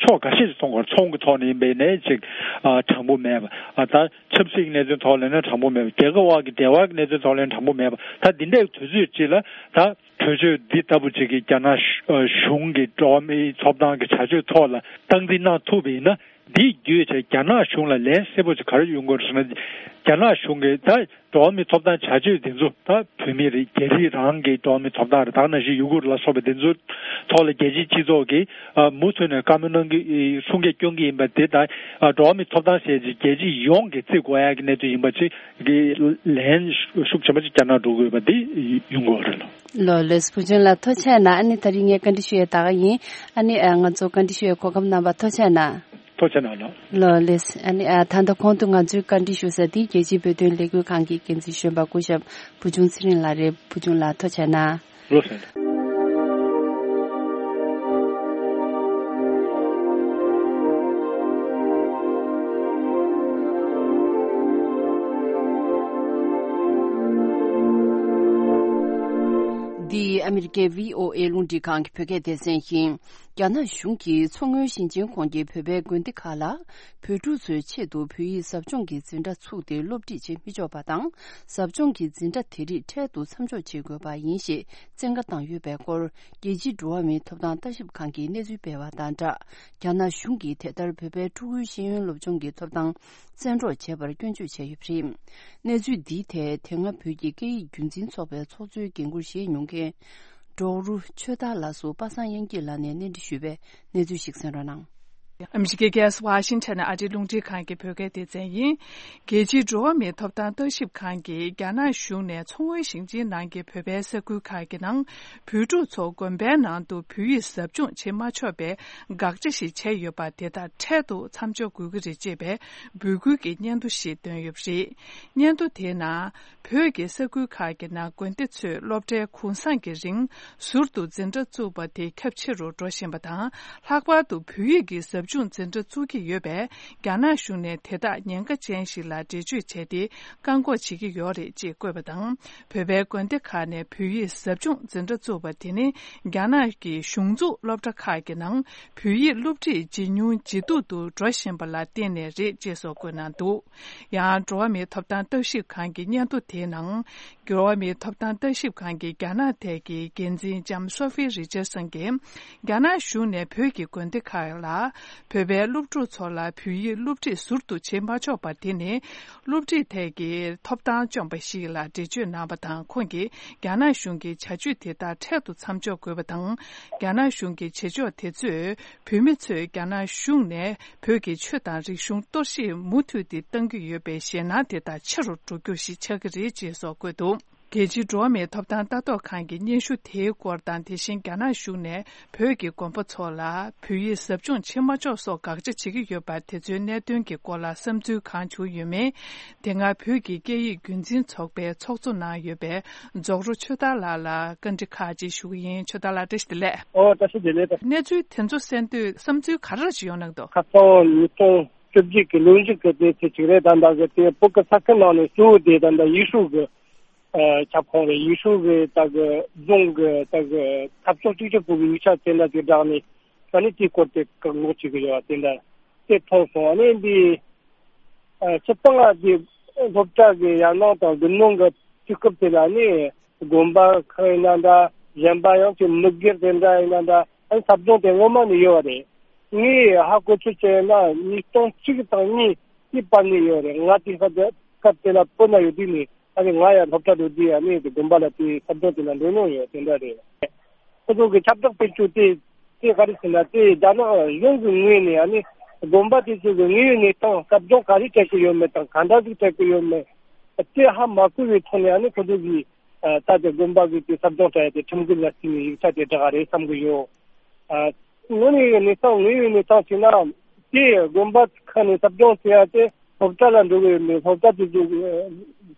ཕྱོགས་འགའ་ཤས་ཤིག་མཐོང་གི་ཡོད་རེད། ཚོང་གི་ཐོག་ནས་ཡིན་པ་ཡིན་ནའི་ཅིག་ཨ་དྲང་པོ་མེད་པ། ཨ་ད་ཆབ་སྲིད་ཀྱི་གནད་དོན་ཐོག་ལ་ཡིན་ན་དྲང་པོ་མེད་པ། རྒྱལ་ཁབ་དབར་གྱི་འབྲེལ་བ་གི་གནད་དོན་ཐོག་ལ་ཡིན་ན་དྲང་པོ་མེད་པ། ད་འདི་འདྲའི་དུས་ཚོད་ཅིག་ལ་ད་གྲོས་ཆོད་འདི་ལྟ་བུ་ཅིག་གིས་རྒྱ་ནག་གཞུང་གི་འགྲོ་བ་མིའི་ཐོབ་ཐང་གི་བྱ་སྤྱོད་ཐོག་ལ་སྟངས་འཛིན་གནང་ཐུབ་པ་ཡིན་ན། འདི་བརྒྱུད་བྱས་རྒྱ་ནག་གཞུང་ལ་ལན་གསལ་པོ་ཅིག་ག་རེ་ཡོང་དགོས་རེད་ཟེར་ན། རྒྱ་ནག་གཞུང་གིས་ད་འགྲོ་བ་མིའི་ཐོབ་ཐང་བྱ་སྤྱོད་འདི་ཚོ། ད་བོད་མི་རེད། རྒྱ་རིགས་རང་གི་འགྲོ་བ་མིའི་ཐོབ་ཐང་རེད། ད་ག་ནང་བཞིན་ཡུ་གུར་ལ་སོགས་པ་འདི་ཚོའི་ཐོག་ལ་རྒྱལ་སྤྱིའི་སྤྱི་ཚོགས་ཀྱིས་ཨ་མུ་མཐུད་ནས་བཀའ་མོལ་གནང་གི་ཨེ་གསུང་སྐད་སྐྱོན་གྱི་ཡིན་པ་དེ། ད་ཨ་འགྲོ་བ་མིའི་ཐོབ་ཐང་ཟེར་ཅིག་རྒྱལ་སྤྱི་ཡོངས་ཀྱིས་བརྩི་དགོས་ཡག་གི་གནད་དོན་ཡིན་པ་ཅིག་གི་ལན་ཤུགས་ཆེན་པོ་ཅིག་བསྐྱར་གནང་འགྲོ་དགོས་པ་འདི་ཡོང་གི་ཡོད་རེད་ལགས། ལགས་ལགས། བུ་ཆུང་ལགས་ཐུགས་རྗེ་གནང་། ཨ་ནི་ད་རིང་ངས་བཀའ་འདྲི་ཞུ་ཡས་ད་ག་ཡིན། ཨ་ནི་ཨ་ང་ཚོ་བཀའ་འདྲི་ཞུ་ཡས་གོ་སྐབས་གནང་བར་ཐུགས་རྗེ་གནང་། ཐུགས་རྗེ་གནང་ལགས། ལགས་ལགས། ཨ་ནི་ཨ་ད་ལྟ་གོང་དུ་ང་ཚོའི་བཀའ་འདྲི་ཞུ་ས་འདི་རྒྱལ་སྤྱིའི་བོད་དོན་ལས་འགུལ་ཁང་གི་འགན་འཛིན་གཞོན་པ་སྐུ་ཞབས་བུ་ཆུང་ཚེ་རིང་ལགས་རེད། བུ་ཆུང་ལགས་ཐུགས་རྗེ་གནང་། ལགས་སོ། འདི་ཨ་མི་རི་ཀའི་བྷི་ཨོ་ཨེ་རླུང་འཕྲིན་ཁང་གི་བོད་སྐད་སྡེ་ཚན་ཡིན། རྒྱ་ནག་གཞུང་གིས་མཚོ་སྔོན་ཞིང་ཆེན་ཁོངས་ཀྱི་བོད་པའི་དགོན་སྡེ་ཁག་ལ། བོད་ཕྲུག་ཚོའི་ཆེད་དུ་བོད་ཡིག་ཟབ་སྦྱོང་གི་འཛིན་གྲྭ་ཚུགས་ཏེ་སློབ་ཁྲིད་བྱེད་མི་ཆོག་པ་དང་། ཟབ་སྦྱོང་གི་འཛིན་གྲྭ་དེ་རིགས་འཕྲལ་དུ་མཚམས་འཇོག་བྱེད་དགོས་པ་ཡིན་ཞེས་བཙན་བཀའ་བཏང་ཡོད་པའི་སྐོར། རྒྱལ་སྤྱིའི་འགྲོ་བ་མིའི་ཐོབ་ཐང་ལྟ་ཞིབ་ཁང་གིས་གནས་ཚུལ་སྤེལ་བ་དང་སྦྲགས། རྒྱ་ནག་གཞུང་གིས་དེ་ལྟར་བོད་པའི་ཕྲུ་གུའི་ཤེས་ཡོན་སློབ་སྦྱོང་གི་ཐོབ་ཐང་བཙན་འཕྲོག་བྱས་པར་སྐྱོན་བརྗོད་བྱས་ཡོད་པ་རེད། གནས་ཚུལ་འདིའི་ཐད་དེ་སྔ་བོད་ཀྱི་སྐད་ཡིག་རྒྱུན་འཛིན་ཚོགས་པའི་ཚོགས་གཙོའི་འགན་འཁུར་བཞེས་མྱོང་མཁན། ཌོག་རུ་ཆོས་དར་ལགས་སུ་པ་སངས་དབྱངས་སྐྱིད་ལགས་ནས་གནས་འདྲི་ཞུས་པའི་གནས་ཚུལ་ཞིག་གསན་རོགས་གནང་། ཨ་མི་རི་ཀའི་རྒྱལ་ས་ཝ་ཤིང་ཊོན་ནས་ཨ་རིའི་རླུང་འཕྲིན་ཁང་གི་བོད་སྐད་སྡེ་ཚན་ཡིན། རྒྱལ་སྤྱིའི་འགྲོ་བ་མིའི་ཐོབ་ཐང་ལྟ་ཞིབ་ཁང་གིས་རྒྱ་ནག་གཞུང་ནས་མཚོ་སྔོན་ཞིང་ཆེན་ནང་གི་བོད་པའི་ས་ཁུལ་ཁག་གི་ནང་། བོད་ཕྲུག་ཚོ་དགོན་པའི་ནང་དུ་བོད་ཡིག་ཟབ་སྦྱོང་བྱེད་མ་ཆོག་པའི་དགག་བྱ་ཞིག་བྱས་ཡོད་པ་དེ་དག་འཕྲལ་དུ་མཚམས་འཇོག་དགོས་ཀྱི་རེད་ཅེས་པའི་འབོད་སྐུལ་གྱི་སྙན་ཐོ་ཞིག་བཏོན་ཡོད་པ་རེད། སྙན་ཐོ་དེའི་ནང་། བོད་ཀྱི་ས་ཁུལ་ཁག་གི་ནང་དགོན་སྡེ་ཚོས་སློབ་གྲྭའི་གུང་སེང་གི་རིང་ཟུར་དུ་འཛིན་གྲྭ་བཙུགས་པ་དེ་ཁྱབ་ཆེ་རུ་འགྲོ་བཞིན་པ་དང་། ལྷག་པར་དུ་བོད་ཡིག་གི་ཟབ་སྦྱོང་འཛིན་གྲྭ་བཙུགས་ཀྱི་ཡོད་པས། རྒྱ་ནག་གཞུང་ནས་དེ་དག་ཉེན་ཁ་ཅན་ཞིག་ལ་འགྲེལ་བརྗོད་བྱས་ཏེ། བཀག་འགོག་བྱེད་ཀྱི་ཡོད་རེད་ཅེས་བཀོད་པ་དང་། བོད་པའི་དགོན་སྡེ་ཁག་ནས་བོད་ཡིག་ཟབ་སྦྱོང་འཛིན་གྲྭ་བཙུགས་པ་དེ་ནི། རྒྱ་ནག་གི་གཞུང་འཛུགས་སློབ་གྲྭ་ཁག་གི་ནང་བོད་ཡིག་སློབ་ཁྲིད་ཇེ་ཉུང་ཇེ་སྡུག་ཏུ་འགྲོ་བཞིན་པ་ལ་བརྟེན་ནས་རེད་ཅེས་སོགས་བཀོད་གནང་འདུག་ཡང་། འགྲོ་བ་མིའི་ཐོབ་ཐང་ལྟ་ཞིབ་ཁང་གི་སྙན་ཐོ་དེའི་ནང་། འགྲོ་བ་མིའི་ཐོབ་ཐང་ལྟ་ཞིབ་ཁང་གི་རྒྱ་ནག་ཐད་ཀྱི་འགན་འཛིན་ལྕམ་སོ་ཧྥི་རི་ཅར་སན་གྱིས། རྒྱ་ནག་གཞུང་ནས་བོད་ཀྱི་དགོན་སྡེ་ཁག་ལ། བོད་པའི་སློབ་ཕྲུག་ཚོ་ལ་བོད་ཡིག་སློབ་ཁྲིད་ཟུར་དུ་བྱེད་མ་ཆོག་པ་དེ་ནི། སློབ་ཁྲིད་ཐད་ཀྱི་ཐོབ་ཐང་བཅོམ་པ་ཞིག་ལ་འགྲེལ་བརྗོད་གནང་བ་དང་། ཁོང་གིས། རྒྱ་ནག་གཞུང་གི་བྱ་སྤྱོད་དེ་དག་འཕྲལ་དུ་མཚམས་འཇོག་དགོས་པ་དང་། རྒྱ་ནག་གཞུང་གི་བྱེད་ཕྱོགས་དེ་ཚོས། བོད་མི་ཚོས་རྒྱ་ནག་གཞུང་ནས་བོད་ཀྱི་ཆོས་དང་རིག་གཞུང་གཏོར་བཤིག་མུ་མཐུད་དེ་གཏང་གི་ཡོད་པའི་ཞེད་སྣང་དེ་དག་ཆེ་རུ་འགྲོ་རྒྱུ་ཞིག་ཆགས་ཀྱི་རེད་ཅེས་སོགས་བཀོད་འདུག་རྒྱལ་སྤྱིའི་འགྲོ་བ་མིའི་ཐོབ་ཐང་ལྟ་རྟོག་ཁང་གི་སྙན་ཞུ་དེའི་སྐོར་དང་། དེ་བཞིན་རྒྱ་ནག་གཞུང་ནས་བོད་ཀྱི་དགོན་པ་ཚོ་ལ་བོད་ཡིག་ཟབ་སྦྱོང་བྱེད་མ་ཆོག་སོགས་དགག་བྱ་བྱེད་ཀྱི་ཡོད་པ་དེ་ཚོའི་གནད་དོན་གྱི་སྐོར་ལ་བསམ་ཚུལ་གང་བྱུང་ཡོད་མེད། དེ་སྔ་བོད་ཀྱི་སྐད་ཡིག་རྒྱུན་འཛིན་ཚོགས་པའི་ཚོགས་གཙོ་གནང་ཡོད་པའི། རྫོགས་རོ་ཆོས་དར་ལགས་ལ་བཀའ་འདྲི་ཁག་ཅིག་ཞུ་གི་ཡིན། ཆོས་དར་ལགས་བཀྲ་ཤིས་བདེ་ལེགས། ཨོ་བཀྲ་ཤིས་བདེ་ལེགས། གནས་ཚུལ་དེ་ཚོ་གསན་དུས་བསམ་ཚུལ་ག་རེ་ཞིག་ཡོང་གནང་འདུག་ཁ་སང་ཉིས་སྟོང་བཅོ་བརྒྱད་ཀྱི་ལོ་མཇུག་གི་དེ་ཚེ་གཅིག་རེད། ད་ལྟ་གི་དེ་བོད་ཀྱི་ས་ཁུལ་ནང་ནས་གཙོ་བོ་དེ་ད་ལྟ་ཡུས་ཧྲུའུ་གི་ཨ་ཁྱབ་ཁོངས་རེད། ཡུས་ཧྲུའུ་གི་ད་གི་རྫོང་གི་ད་གི་འཐབ་ཕྱོགས་གཅིག་གྱུར་པུའུ་གི་ཡིག་ཆ་དེ་འདྲ་ཅིག་བསྒྲགས་ནས་ད་ནི་དེའི་སྐོར་དེ་བཀག་འགོག་བྱེད་ཀྱི་ཡོད་པ་དེ་འདྲ་དེ་མཐོང་སོང་། ཨ་ནི་འདི་ཨ་སྤྱིར་བཏང་ཨ་ཀྱི་སློབ་གྲྭ་གི་ཡར་སྣང་དང་དགུན་གནང་གི་དུས་སྐབས་དེ་ལ་ནི་དགོན་པ་ཁག་ཡིན་ན་འདྲ། གཞན་པ་ཡང་ཅིག་མི་སྒེར་དེ་འདྲ་ཡིན་ན་འདྲ། ཨ་ནི་ཟབ་སྦྱོང་དེ་སྔོན་མ་ནས་ཡོད་པ་རེད། ངས་ཧ་གོ་ཚོད་བྱས་ན་ཉིས་སྟོང་གཅིག་དང་གཉིས་དེའི་བར་ནས་ཡོད་རེད། ང་དེ་སྐབས་དེ་སྐབས་དེ་ལ་བོད་ན་ཡོད་དུས་ནས་ཨ་ནི་ང་ཡང་སློབ་གྲྭ་འགྲོ་དུས་ཨ་ནི་དགོན་པ་ལ་དེ་ཟབ་སྦྱོང་དེ་ལ་འགྲོ་མྱོང་ཡོད། དེ་འདྲ་རེད། ཁོ་ཚོ་གི་ཁྱབ་བསྒྲགས་སྤེལ་རྒྱུ་དེ་དེ་ག་རེ་ཟེར་ན། དེ་རྒྱ་ནག་གཞུང་གི་ངོས་ནས་ཨ་ནི་དགོན་པ་དེ་ཚོ་གི་དངོས་ཡོད་གནས་སྟངས་ཟབ་སྦྱོང་ག་རེ་སྤྲད་ཀྱི་ཡོད་མེད་དང་ག་འདྲ་ཞིག་སྤྲད་ཀྱི་ཡོད་མེད་དེ་ཧ་མ་གོ་བའི་ཐོག་ནས་ཨ་ནི་ཁོ་ཚོ་གིས་ད་ལྟ་དགོན་པ་གི་དེ་ཟབ་སྦྱོང་སྤྲད་ཡ་དེ་ཁྲིམས་འགལ་ལ་བརྩིས་ནས་ཡིག་ཆ་དེ་བསྒྲགས་རེད་བསམ་གི་ཡོད། ཨ་དངོས་གནས་ཀྱི་གནས་སྟངས་དངོས་ཡོད་གནས་སྟངས་བྱས་ན་དེ་དགོན་པ་ཁག་ནས་ཟབ་སྦྱོང་བྱེད་ཡ་དེ་སློབ་གྲྭ་ལ་འགྲོ་གི་ཡོད་མེད། སློབ་གྲྭ་དེ་ཚོ་གི་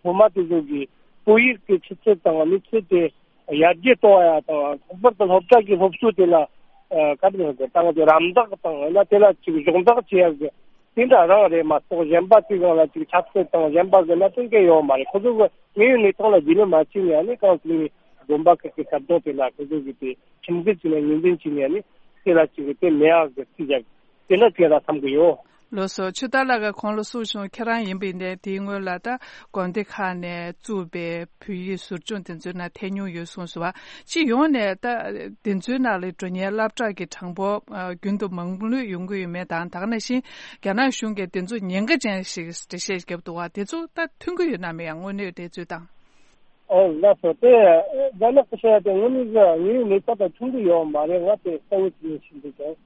སློབ་མ་དེ་ཚོ་གི་བོད་ཡིག་གི་ཆུ་ཚད་དང་གནས་ཚུལ་དེ་ཡར་རྒྱས་གཏོང་བ་ཡ་དང་། ལྷག་པར་དུ་སློབ་གྲྭ་གི་སློབ་གསོ་དེ་ལ་ཨ་ག་རེ་ཟེར་དགོས། ད་ང་ཚོ་རམ་འདེགས་དང་ཡང་ན་དེ་ལ་ཅིག་སྦྱོང་བརྡར་བྱེད་ཡ་གི་དེ་འདྲ་རང་རེད་མ་གཏོགས་གཞན་པ་དེ་སྒང་ལ་ཅིག་ཆབ་སྲིད་དང་གཞན་པ་གི་གནད་དོན་གང་ཡོད་མ་རེད། ཁོ་ཚོ་གི་དངོས་ཡོད་གནས་སྟངས་ལ་རྒྱུས་ལོན་མ་བྱས་ནས་ཨ་ནི་གང་ཅིག་ནས་དགོན་པ་ཁག་གི་ཟབ་སྦྱོང་དེ་ལ་ཁོ་ཚོ་གི་དེ་ཁྲིམས་འགལ་བྱས་ནས་ངོས་འཛིན་བྱས་ནས་ཨ་ནི་དེ་ལ་ཅིག་དེ་མེད་ཡག་གི་རྩིས་རྒྱག་དེ་འདྲ་བྱས་ལ་བསམ་གི་ཡོད། ལགས་སོ། ཆོས་དར་ལགས་ཀྱིས་གོང་ལ་གསུངས་བྱུང་། ཁྱེད་རང་ཡིན་པ་ཡིན་ནའི་དེའི་སྔོན་ལ་ད་དགོན་སྡེ་ཁག་ནས་བཙུགས་པའི་བོད་ཡིག་ཟབ་སྦྱོང་དེ་ཚོའི་ནང་ཐེབས་མྱོང་ཡོད་གསུངས་སོང་བ། སྤྱི་ཡོངས་ནས་ད་དེ་ཚོའི་ནང་ལ་འགྲོ་མཁན་སློབ་གྲྭ་གི་གྲངས་འབོར་ཨ་རྒྱུན་དུ་མང་ལོས་ཡོང་གི་ཡོད་མེད་དང་། ད་ག་ནང་བཞིན་རྒྱ་ནག་གཞུང་གིས་དེ་ཚོ་ཉེན་ཁ་ཅན་ཞིག་འགྲེལ་བཤད་བརྒྱབ་འདུག་བ། དེ་ཚོ་ད་མཐུན་གྱི་ཡོད་ན་མེད་ཡང་དངོས་གནས་དེ་ཚོའི་དང་། ཨོ་ལགས་སོ། དེ་རྒྱ་ནག་གི་བཤད་ཡ་དེ་དངོས་གནས་ཀྱི་དངོས་ཡོད་གནས་སྟངས་དང་མཐུན་གྱི་ཡོད་མ་རེད། ང་དེ་གསལ་བོ་ཅིག་ཤེས་འདུག་ཀྱང་།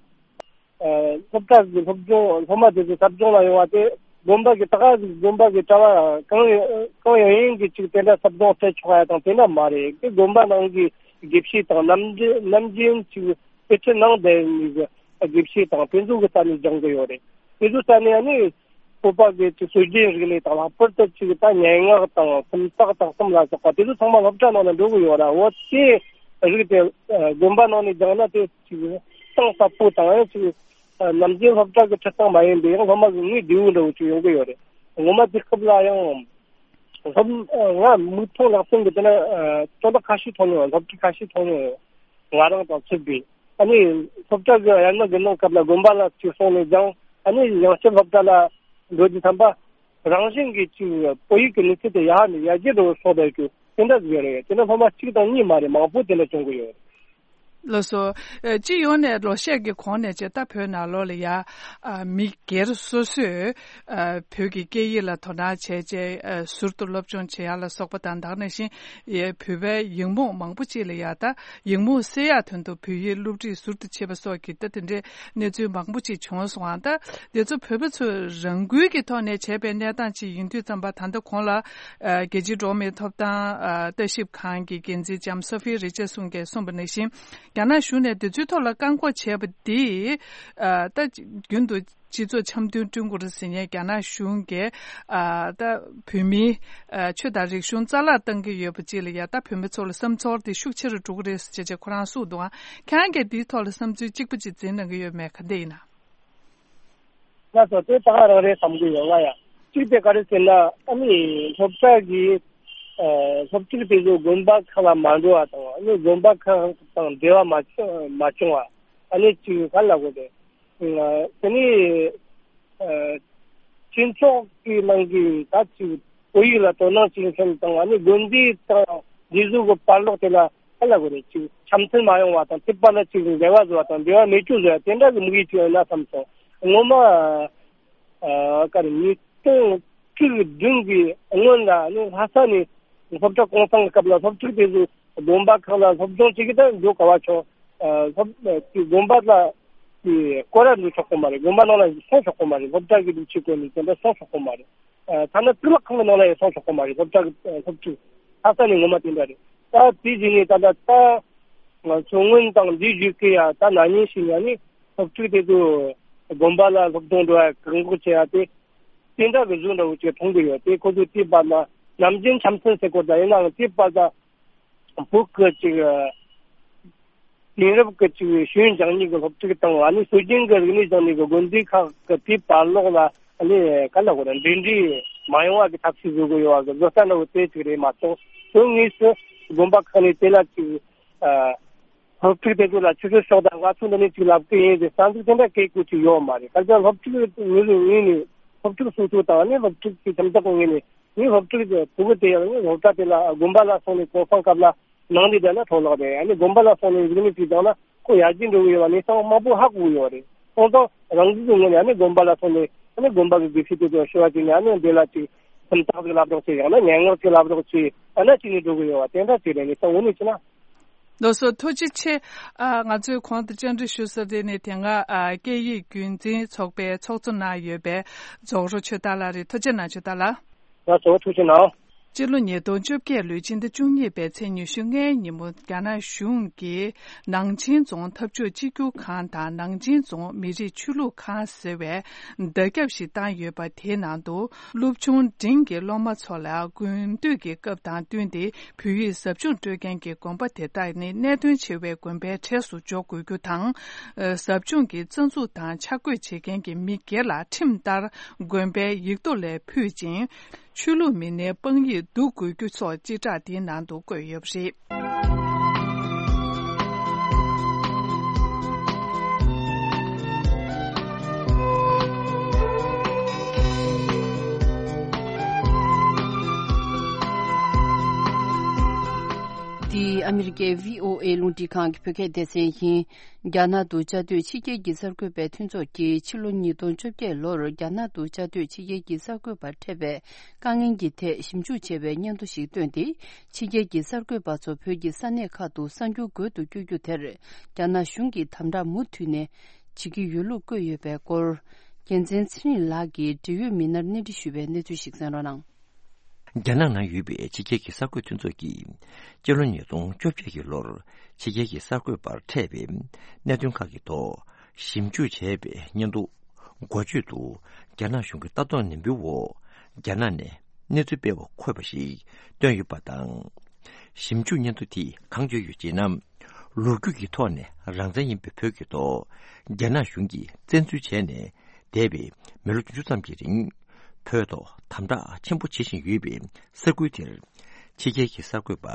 ཨ་སློབ་གྲྭ་གི་སློབ་སྦྱོང་སློབ་མ་དེ་ཚོ་ཟབ་སྦྱོང་ལ་ཡོང་བ་དེ་དགོན་པ་གི་ད་ག་ཟིག་དགོན་པ་གི་གྲྭ་བ་གང་ཡང་གང་ཡང་ཡིན་གི་ཅིག་དེ་འདྲ་ཟབ་སྦྱོང་སྤྲད་ཆོག་ཡ་དང་དེ་འདྲ་མ་རེད། དེ་དགོན་པ་ནང་གི་དགེ་བཤེས་དང་ནམ་རྒྱུན་ནམ་རྒྱུན་ཅིག་དཔེ་ཁྲིད་གནང་བསྡད་མི་གི་དགེ་བཤེས་དང་དེ་ཚོ་གི་རྩ་ནས་སྦྱང་གི་ཡོད་རེད། དེ་ཚོ་རྩ་ནས་ཨ་ནི་བོད་པ་གི་ཅིག་སྲོལ་རྒྱུན་རིག་གནས་དང་། ལྷག་པར་དུ་ཅིག་ད་སྙན་ངག་དང་སུམ་རྟགས་དང་གསུམ་ལ་སོགས་པ་དེ་ཚོ་ཚང་མ་སློབ་གྲྭ་ནང་ནས་འགྲོ་གི་ཡོད་ར། འོ་དེ་རིགས་དེ་ཨ་དགོན་པ་ནང་ནས་སྦྱངས་ན་དེ་ཅིག་གཏིང་ཟབ་པོ་དང་ཡང་ཅིག་ཨ་ནམ་རྒྱུན་སློབ་གྲྭ་གི་ཁྲིད་སྟངས་མ་ཡིན་པའི་ཡང་སློབ་མ་གི་ངོས་བདེ་བོ་འདྲ་བོ་ཅིག་ཡོང་གི་ཡོད་རེད། ངོ་མ་དེ་སྐབས་ལ་ཡང་སློབ་ང་མིག་མཐོང་ལག་ཟིན་གི་དེ་ན་ཨ་དོན་དག་ཁ་ཤས་མཐོང་མྱོང་། སློབ་ཁྲིད་ཁ་ཤས་མཐོང་མྱོང་། ང་རང་དང་མཚུངས་པའི། ཨ་ནི་སློབ་གྲྭ་གི་ཡར་ནང་གི་ནང་སྐབས་ལ་དགོན་པ་ལ་ཅིག་སོང་ནས་ཀྱང་ཨ་ནི་ཡང་བསྐྱར་སློབ་གྲྭ་ལ་འགྲོ་རྒྱུ་ཐམ་པ་རང་བཞིན་གྱིས་ཅིག་བོད་ཡིག་གི་ནུས་ཚད་དེ་ཡར་ནས་ཡར་རྒྱས་འགྲོ་བར་སོགས་པའི་གི་དེ་འདྲ་ཟིག་ཡོད་རེད། དེ་འདྲ་སློབ་མ་གཅིག་དང་གཉིས་མ་རེད། མང་པོ་དེ་འདྲ་བྱུང་གི་ཡོད་རེད། ལགས་སོ། ཨ། སྤྱི་ཡོངས་ནས་ལོ་ཤས་ཀྱི་གོང་ནས་བྱས་ད་བོད་ནང་ལོགས་ལ་ཡ། ཨ། མི་སྒེར་སོ་སོས། ཨ། བོད་ཀྱི་སྐད་ཡིག་ལ་དོ་སྣང་བྱས་བྱས། ཨ། ཟུར་དུ་སློབ་སྦྱོང་བྱེད་ཡག་ལ་སོགས་པ་དང་། ད་ག་ནང་བཞིན་ཡ་བོད་པའི་ཡིག་རྨོངས་མང་པོ་ཅིག་ལ་ཡ་ད་ཡིག་རྨོངས་སེལ་ཡག་དོན་དུ་བོད་ཡིག་སློབ་ཁྲིད་ཟུར་དུ་བྱེད་པ་སོགས་ཀྱི་ད་དེ་འདྲའི་གནས་ཚུལ་མང་པོ་ཅིག་བྱུང་སོང་། ཨ། ད་དེ་ཚོ་བོད་པ་ཚོས་རང་འགུལ་གྱི་ཐོག་ནས་བྱས་པའི་གནས་སྟངས་ཅིག་ཡིན་དུས་ཙམ་པ། ད་ལྟ་གོང་ལ། ཨ། རྒྱལ་སྤྱིའི་འགྲོ་བ་མིའི་ཐོབ་ཐང་། ཨ། ལྟ་ཞིབ་ཁང་གི་འགན་འཛིན་ལྕམ་སོ་ཧྥི་རི་ཅར་སོན་གྱིས་གསུངས་པ་ནང་བཞིན། རྒྱ་ནག་གཞུང་ནས་དེ་ཚོའི་ཐོག་ལ་བཀག་འགོག་བྱས་པ་འདིས། ཨ། ད་རྒྱུན་དུ་སྤྱི་ཚོགས་འཆམ་མཐུན་བསྐྲུན་དགོས་རེད་ཟེར་མཁན་རྒྱ་ནག་གཞུང་གིས། ཨ། ད་བོད་མིའི། ཨ། ཆོས་དང་རིག་གཞུང་རྩ་བརླག་བཏང་གི་ཡོད་པ་ཅིག་ལ་ཡ་ད་བོད་མི་ཚོ་ལ་བསམ་ཚོར་དེ་ཤུགས་ཆེ་རུ་འགྲོ་གི་རེད་ཟེར་བྱས་བྱས་ཁོ་རང་གསུངས་འདུག། ཨ། ཁྱེད་རང་གིས་འདིའི་ཐོག་ལ་བསམ་ཚུལ་གཅིག་པ་ཅིག་འཛིན་གནང་གི་ཡོད་མེད། ག་འདྲ་ཡིན་ན། ང་ཚོ་དེ་ད་ག་རང་རེད་བསམ་གྱི་ཡོད། ང་ཡང་གཅིག་དེ་ག་རེ་ཟེར་ན། ཨ་ནི་སློབ་གྲྭ་གི། ཨ། སློབ་ཕྲུག་དེ་ཚོ་དགོན་པ་ཁག་ལ་མ་འགྲོ་བ་དང་། ཨ་ནི་དགོན་པ་ཁག་དང་འབྲེལ་བ་མ་བྱུང་མ་བྱུང་བ། ཨ་ནི་ཅིག་ག་ལ་གོ་དེ། ཨ། དེ་ནི། ཨ། སྤྱི་ཚོགས་ཀྱི་ནང་གི་ད་ཅིག་བོད་ཡིག་ལ་དོ་སྣང་བྱེད་མཁན་དང་། ཨ་ནི་དགོན་སྡེ་དང་འདི་ཚོ་གི་བར་ལོགས་དེ་ལ་ག་ལ་གོ་རེད། ཅིག་འཆམ་མཐུན་མ་ཡོང་བ་དང་། དེ་བར་ལ་ཅིག་འབྲེལ་བ་བཟོ་བ་དང་། འབྲེལ་བ་མེད་རྒྱུ་བཟོ་བ་དེ་འདྲ་གི་དམིགས་ཡུལ་ཅིག་ཡོད་ན་བསམ་སོང་། ངོ་མ། ཨ། ག་རེ། ཉིས་སྟོང་བཅུ་བདུན་གི་སྔོན་ལ་ནི་ལྷ་ས་ནས་སློབ་གྲྭ་གུང་སེང་གི་སྐབས་ལ་སློབ་ཕྲུག་དེ་ཚོ་དགོན་པ་ཁག་ལ་སློབ་སྦྱོང་བྱེད་ཀྱི་ད་འགྲོ་ག་བ་ཆོག། ཨ། སློབ་དེ་དགོན་པ་ལ་དེ་སྐོར་ར་འགྲོ་ཆོག་གི་མ་རེད། དགོན་པ་ནང་ལ་སོང་ཆོག་གི་མ་རེད། སློབ་གྲྭ་གི་སྒྲིག་ཆས་གོན་ནས་དེ་འདྲ་སོང་ཆོག་གི་མ་རེད། ཨ། ཐ་ན་གཙུག་ལག་ཁང་གི་ནང་ལ་ཡང་སོང་ཆོག་གི་མ་རེད། སློབ་གྲྭ་གི། ཨ། སློབ་ཕྲུག་ལྷ་ས་ནས་ངོ་མ་དེ་འདྲ་རེད། ད་དེ་བཞིན་ནས་ད་ལྟ་ད་ང་ཚོ་སྔོན་དང་འདི་བརྒྱུད་ཀྱི་ཡ་ད་ན་ནིང་ཞིག་ཡ་ནི་སློབ་ཕྲུག་དེ་ཚོ་དགོན་པ་ལ་སློབ་སྦྱོང་འགྲོ་ཡ་བཀག་འགོག་བྱེད་ཡ་དེ་དེ་འདྲ་གི་བཟོ་འདྲ་བོ་ཅིག་མཐོང་གི་ཡོད། དེ་ཁོ་ཚོ་དེ་བར་ལ་ནམ་རྒྱུན་འཆམ་མཐུན་ཟེར་གོ། ད་ཡིན་ནའང་དེ་བར་ད་བོད་ཀྱི་ཅིག་དེང་རབས་ཀྱི་ཅིག་ཤེས་ཡོན་སྦྱང་ནི་གི་སློབ་ཕྲུག་དང་། ཨ་ནི་སྲོལ་རྒྱུན་གྱི་རིག་གནས་སྦྱང་ནི་གི་དགོན་སྡེ་ཁག་གི་དེ་བར་ལོགས་ལ། ཨ་ནི་ག་ལ་གོ་ར་འབྲེལ་འདྲིས་མ་ཡོང་བ་གི་ཐབས་ཤེས་བཟོ་དགོས་ཡོད་བ་གི་བཟོ་ལྟ་འདྲ་བོ་དེ་ཅིག་རེད་མ་གཏོགས། དོན་དངོས་སུ་དགོན་པ་ཁག་ནས་དེ་ལ་ཅིག་ཨ། སློབ་ཕྲུག་དེ་ཚོ་ལ་ཆུ་ཚོད་ཤོག་དང་ང་ཚོ་འདི་ནས་ཅིག་ལབ་གི་ཡིན་ཟེར་རྩ་འཛུགས་དེ་འདྲ་སྐད་བསྐུར་ཅིག་ཡོད་མ་རེད། ག་ཚོད་སློབ་ཕྲུག་ངོས་ནས་ངོས་ནས་སློབ་ཕྲུག་སོ་སོ་དང་། ཨ་ནི་སློབ་ཕྲུག་གི་ཁྱིམ་བདག་ངོས་ནས། ངས་སློབ་ཕྲུག་ཕྲུ་གུ་དེ་ཡང་ནི་སློབ་གྲྭ་དེ་ལ་དགོན་པ་ལ་སོང་ནས་གུང་སེང་སྐབས་ལ་ནང་དེ་བསྡད་ན་འཕྲོ་བརླག་རེད། ཨ་ནི་དགོན་པ་ལ་སོང་ནས་རིག་གནས་ཅིག་སྦྱངས་ན་ཁོ་ཡར་རྒྱས་འགྲོ་གི་ཡོད་པ་གནས་སྟངས་མང་པོ་ཧ་གོ་གི་ཡོད་རེད། སོང་ཙང་རང་བཞིན་གྱི་ངོས་ནས་ཨ་ནི་དགོན་པ་ལ་སོང་ནས། ཨ་ནི་དགོན་པ་གི་དགེ་བཤེས་དེ་ཚོ་ཞུ་བ་བྱས་ནས། ཨ་ནི་འདི་ལ་ཅིག་སུམ་རྟགས་ཅིག་ལབ་རོགས་བྱེད། ཡང་ན་སྙན་ངག་ཅིག་ལབ་རོགས་བྱེད། ཨ་ནི་ཅིག་ནས་འགྲོ་གི་ཡོད་པ་དེ་འདྲ་ཅིག་རེད། གནས་སྟངས་དངོས་གནས་བྱས་ན། ལགས་སོ། ཐུགས་རྗེ་ཆེ། ཨ། ང་ཚོས་གོང་དུ་བཅར་འདྲི་ཞུ་ས་དེ་ནི་དེ་སྔ། ཨ། སྐད་ཡིག་རྒྱུན་འཛིན་ཚོགས་པའི་ཚོགས་གཙོ་གནང་ཡོད་པའི་རྫོགས་རོགས་ཆོས་དར་ལགས་རེད། ཐུགས་རྗེ་གནང་། ཆོས་དར་ལགས། ལགས་སོ། ཐུགས་རྗེ་གནང་། སྤྱི་ལོ་ཉིས་སྟོང་བཅོ་བརྒྱད་ལོའི་ཕྱི་ཟླ་བཅུ་གཉིས་པའི་ཚེས་ཉི་ཤུ་ལྔའི་ཉིན་མོ། རྒྱ་ནག་གཞུང་གིས་ནང་ཆེན་རྫོང་འཐབ་ཕྱོགས་གཅིག་གྱུར་ཁང་དང་། ནང་ཆེན་རྫོང་མི་རིགས་ཆོས་ལུགས་ཁང་ཟེར་བའི་བརྡ་ཁྱབ་ཞིག་བཏང་ཡོད་པ། དེའི་ནང་དུ་སློབ་ཆུང་འབྲིང་གི་སློབ་མ་ཚོ་ལ་དགུན་དུས་ཀྱི་སྐབས་དང་བསྟུན་ཏེ་བོད་ཡིག་ཟབ་སྦྱོང་སྤྲོད་མཁན་གྱི་དགོན་པ་དེ་དག་ནི་གནད་དོན་ཆེ་བའི་དགོན་པའི་གྲས་སུ་འཇོག་དགོས་རྒྱུ་དང་། ཟབ་སྦྱོང་གི་རྩ་འཛུགས་དང་ཕྱག་བགོས་བྱེད་མཁན་གྱི་མི་སྒེར་ལ་ཁྲིམས་ལྟར་དགོན་པའི་ཡིག་ཐོག་ལས་ཕུད་ཅིང་། ཆོས་ལུགས་མི་སྣའི་དཔང་ཡིག་བསྡུ་དགོས་རྒྱུ་སོགས་སྤྱི་བསྒྲགས་འདིའི་ནང་དུ་བཀོད་ཡོད་པ་རེད། འདི་ཨ་མི་རི་ཀའི་བྷི་ཨོ་ཨེ་རླུང་འཕྲིན་ཁང་གི་བོད་སྐད་སྡེ་ཚན་ཡིན། རྒྱ་ནག་ཏུ་བཅའ་སྡོད་ཕྱི་རྒྱལ་གྱི་གསར་འགོད་པའི་མཐུན་ཚོགས་ཀྱིས་ཕྱི་ལོ་ཉིས་སྟོང་བཅོ་བརྒྱད་ལོར་རྒྱ་ནག་ཏུ་བཅའ་སྡོད་ཕྱི་རྒྱལ་གྱི་གསར་འགོད་པར་འཕྲད་པའི་དཀའ་ངལ་གྱི་ཐད་ཞིབ་འཇུག་བྱས་པའི་སྙན་ཐོ་ཞིག་བཏོན་ཏེ། ཕྱི་རྒྱལ་གྱི་གསར་འགོད་པ་ཚོ་བོད་ཀྱི་ས་གནས་ཁག་ཏུ་གསར་འགྱུར་འགོད་དུ་བསྐྱོད་རྒྱུ་དེར་རྒྱ་ནག་གཞུང་གིས་དམ་དྲག་མུ་མཐུད་ནས་བྱེད་ཀྱི་ཡོད་ལུགས་བཀོད་ཡོད་པའི་སྐོར། རྒྱལ་མཚན་ཚེ་རིང་ལགས་ཀྱིས་འབྲེལ་ཡོད་མི་སྣར་གནས་འདྲི་ཞུས་པའི་གནས་ཚུལ་ཞིག་གསན་རོགས་གནང་། རྒྱ་ནག་ནང་ཡོད་པའི་ཕྱི་རྒྱལ་གྱི་གསར་འགོད་མཐུན་ཚོགས་ཀྱིས་སྤྱི་ལོ་ཉིས་སྟོང་བཅོ་བརྒྱད་ཀྱི་ལོར་ཕྱི་རྒྱལ་གྱི་གསར་འགོད་པར་འཕྲད་པའི་གནད་དོན་ཁག་གི་ཐོག་ཞིབ་འཇུག་བྱས་པའི་སྙན་ཐོ་འགོ་བརྗོད་དུ། རྒྱ་ནག་གཞུང་གི་ལྟ་རྟོག་ནན་པོའི་འོག་རྒྱ་ནག་ནས་གནས་ཚུལ་སྤེལ་བ་འཁོད་པ་ཞིག་བཏོན་ཡོད་པ་དང་། ཞིབ་འཇུག་སྙན་ཐོ་དེས་གང་བརྗོད་ཡོད་ཅེ་ན། ལོ་རྒྱུས་ཀྱི་ཐོག་ནས་རང་བཙན་ཡིན་པའི་བོད་ཀྱི་ཐོག་རྒྱ་ནག་གཞུང་གིས་བཙན་འཛུལ་བྱས་ནས་འདས་པའི་མི་ལོ་བདུན་ཅུ་ཙམ་གྱི་རིང་། བོད་ཐོག་དམ་དྲག་ཆེན་པོ་བྱེད་བཞིན་ཡོད་པའི་ས་ཁུལ་དེར། ཕྱི་རྒྱལ་གྱི་གསར་འགོད་པ་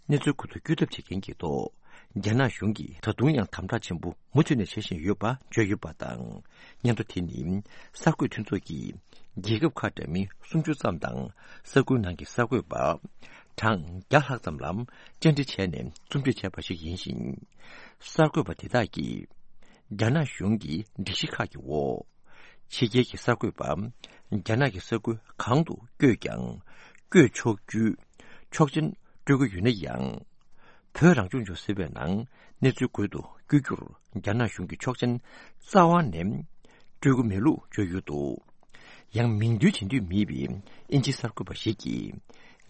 གནས་ཚུལ་ཁུལ་དུ་བསྐྱོད་ཐབས་བྱེད་མཁན་གྱི་ཐོག་ རྒྱ་ནག་གཞུང་གིས་ད་དུང་ཡང་དམ་དྲག་ཆེན་པོ་མུ་མཐུད་ནས་བྱེད་བཞིན་ཡོད་པ་བརྗོད་ཡོད་པ་དང་། སྙན་ཐོ་དེ་ནི་གསར་འགོད་མཐུན་ཚོགས་ཀྱིས་རྒྱལ་ཁབ་ཁག་འདྲ་མིན་སུམ་ཅུ་ཙམ་དང་ས་ཁུལ་ནང་གི་གསར་འགོད་པ་གྲངས་བརྒྱ་ལྷག་ཙམ་ལ་བཅར་འདྲི་བྱས་ནས་རྩོམ་སྒྲིག་བྱས་པ་ཞིག་ཡིན་ཞིང་། གསར་འགོད་པ་དེ་དག་གིས་རྒྱ་ནག་གཞུང་གི་སྒྲིག་གཞི་ཁག་གི་འོག་ཕྱི་རྒྱལ་གྱི་གསར་འགོད་པ་རྒྱ་ནག་གི་ས་ཁུལ་གང་དུ་བསྐྱོད་ཀྱང་། བསྐྱོད་ཆོག་རྒྱུའི་ཆོག་མཆན་སྤྲོད་ཀྱི་ཡོད་ན་ཡང་། བོད་རང་སྐྱོང་ལྗོངས་ཟེར་བའི་ནང་གནས་ཚུལ་དགོས་དུ་བསྐྱོད་རྒྱུར་རྒྱ་ནག་གཞུང་གིས་ཆོག་མཆན་རྩ་བ་ནས་སྤྲོད་ཀྱི་མེད་ལུགས་བརྗོད་ཡོད་འདུག་ཡང་མིང་འདོན་བྱེད་འདོད་མེད་པའི་དབྱིན་ཇིའི་གསར་འགོད་པ་ཞིག་གིས།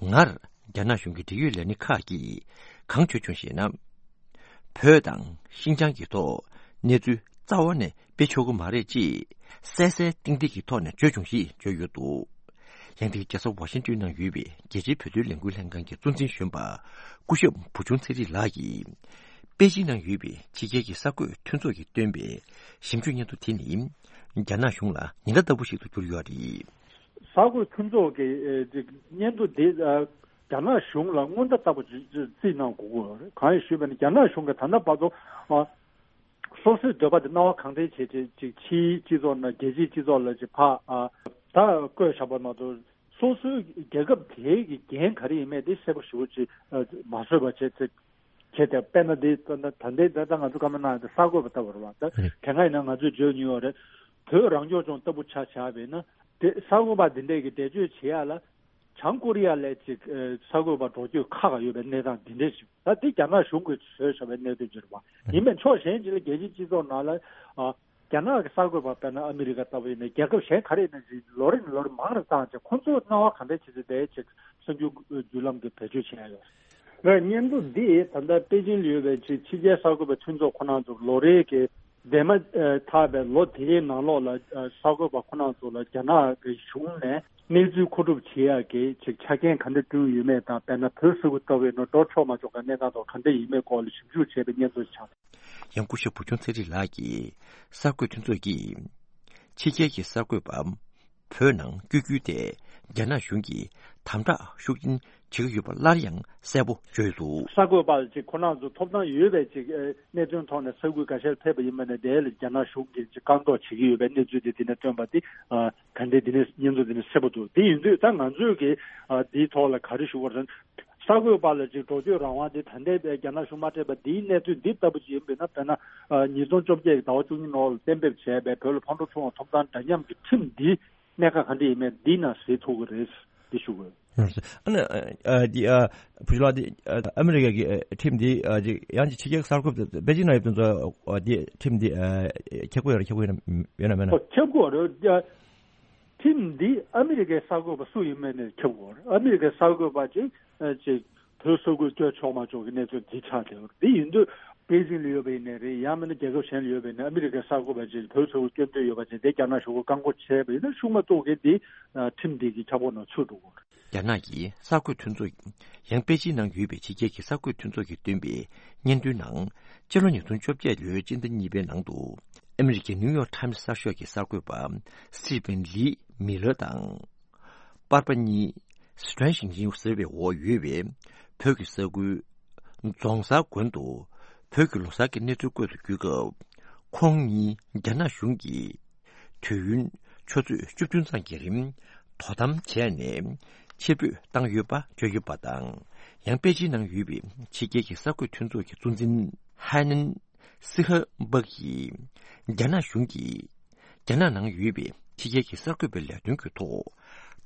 སྔར་རྒྱ་ནག་གཞུང་གི་འབྲེལ་ཡོད་ལས་སྣེ་ཁག་གིས་གང་བརྗོད་བྱུང་ཞེ་ན། བོད་དང་ཤིན་ཅང་གི་ཐོག་གནས་ཚུལ་རྩ་བ་ནས་སྤེལ་ཆོག་གི་མ་རེད་ཅེས་གསལ་གསལ་ཏིག་ཏིག་གི་ཐོག་ནས་བརྗོད་བྱུང་ཞེས་བརྗོད་ཡོད་འདུག་ཡང་དེའི་རྒྱལ་ས་ཝ་ཤིང་ཏོན་ནང་ཡོད་པའི་རྒྱལ་སྤྱིའི་བོད་དོན་ལས་འགུལ་ལྷན་ཁང་གི་གཙོ་འཛིན་གཞོན་པ་སྐུ་ཞབས་བུ་ཆུང་ཚེ་རིང་ལགས་ཀྱིས། པེ་ཅིང་ནང་ཡོད་པའི་ཕྱི་རྒྱལ་གྱི་གསར་འགོད་མཐུན་ཚོགས་ཀྱིས་བཏོན་པའི་ཞིབ་འཇུག་སྙན་ཐོ་དེ་ནི། རྒྱ་ནག་གཞུང་ལ་ཉེན་བརྡ་ལྟ་བུ་ཞིག་ཏུ་གྱུར་ཡོད་རེད། གསར་འགོད་མཐུན་ཚོགས་ཀྱི་ཨེ་ཅིག་སྙན་ཐོ་འདི་ཨ་རྒྱ་ནག་གཞུང་ལ་སྔོན་བརྡ་ལྟ་བུ་ཅིག་ཅིག་རྩིས་གནང་དགོས་ཀྱི་ཡོད་རེད། གང་ཡིན་ཞུས་པ་ཡིན་ན་རྒྱ་ནག་གཞུང་གིས་ད་ལྟ་བར་དུ་ཨ་སོ་སོའི་འདོད་པ་དེ་སྣང་བ་གང་དྲན་བྱས་བྱས་ཅིག་ཕྱིའི་སྤྱི་ཚོགས་ནང་རྒྱལ་སྤྱིའི་སྤྱི་ཚོགས་ལ་ཅིག་ཕར་ཨ་ད་བཀོད་བཞག་པ་མ་གཏོགས་སོ་སོའི་རྒྱལ་ཁབ་དེའི་གི་འགན་ག་རེ་ཡིན་མེད་དེ་གསལ་པོ་ཞེ་པོ་ཅིག་ཨ་མ་བཟོས་པ་བྱས་ཚེ། བྱས་ཏེ་དཔེར་ན་འདི་ད་ལྟ་ད་ལྟའི་ད་ལྟ་ང་ཚོ་བཀའ་མོལ་གནང་ཡ་དེ་གསར་འགོད་པ་ལྟ་བུ་རེད་བ། ད་རེད། དེ་སྔ་ཡིན་ན་ང་ཚོས་བརྗོད་མྱོང་ཡོད་རེད། བོད་རང་སྐྱོང་ལྗོངས་ལྟ་བུ་ཆ་བཞག་པ་ཡིན་ན་དེ་གསར་འགོད་པ་འདི་འདྲས་ཀྱི་འགྲེལ་བརྗོད་བྱེད་ཡ་ལ་བྱང་ཀོ་རི་ཡ་ལ་ཅིག་ཨ་གསར་འགོད་པ་འགྲོ་སྐྱོད་ཁག་ཡོད་པའི་གནས་སྟངས་འདི་འདྲས་ཞིག་ད་དེ་རྒྱ་ནག་གཞུང་གིས་བཟོས་བཞག་པའི་གནད་དོན་ཅིག་རེད་བ། ཡིན་པའི་ཕྱོགས་གཞན་ཅིག་ལ་རྒྱལ་སྤྱིའི་སྤྱི་ཚོགས་ནང་ལ་ཨ་རྒྱ་ནག་གི་གསར་འགོད་པ་དཔེར་ན་ཨ་མི་རི་ཀ་ལྟ་བུ་ཡིན་ན་རྒྱལ་ཁབ་གཞན་ག་རེ་ཡིན་ན་ཅིག་ལོ་རེ་ནས་ལོ་རེ་མང་རུ་བཏང་བྱས་ཁོང་ཚོ་སྣང་བ་ག་འདྲས་བྱེད་ཚེ་དེའི་ཅིག་གསར་འགྱུར་བརྒྱུད་ལམ་གྱི་བེད་སྤྱོད་བྱས་ཡོད། ལ་སྙན་ཐོ་འདི་ད་ལྟ་པེ་ཅིང་ལ་ཡོད་པའི་ཕྱི་ཕྱི་རྒྱལ་གསར་འགོད་པའི་མཐུན་ཚོགས་ཁོ་ན་ཚོ་ལོ་རེའི་གི་འདས་མ་ཨ་ཐག་པའི་ལོ་དེའི་ནང་ལོགས་ལ་ཨ་གསར་འགོད་པ་ཁོ་ན་ཚོ་ལ་རྒྱ་ནག་གི་གཞུང་ནས་གནས་ཚུལ་མཁོ་སྒྲུབ་བྱེད་ཡག་གི་ཅིག་ཆ་རྐྱེན་ག་འདྲ་བསྐྲུན་ཡོད་མེད་དང་། དཔེར་ན་བོད་ས་ཁུལ་ལྟ་བུའི་ནང་འགྲོ་ཆོག་མ་ཆོག་གི་གནས་སྟངས་ཐོག་ག་འདྲ་ཡིན་མེད་སྐོར་ལ་ཞིབ་འཇུག་བྱས་པའི་སྙན་ཐོ་ཆགས། ཡང་སྐུ་ཞབས་བུ་ཆུང་ཚེ་རིང་ལགས་ཀྱིས་གསར་འགོད་མཐུན་ཚོགས་ཀྱིས་ཕྱི་རྒྱལ་གྱི་གསར་འགོད་པ་བོད་ནང་བསྐྱོད་རྒྱུའི་ཐད་རྒྱ་ནག་གཞུང་གིས་དམ་དྲག་ཤུགས་ཆེན་བྱེད་ཀྱི་ཡོད་པ་སླར་ཡང་གསལ་པོ་བརྗོད་འདུག་གསར་འགོད་པ་ཅིག་ཁོ་རང་ཚོ་ཐོབ་ཐང་ཡོད་པའི་ཅིག་ཨེ་གནད་དོན་ཐོག་ནས་ས་ཁུལ་འགའ་ཤས་ཕེབས་པ་ཡིན་པ་ནས་དེ་ལ་རྒྱ་ནག་གཞུང་གིས་ཅིག་བཀག་འགོག་བྱེད་ཀྱི་ཡོད་པའི་གནས་ཚུལ་དེ་དེ་ནས་བཏོན་པ་དེ་ཨ་ག་འདྲས་དེ་ནས་སྙན་ཐོ་དེ་ནས་གསལ་པོ་འདུག་དེ་ཡིན་དུས་ད་ང་ཚོས་ཀྱི་ཨ་དེའི་ཐོག་ལ་ག་རེ་ཞུ་དགོས་རེད། གསར་འགོད་པ་ལ་ཅིག་འགྲོ་སྐྱོད་རང་དབང་དེ་ད་ལྟའི་རྒྱ་ནག་གཞུང་མ་སྤྲད་པ་འདིའི་གནས་ཚུལ་འདི་ལྟ་བུ་ཅིག་ཡིན་པས་ན། དཔེར་ན་ཨ་ཉིས་སྟོང་བཅོ་བརྒྱད་ཀྱི་ཟླ་བ་བཅུ་གཉིས་ནང་ལ་གཏན་འབེབས་བྱས་པའི་བོད་ལ་ཕར་འགྲོ་ཚུར་འོང་ཐོབ་ཐང་འདྲ་མཉམ་གྱི་ཁྲིམས་འདི་གནད་འགག་ག་འདྲ་ཡིན་མེད་འདི་ནང་གཟིགས་ཐུབ་ཀྱི་རེད། འདི་ཞུ་དགོས། ཨ་ནི་ཨ་འདི་ཨ་བུ་ཆུང་ལགས་འདི་ཨ་ཨ་མི་རི་ཀ་གི་ཨ་ཁྲིམས་འདི་ཨ་འདི་ཡང་ཅིག་ཕྱི་རྒྱལ་གསར་འགོད་པ་པེ་ཅིང་ན་ཡོད་པ་ཚོ་ཨ་འདི་ཁྲིམས་འདི་ཨ་ཁྱབ་ཀྱི་ཡོད་རེད། ཁྱབ་ཀྱི་ཡོད་ན་ཡོད་ན་མེད་ན། ཨོ་ཁྱབ་ཀྱི་ཡོད་རེད། ཁྲིམས་འདི་ཨ་མི་རི་ཀའི་གསར་འགོད་པ་སུ་ཡིན་མིན་ནས་ཁྱབ་དགོས་རེད། ཨ་མི་རི་ཀའི་གསར་འགོད་པ་ཅིག་ཨ་ཅིག་བོད་ས་ཁུལ་བསྐྱོད་ཆོག་མ་ཆོག་གི་གནས་ཚུལ་འདི་ཆགས་བསྡད་ཡོད་རེད། འདི་ཡིན་དུས་པེ་ཅིང་ལ་ཡོད་པ་ཡིན་ནའི་རེད། ཡང་མིན་ན་རྒྱལ་ཁབ་གཞན་ལ་ཡོད་པ་ཡིན་ནའི་ཨ་མི་རི་ཀའི་གསར་འགོད་པ་ཅིག་བོད་ས་ཁུལ་བསྐྱོད་འདོད་ཡོད་པ་ཅིག་དེ་རྒྱ་ནག་གཞུང་གིས་བཀག་འགོག་བྱས་པ་ཡིན་ན་ཤུགས་མ་གཏོགས་གི་འདི་ཨ་ཁྲིམས་འདི་གི་ཁྱབ་ཁོངས་ནང་ཚུད་འགྲོ་གི་རེད། རྒྱ་ནག་གི་གསར་འགོད་མཐུན་ཚོགས། ཡང་པེ་ཅིང་ནང་ཡོད་པའི་ཕྱི་རྒྱལ་གྱི་གསར་འགོད་མཐུན་ཚོགས་ཀྱིས་བཏོན་པའི་སྙན་ཐོའི་ནང་། སྤྱི་ལོ་ཉིས་སྟོང་བཅོ་བརྒྱད་ལོའི་སྤྱི་ཟླ་གཉིས་པའི་ནང་དུ། ཨ་མི་རི་ཀའི་ནིའུ་ཡོག་ཊའིམ་སི་གསར་ཤོག་གི་གསར་འགོད་པ་སི་ཊི་ཝན་ལི་མི་ལར་དང་། པར་པ་གཉིས་སི་ཊྲན་ཞིང་ཆིང་ཟེར་བའི་འོག་ཡོད་པའི་བོད་ཀྱི་ས་ཁུལ་རྫོང་སར་དགོན་དུ་བོད་ཀྱི་ལོ་གསར་གྱི་གནས་ཚུལ་སྐོར་དུ་བརྒྱུད་སྐབས། ཁོང་གཉིས་རྒྱ་ནག་གཞུང་གིས་དུས་ཡུན་ཆུ་ཚོད་བཅུ་བདུན་ཙམ་གྱི་རིང་དོ་དམ་བྱས་ནས་ཕྱིར་འབུད་བཏང་ཡོད་པ་བརྗོད་ཡོད་པ་དང་། ཡང་པེ་ཅིན་ནང་ཡོད་པའི་ཕྱི་རྒྱལ་གྱི་གསར་འགོད་མཐུན་ཚོགས་ཀྱི་གཙོ་འཛིན་ཧའེ་ནན་སི་ཧ་འབག་གིས། རྒྱ་ནག་གཞུང་གིས་རྒྱ་ནག་ནང་ཡོད་པའི་ཕྱི་རྒྱལ་གྱི་གསར་འགོད་པའི་ལས་དོན་གྱི་ཐོག་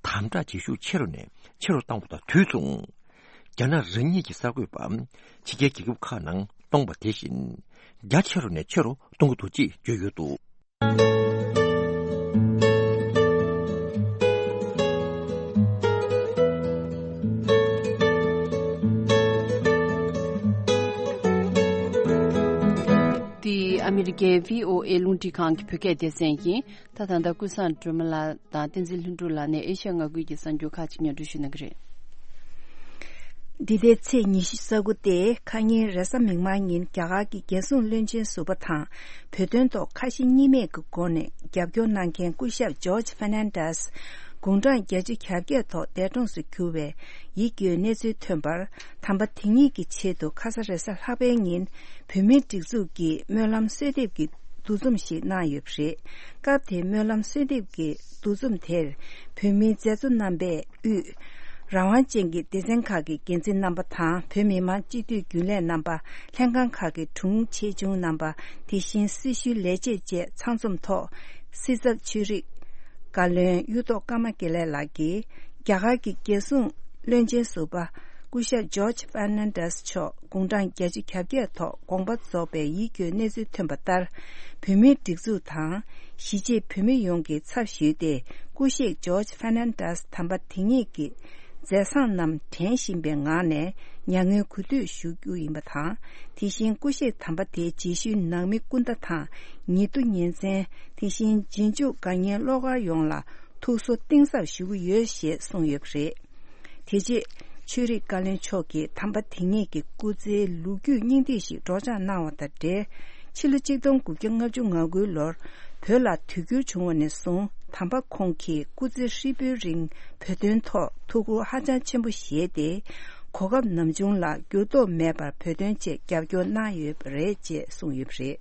དམ་དྲག་བྱེད་ཤུགས་ཆེ་རུ་ནས་ཆེ་རུ་བཏང་བ་དང་དུས་མཚུངས། རྒྱ་ནག་རང་ཉིད་ཀྱི་གསར་འགོད་པ་ཕྱི་རྒྱལ་རྒྱལ་ཁབ་ཁག་ནང་གཏོང་བ་དེ་བཞིན་རྒྱ་ཆེ་རུ་ནས་ཆེ་རུ་གཏོང་གི་འདུག་ཅེས་བརྗོད་ཡོད་འདུག། འདི་ཨ་མི་རི་ཀའི་བྷི་ཨོ་ཨེ་རླུང་འཕྲིན་ཁང་གི་བོད་སྐད་སྡེ་ཚན་ཡིན། ད་ད་ལྟ་ཀུན་བཟང་སྒྲོལ་མ་ལགས་དང་བསྟན་འཛིན་ལྷུན་གྲུབ་ལགས་ནས་ཨེ་ཤ་ཡ་མངའ་ཁུལ་གྱི་གསར་འགྱུར་ཁག་ཅིག་སྙན་སྒྲོན་ཞུ་གནང་གི་རེད། འདི་ཟླའི་ཚེས་ཉི་ཤུ་རྩ་དགུ་སྟེ་ཁ་ཉིན་རེས་གཟའ་མིག་དམར་ཉིན་རྒྱ་གར་གྱི་རྒྱལ་སྲུང་བློན་ཆེན་ཟུར་པ་དང་བོད་དོན་ཐོག་ཁ་ཞེ་གཉིས་མེད་ཀྱི་སྒོ་ནས་རྒྱབ་སྐྱོར་གནང་མཁན་སྐུ་ཞབས་ཇོརྗ་ཧྥར་ནན་ཌེས། དགུང་གྲངས་བརྒྱད་ཅུ་གྱ་བརྒྱད་ཐོག་འདས་གྲོངས་སུ་གྱུར་བའི་ཡིད་སྐྱོའི་གནས་ཚུལ་ཐོན་པར། དམ་པ་དེ་ཉིད་ཀྱི་ཆེད་དུ་ཁ་ས་རེས་གཟའ་ལྷག་པའི་ཉིན་བོད་མིའི་སྒྲིག་འཛུགས་ཀྱི་སྨོན་ལམ་གསོལ་འདེབས་ཀྱི་འདུ་འཛོམས་ཤིག་གནང་ཡོད་པ་རེད། སྐབས་དེའི་སྨོན་ལམ་གསོལ་འདེབས་ཀྱི་འདུ་འཛོམས་དེར་བོད་མིའི་མཛད་གཙོ་རྣམ་པས་དབུས་རང་དབང་ཅན་གྱི་སྡེ་ཚན་ཁག་གི་འགན་འཛིན་རྣམ་པ་དང་། བོད་མི་མང་སྤྱི་འཐུས་རྒྱུན་ལས་རྣམ་པ། ལྷན་ཁང་ཁག་གི་དྲུང་ཆེ་ཆུང་རྣམ་པ། དེ་བཞིན་སྲི་ཞུའི་ལས་བྱེད་བཅས་ཚང་འཛོམས་ཐོག་སྲིད་ཚབ་ཆོས་རིག་བཀའ་བློན་གཡུ་ཐོག་ཀརྨ་དགེ་ལེགས་ལགས་ཀྱིས། རྒྱ་གར་གྱི་རྒྱལ་སྲུང་བློན་ཆེན་ཟུར་པ་སྐུ་ཞབས་ཇོརྗ་ཧྥར་ནན་ཌེས་མཆོག་དགུང་གྲངས་བརྒྱད་ཅུ་གྱ་བརྒྱད་ཐོག་དགོངས་པ་རྫོགས་པའི་ཡིད་སྐྱོའི་གནས་ཚུལ་ཐོན་པ་ལྟར། བོད་མིའི་སྒྲིག་འཛུགས་དང་། གཞིས་བྱེས་བོད་མི་ཡོངས་ཀྱི་ཚབ་ཞུས་ཏེ། སྐུ་གཤེགས་ཇོརྗ་ཧྥར་ནན་ཌེས་དམ་པ་དེ་ཉིད་ཀྱི་མཛད་བཟང་རྣམས་དྲན་བཞིན་པའི་ངང་ནས་མྱ་ངན་གུས་འདུད་ཞུ་རྒྱུ་ཡིན་པ་དང་། དེ་བཞིན་སྐུ་གཤེགས་དམ་པ་དེའི་རྗེས་ཤུལ་ནང་མི་སྐུ་ཟླ་དང་། ཉེ་དུ་ཉེ་ཚན། དེ་བཞིན་རྗེས་འཇུག་དགའ་ཉེ་བློ་དཀར་ཡོངས་ལ་ཐུགས་གསོ་གཏིང་ཟབ་ཞུ་གི་ཡོད་ཞེས་གསུངས་ཡོད་པ་རེད། དེ་རྗེས་ཆོས་རིག་བཀའ་བློན་མཆོག་གིས་དམ་པ་དེ་ཉིད་ཀྱི་སྐུ་ཚེའི་ལོ་རྒྱུས་སྙིང་བསྡུས་ཤིག་སྒྲོག་སྦྱང་གནང་བ་དང་འབྲེལ། ཕྱི་ལོ་ཆིག་སྟོང་དགུ་བརྒྱ་ལྔ་བཅུ་ང་དགུའི་ལོར་བོད་ལ་དུས་འགྱུར་བྱུང་བ་ནས་བཟུང་། དམ་པ་ཁོང་གིས་སྐུ་ཚེ་ཧྲིལ་པོའི་རིང་བོད་དོན་ཐོག་ཐུགས་ཁུར་ཧ་ཅང་ཆེན་པོ་བཞེས་ཏེ། གོ་སྐབས་ནམ་བྱུང་ལ་འགྱུར་ལྡོག་མེད་པར་བོད་དོན་ཆེད་རྒྱབ་སྐྱོར་གནང་ཡོད་པ་རེད་ཅེས་གསུངས་ཡོད་པ་རེད།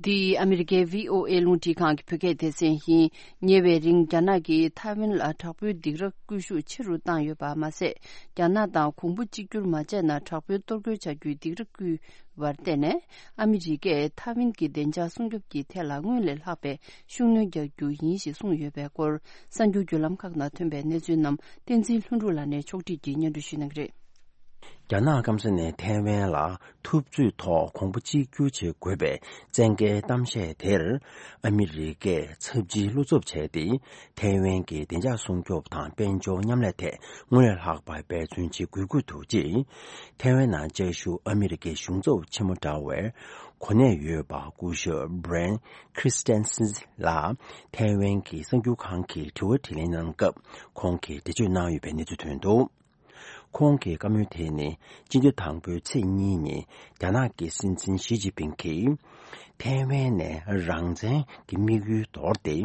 འདི་ཨ་མི་རི་ཀའི་བྷི་ཨོ་ཨེ་རླུང་འཕྲིན་ཁང་གི་བོད་སྐད་སྡེ་ཚན་ཡིན། ཉེ་བའི་རིང་རྒྱ་ནག་གིས་ཐའེ་ཝན་ལ་དྲག་པོའི་སྡིགས་ར་སྐུལ་ཤུགས་ཆེ་རུ་བཏང་ཡོད་པ་མ་ཟད། རྒྱ་ནག་དང་གོང་བུ་གཅིག་གྱུར་མ་བྱས་ན་དྲག་པོའི་གཏོར་རྒོལ་བྱ་རྒྱུའི་སྡིགས་ར་བསྐུལ་བར་བརྟེན་ནས། ཨ་མི་རི་ཀས་ཐའེ་ཝན་གྱི་བདེ་འཇགས་སྲུང་སྐྱོབ་ཀྱི་ཐད་ལ་སྔོན་ལས་ལྷག་པའི་ཤུགས་སྣོན་རྒྱག་རྒྱུ་ཡིན་ཞེས་གསུངས་ཡོད་པའི་སྐོར། གསར་འགྱུར་བརྒྱུད་ལམ་ཁག་ནང་ཐོན་པའི་གནས་ཚུལ་རྣམས་བསྟན་འཛིན་ལྷུན་གྲུབ་ལགས་ནས་ཕྱོགས་སྒྲིག་གིས་སྙན་སྒྲོན་ཞུ་གནང་གི་རེད། རྒྱ་ནག་སྐམ་ས་ནས་ཐའེ་ཝན་ལ་འཐབ་རྩོད་ཐོག་གོང་བུ་གཅིག་གྱུར་བྱེད་དགོས་པའི་བཙན་རྒྱལ་གཏམ་བཤད་དེར། ཨ་མི་རི་ཀས་ཚབས་ཆེའི་བློ་འཚབ་བྱས་ཏེ། ཐའེ་ཝན་གྱི་བདེ་འཇགས་སྲུང་སྐྱོབ་དང་དཔལ་འབྱོར་མཉམ་ལས་ཐད་སྔོན་ལས་ལྷག་པར་འབད་བརྩོན་བྱེད་དགོས་ཀྱི་འདུག་ཅེས། ཐའེ་ཝན་ནང་བཅའ་བཞུགས་ཨ་མི་རི་ཀའི་གཞུང་ཚབ་ཆེན་མོ་འདྲ་བའི་གོ་གནས་ཡོད་པ་སྐུ་ཞབས་Brian Christensen་ལ་ཐའེ་ཝན་གྱི་གསར་འགྱུར་ཁང་གི་དྲི་བ་དྲིས་ལན་གནང་སྐབས། ཁོང་གིས་འགྲེལ་བརྗོད་གནང་ཡོད་པའི་གནས་ཚུལ་ཐོན་འདུག་ཁོང་གི་བཀའ་མོལ་དེ་ནི་སྤྱི་ཟླ་དང་པོའི་ཚེས་གཉིས་ཉིན་རྒྱ་ནག་གི་སྲིད་འཛིན་ཞི་ཅིན་ཕིང་གིས་ཐའེ་ཝན་ནས་རང་བཙན་གྱི་དམིགས་ཡུལ་དོར་ཏེ།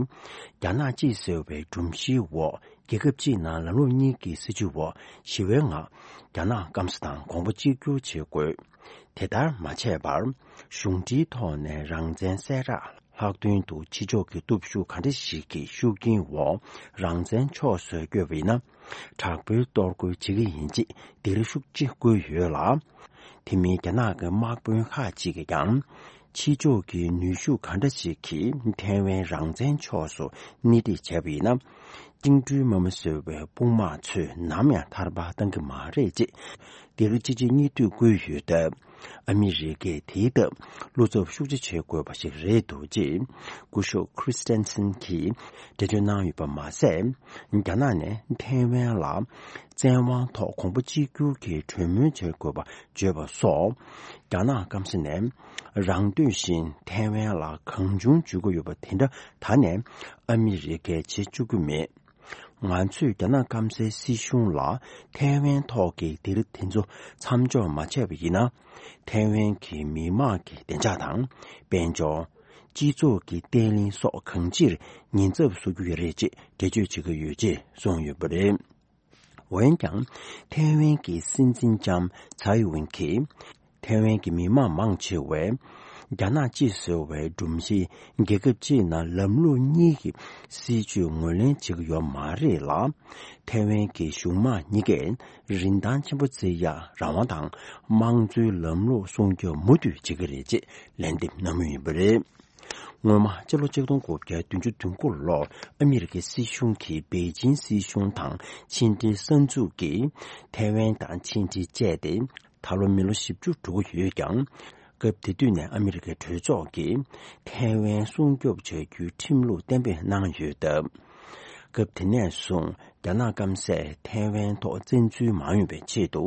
རྒྱ་ནག་གཅིག་ཟེར་བའི་སྒྲོམ་གཞིའི་འོག་རྒྱལ་ཁབ་གཅིག་ནང་ལམ་ལུགས་གཉིས་ཀྱི་སྲིད་བྱུས་འོག་ཞི་བའི་ངང་རྒྱ་ནག་སྐམ་ས་དང་གོང་བུ་གཅིག་གྱུར་བྱེད་དགོས། དེ་ལྟར་མ་བྱས་པར། གཞུང་འབྲེལ་ཐོག་ནས་རང་བཙན་གསལ་བསྒྲགས་ལྷག་དོན་དུ་ཕྱི་ཕྱོགས་ཀྱི་སྟོབས་ཤུགས་ག་འདྲ་ཞིག་གི་ཤུགས་རྐྱེན་འོག་རང་བཙན་ཕྱོགས་སུ་བསྐྱོད་པ་ཡིན་ན། དྲག་པོའི་གཏོར་རྒོལ་བྱེད་ཀྱི་ཡིན་ཅེས་སྡིགས་ར་ཤུགས་ཆེ་བསྐུལ་ཡོད་ལ། དེ་མིན་རྒྱ་ནག་གི་དམག་དཔོན་ཁག་ཅིག་གིས་ཀྱང་། ཕྱི་ཕྱོགས་ཀྱི་ནུས་ཤུགས་ག་འདྲ་ཞིག་གིས་ཐའེ་ཝན་རང་བཙན་ཕྱོགས་སུ་སྣེ་ཁྲིད་བྱས་པ་ཡིན་ན། བཅིངས་འགྲོལ་དམག་མི་ཟེར་བའི་དཔུང་དམག་ཚོས་ནམ་ཡང་ཐར་པ་གཏང་གི་མ་རེད་ཅེས་སྡིགས་ར་གཅིག་རྗེས་གཉིས་མཐུད་བསྐུལ་ཡོད་སྟབས། ཨ་མི་རི་ཀས་དེའི་སྟབས་བློ་འཚབ་ཤུགས་ཆེ་བྱེད་དགོས་པ་ཞིག་རེད་འདུག་ཅེས་སྐུ་ཞབས་Christensen་གྱིས་འགྲེལ་བརྗོད་གནང་ཡོད་པ་མ་ཟད། རྒྱ་ནག་ནས་ཐའེ་ཝན་ལ་བཙན་དབང་ཐོག་གོང་བུ་གཅིག་གྱུར་གྱི་གྲོས་མོལ་བྱེད་དགོས་པ་བརྗོད་པ་སོགས། རྒྱ་ནག་སྐམ་ས་ནས་རང་འདོད་བཞིན་ཐའེ་ཝན་ལ་གང་བྱུང་འཇུག་གི་ཡོད་པ་དེ་འདྲ་ད་ནས་ཨ་མི་རི་ཀས་བྱེད་བཅུག་གི་མེད། ང་ཚོས་རྒྱ་ནག་སྐམ་སའི་སྲིད་གཞུང་ལ་ཐའེ་ཝན་ཐོག་གི་སྡིགས་ར་དེ་ཚོ་མཚམས་འཇོག་མ་བྱས་པ་ཡིན་ན། ཐའེ་ཝན་གྱི་མི་དམངས་ཀྱི་བདེ་འཇགས་དང་། དཔལ་འབྱོར། སྤྱི་ཚོགས་ཀྱི་བརྟན་ལྷིང་སོགས་གང་ཅིར་ཉེན་ཚབས་བཟོ་རྒྱུ་རེད་ཅེས་འགྲེལ་བརྗོད་བྱེད་ཀྱི་ཡོད་ཅེས་གསུངས་ཡོད་པ་རེད། འོན་ཀྱང་། ཐའེ་ཝན་གྱི་སྲིད་འཛིན་ལྕམ་ཚའེ་ཝེན་གྱིས། ཐའེ་ཝན་གྱི་མི་དམངས་མང་ཆེ་བས། རྒྱ་ནག་གཅིག་ཟེར་བའི་སྒྲོམ་གཞིའི་རྒྱལ་ཁབ་གཅིག་ནང་ལམ་ལུགས་གཉིས་ཀྱི་སྲིད་བྱུས་ངོས་ལེན་བྱེད་ཀྱི་ཡོད་མ་རེད་ལ། ཐའེ་ཝན་གྱི་གཞུང་དམངས་གཉིས་ཀས་རིན་ཐང་ཆེན་པོ་བརྩི་ཡག་རང་དབང་དང་དམངས་གཙོའི་ལམ་ལུགས་སྲུང་སྐྱོབ་མུ་མཐུད་བྱེད་ཀྱི་རེད་ཅེས་ལན་འདེབས་གནང་མུས་ཡིན་པ་རེད། སྔོན་མ་སྤྱི་ལོ་ཆིག་སྟོང་དགུ་བརྒྱ་བདུན་ཅུ་དོན་དགུ་ལོར་ཨ་མི་རི་ཀའི་སྲིད་གཞུང་གིས་པེ་ཅིན་སྲིད་གཞུང་དང་ཕྱི་འབྲེལ་གསར་འཛུགས་ཀྱིས་ཐའེ་ཝན་དང་ཕྱི་འབྲེལ་བཅད་དེ། ད་ལོ་མི་ལོ་བཞི་བཅུ་འགྲོ་གི་ཡོད་ཀྱང་། སྐབས་དེ་དུས་ནས་ཨ་མི་རི་ཀའི་གྲོས་ཚོགས་ཀྱིས་ཐའེ་ཝན་སྲུང་སྐྱོབ་བྱ་རྒྱུའི་ཁྲིམས་ལུགས་གཏན་འབེབས་གནང་ཡོད་སྟབས། སྐབས་དེ་ནས་བཟུང་རྒྱ་ནག་སྐམ་སས་ཐའེ་ཝན་ཐོག་བཙན་འཛུལ་མ་ཡོང་བའི་ཆེད་དུ་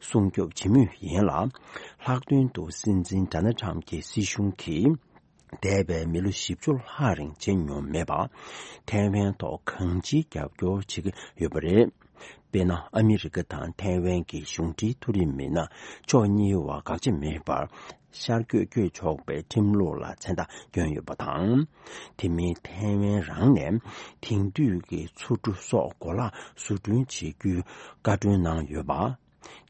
སྲུང་སྐྱོབ་བྱེད་མུས་ཡིན་ལ། ལྷག་དོན་དུ་སྲིད་འཛིན་ཌོ་ནལ་ཊམ་གྱི་སྲིད་གཞུང་གིས། འདས་པའི་མི་ལོ་བཞི་བཅུ་ལྷག་རིང་བྱས་མྱོང་མེད་པ། ཐའེ་ཝན་ཐོག་གང་ཅིའི་རྒྱབ་སྐྱོར་བྱེད་ཀྱི་ཡོད་པ་རེད། དཔེར་ན། ཨ་མི་རི་ཀ་དང་ཐའེ་ཝན་གྱི་གཞུང་འབྲེལ་མཐོ་རིམ་མི་སྣ་ཕྱོགས་གཉིས་བར་དགག་བྱ་མེད་པར་ཤར་བསྐྱོད་བསྐྱོད་ཆོག་པའི་ཁྲིམས་ལུགས་ལ་མཚན་རྟགས་བསྐྱོན་ཡོད་པ་དང་། དེ་མིན་ཐའེ་ཝན་རང་ནས་དེང་དུས་ཀྱི་མཚོ་གྲུ་སོགས་གོ་ལག་བཟོ་སྐྲུན་བྱེད་རྒྱུའི་བཀའ་འཁྲོལ་གནང་ཡོད་པ།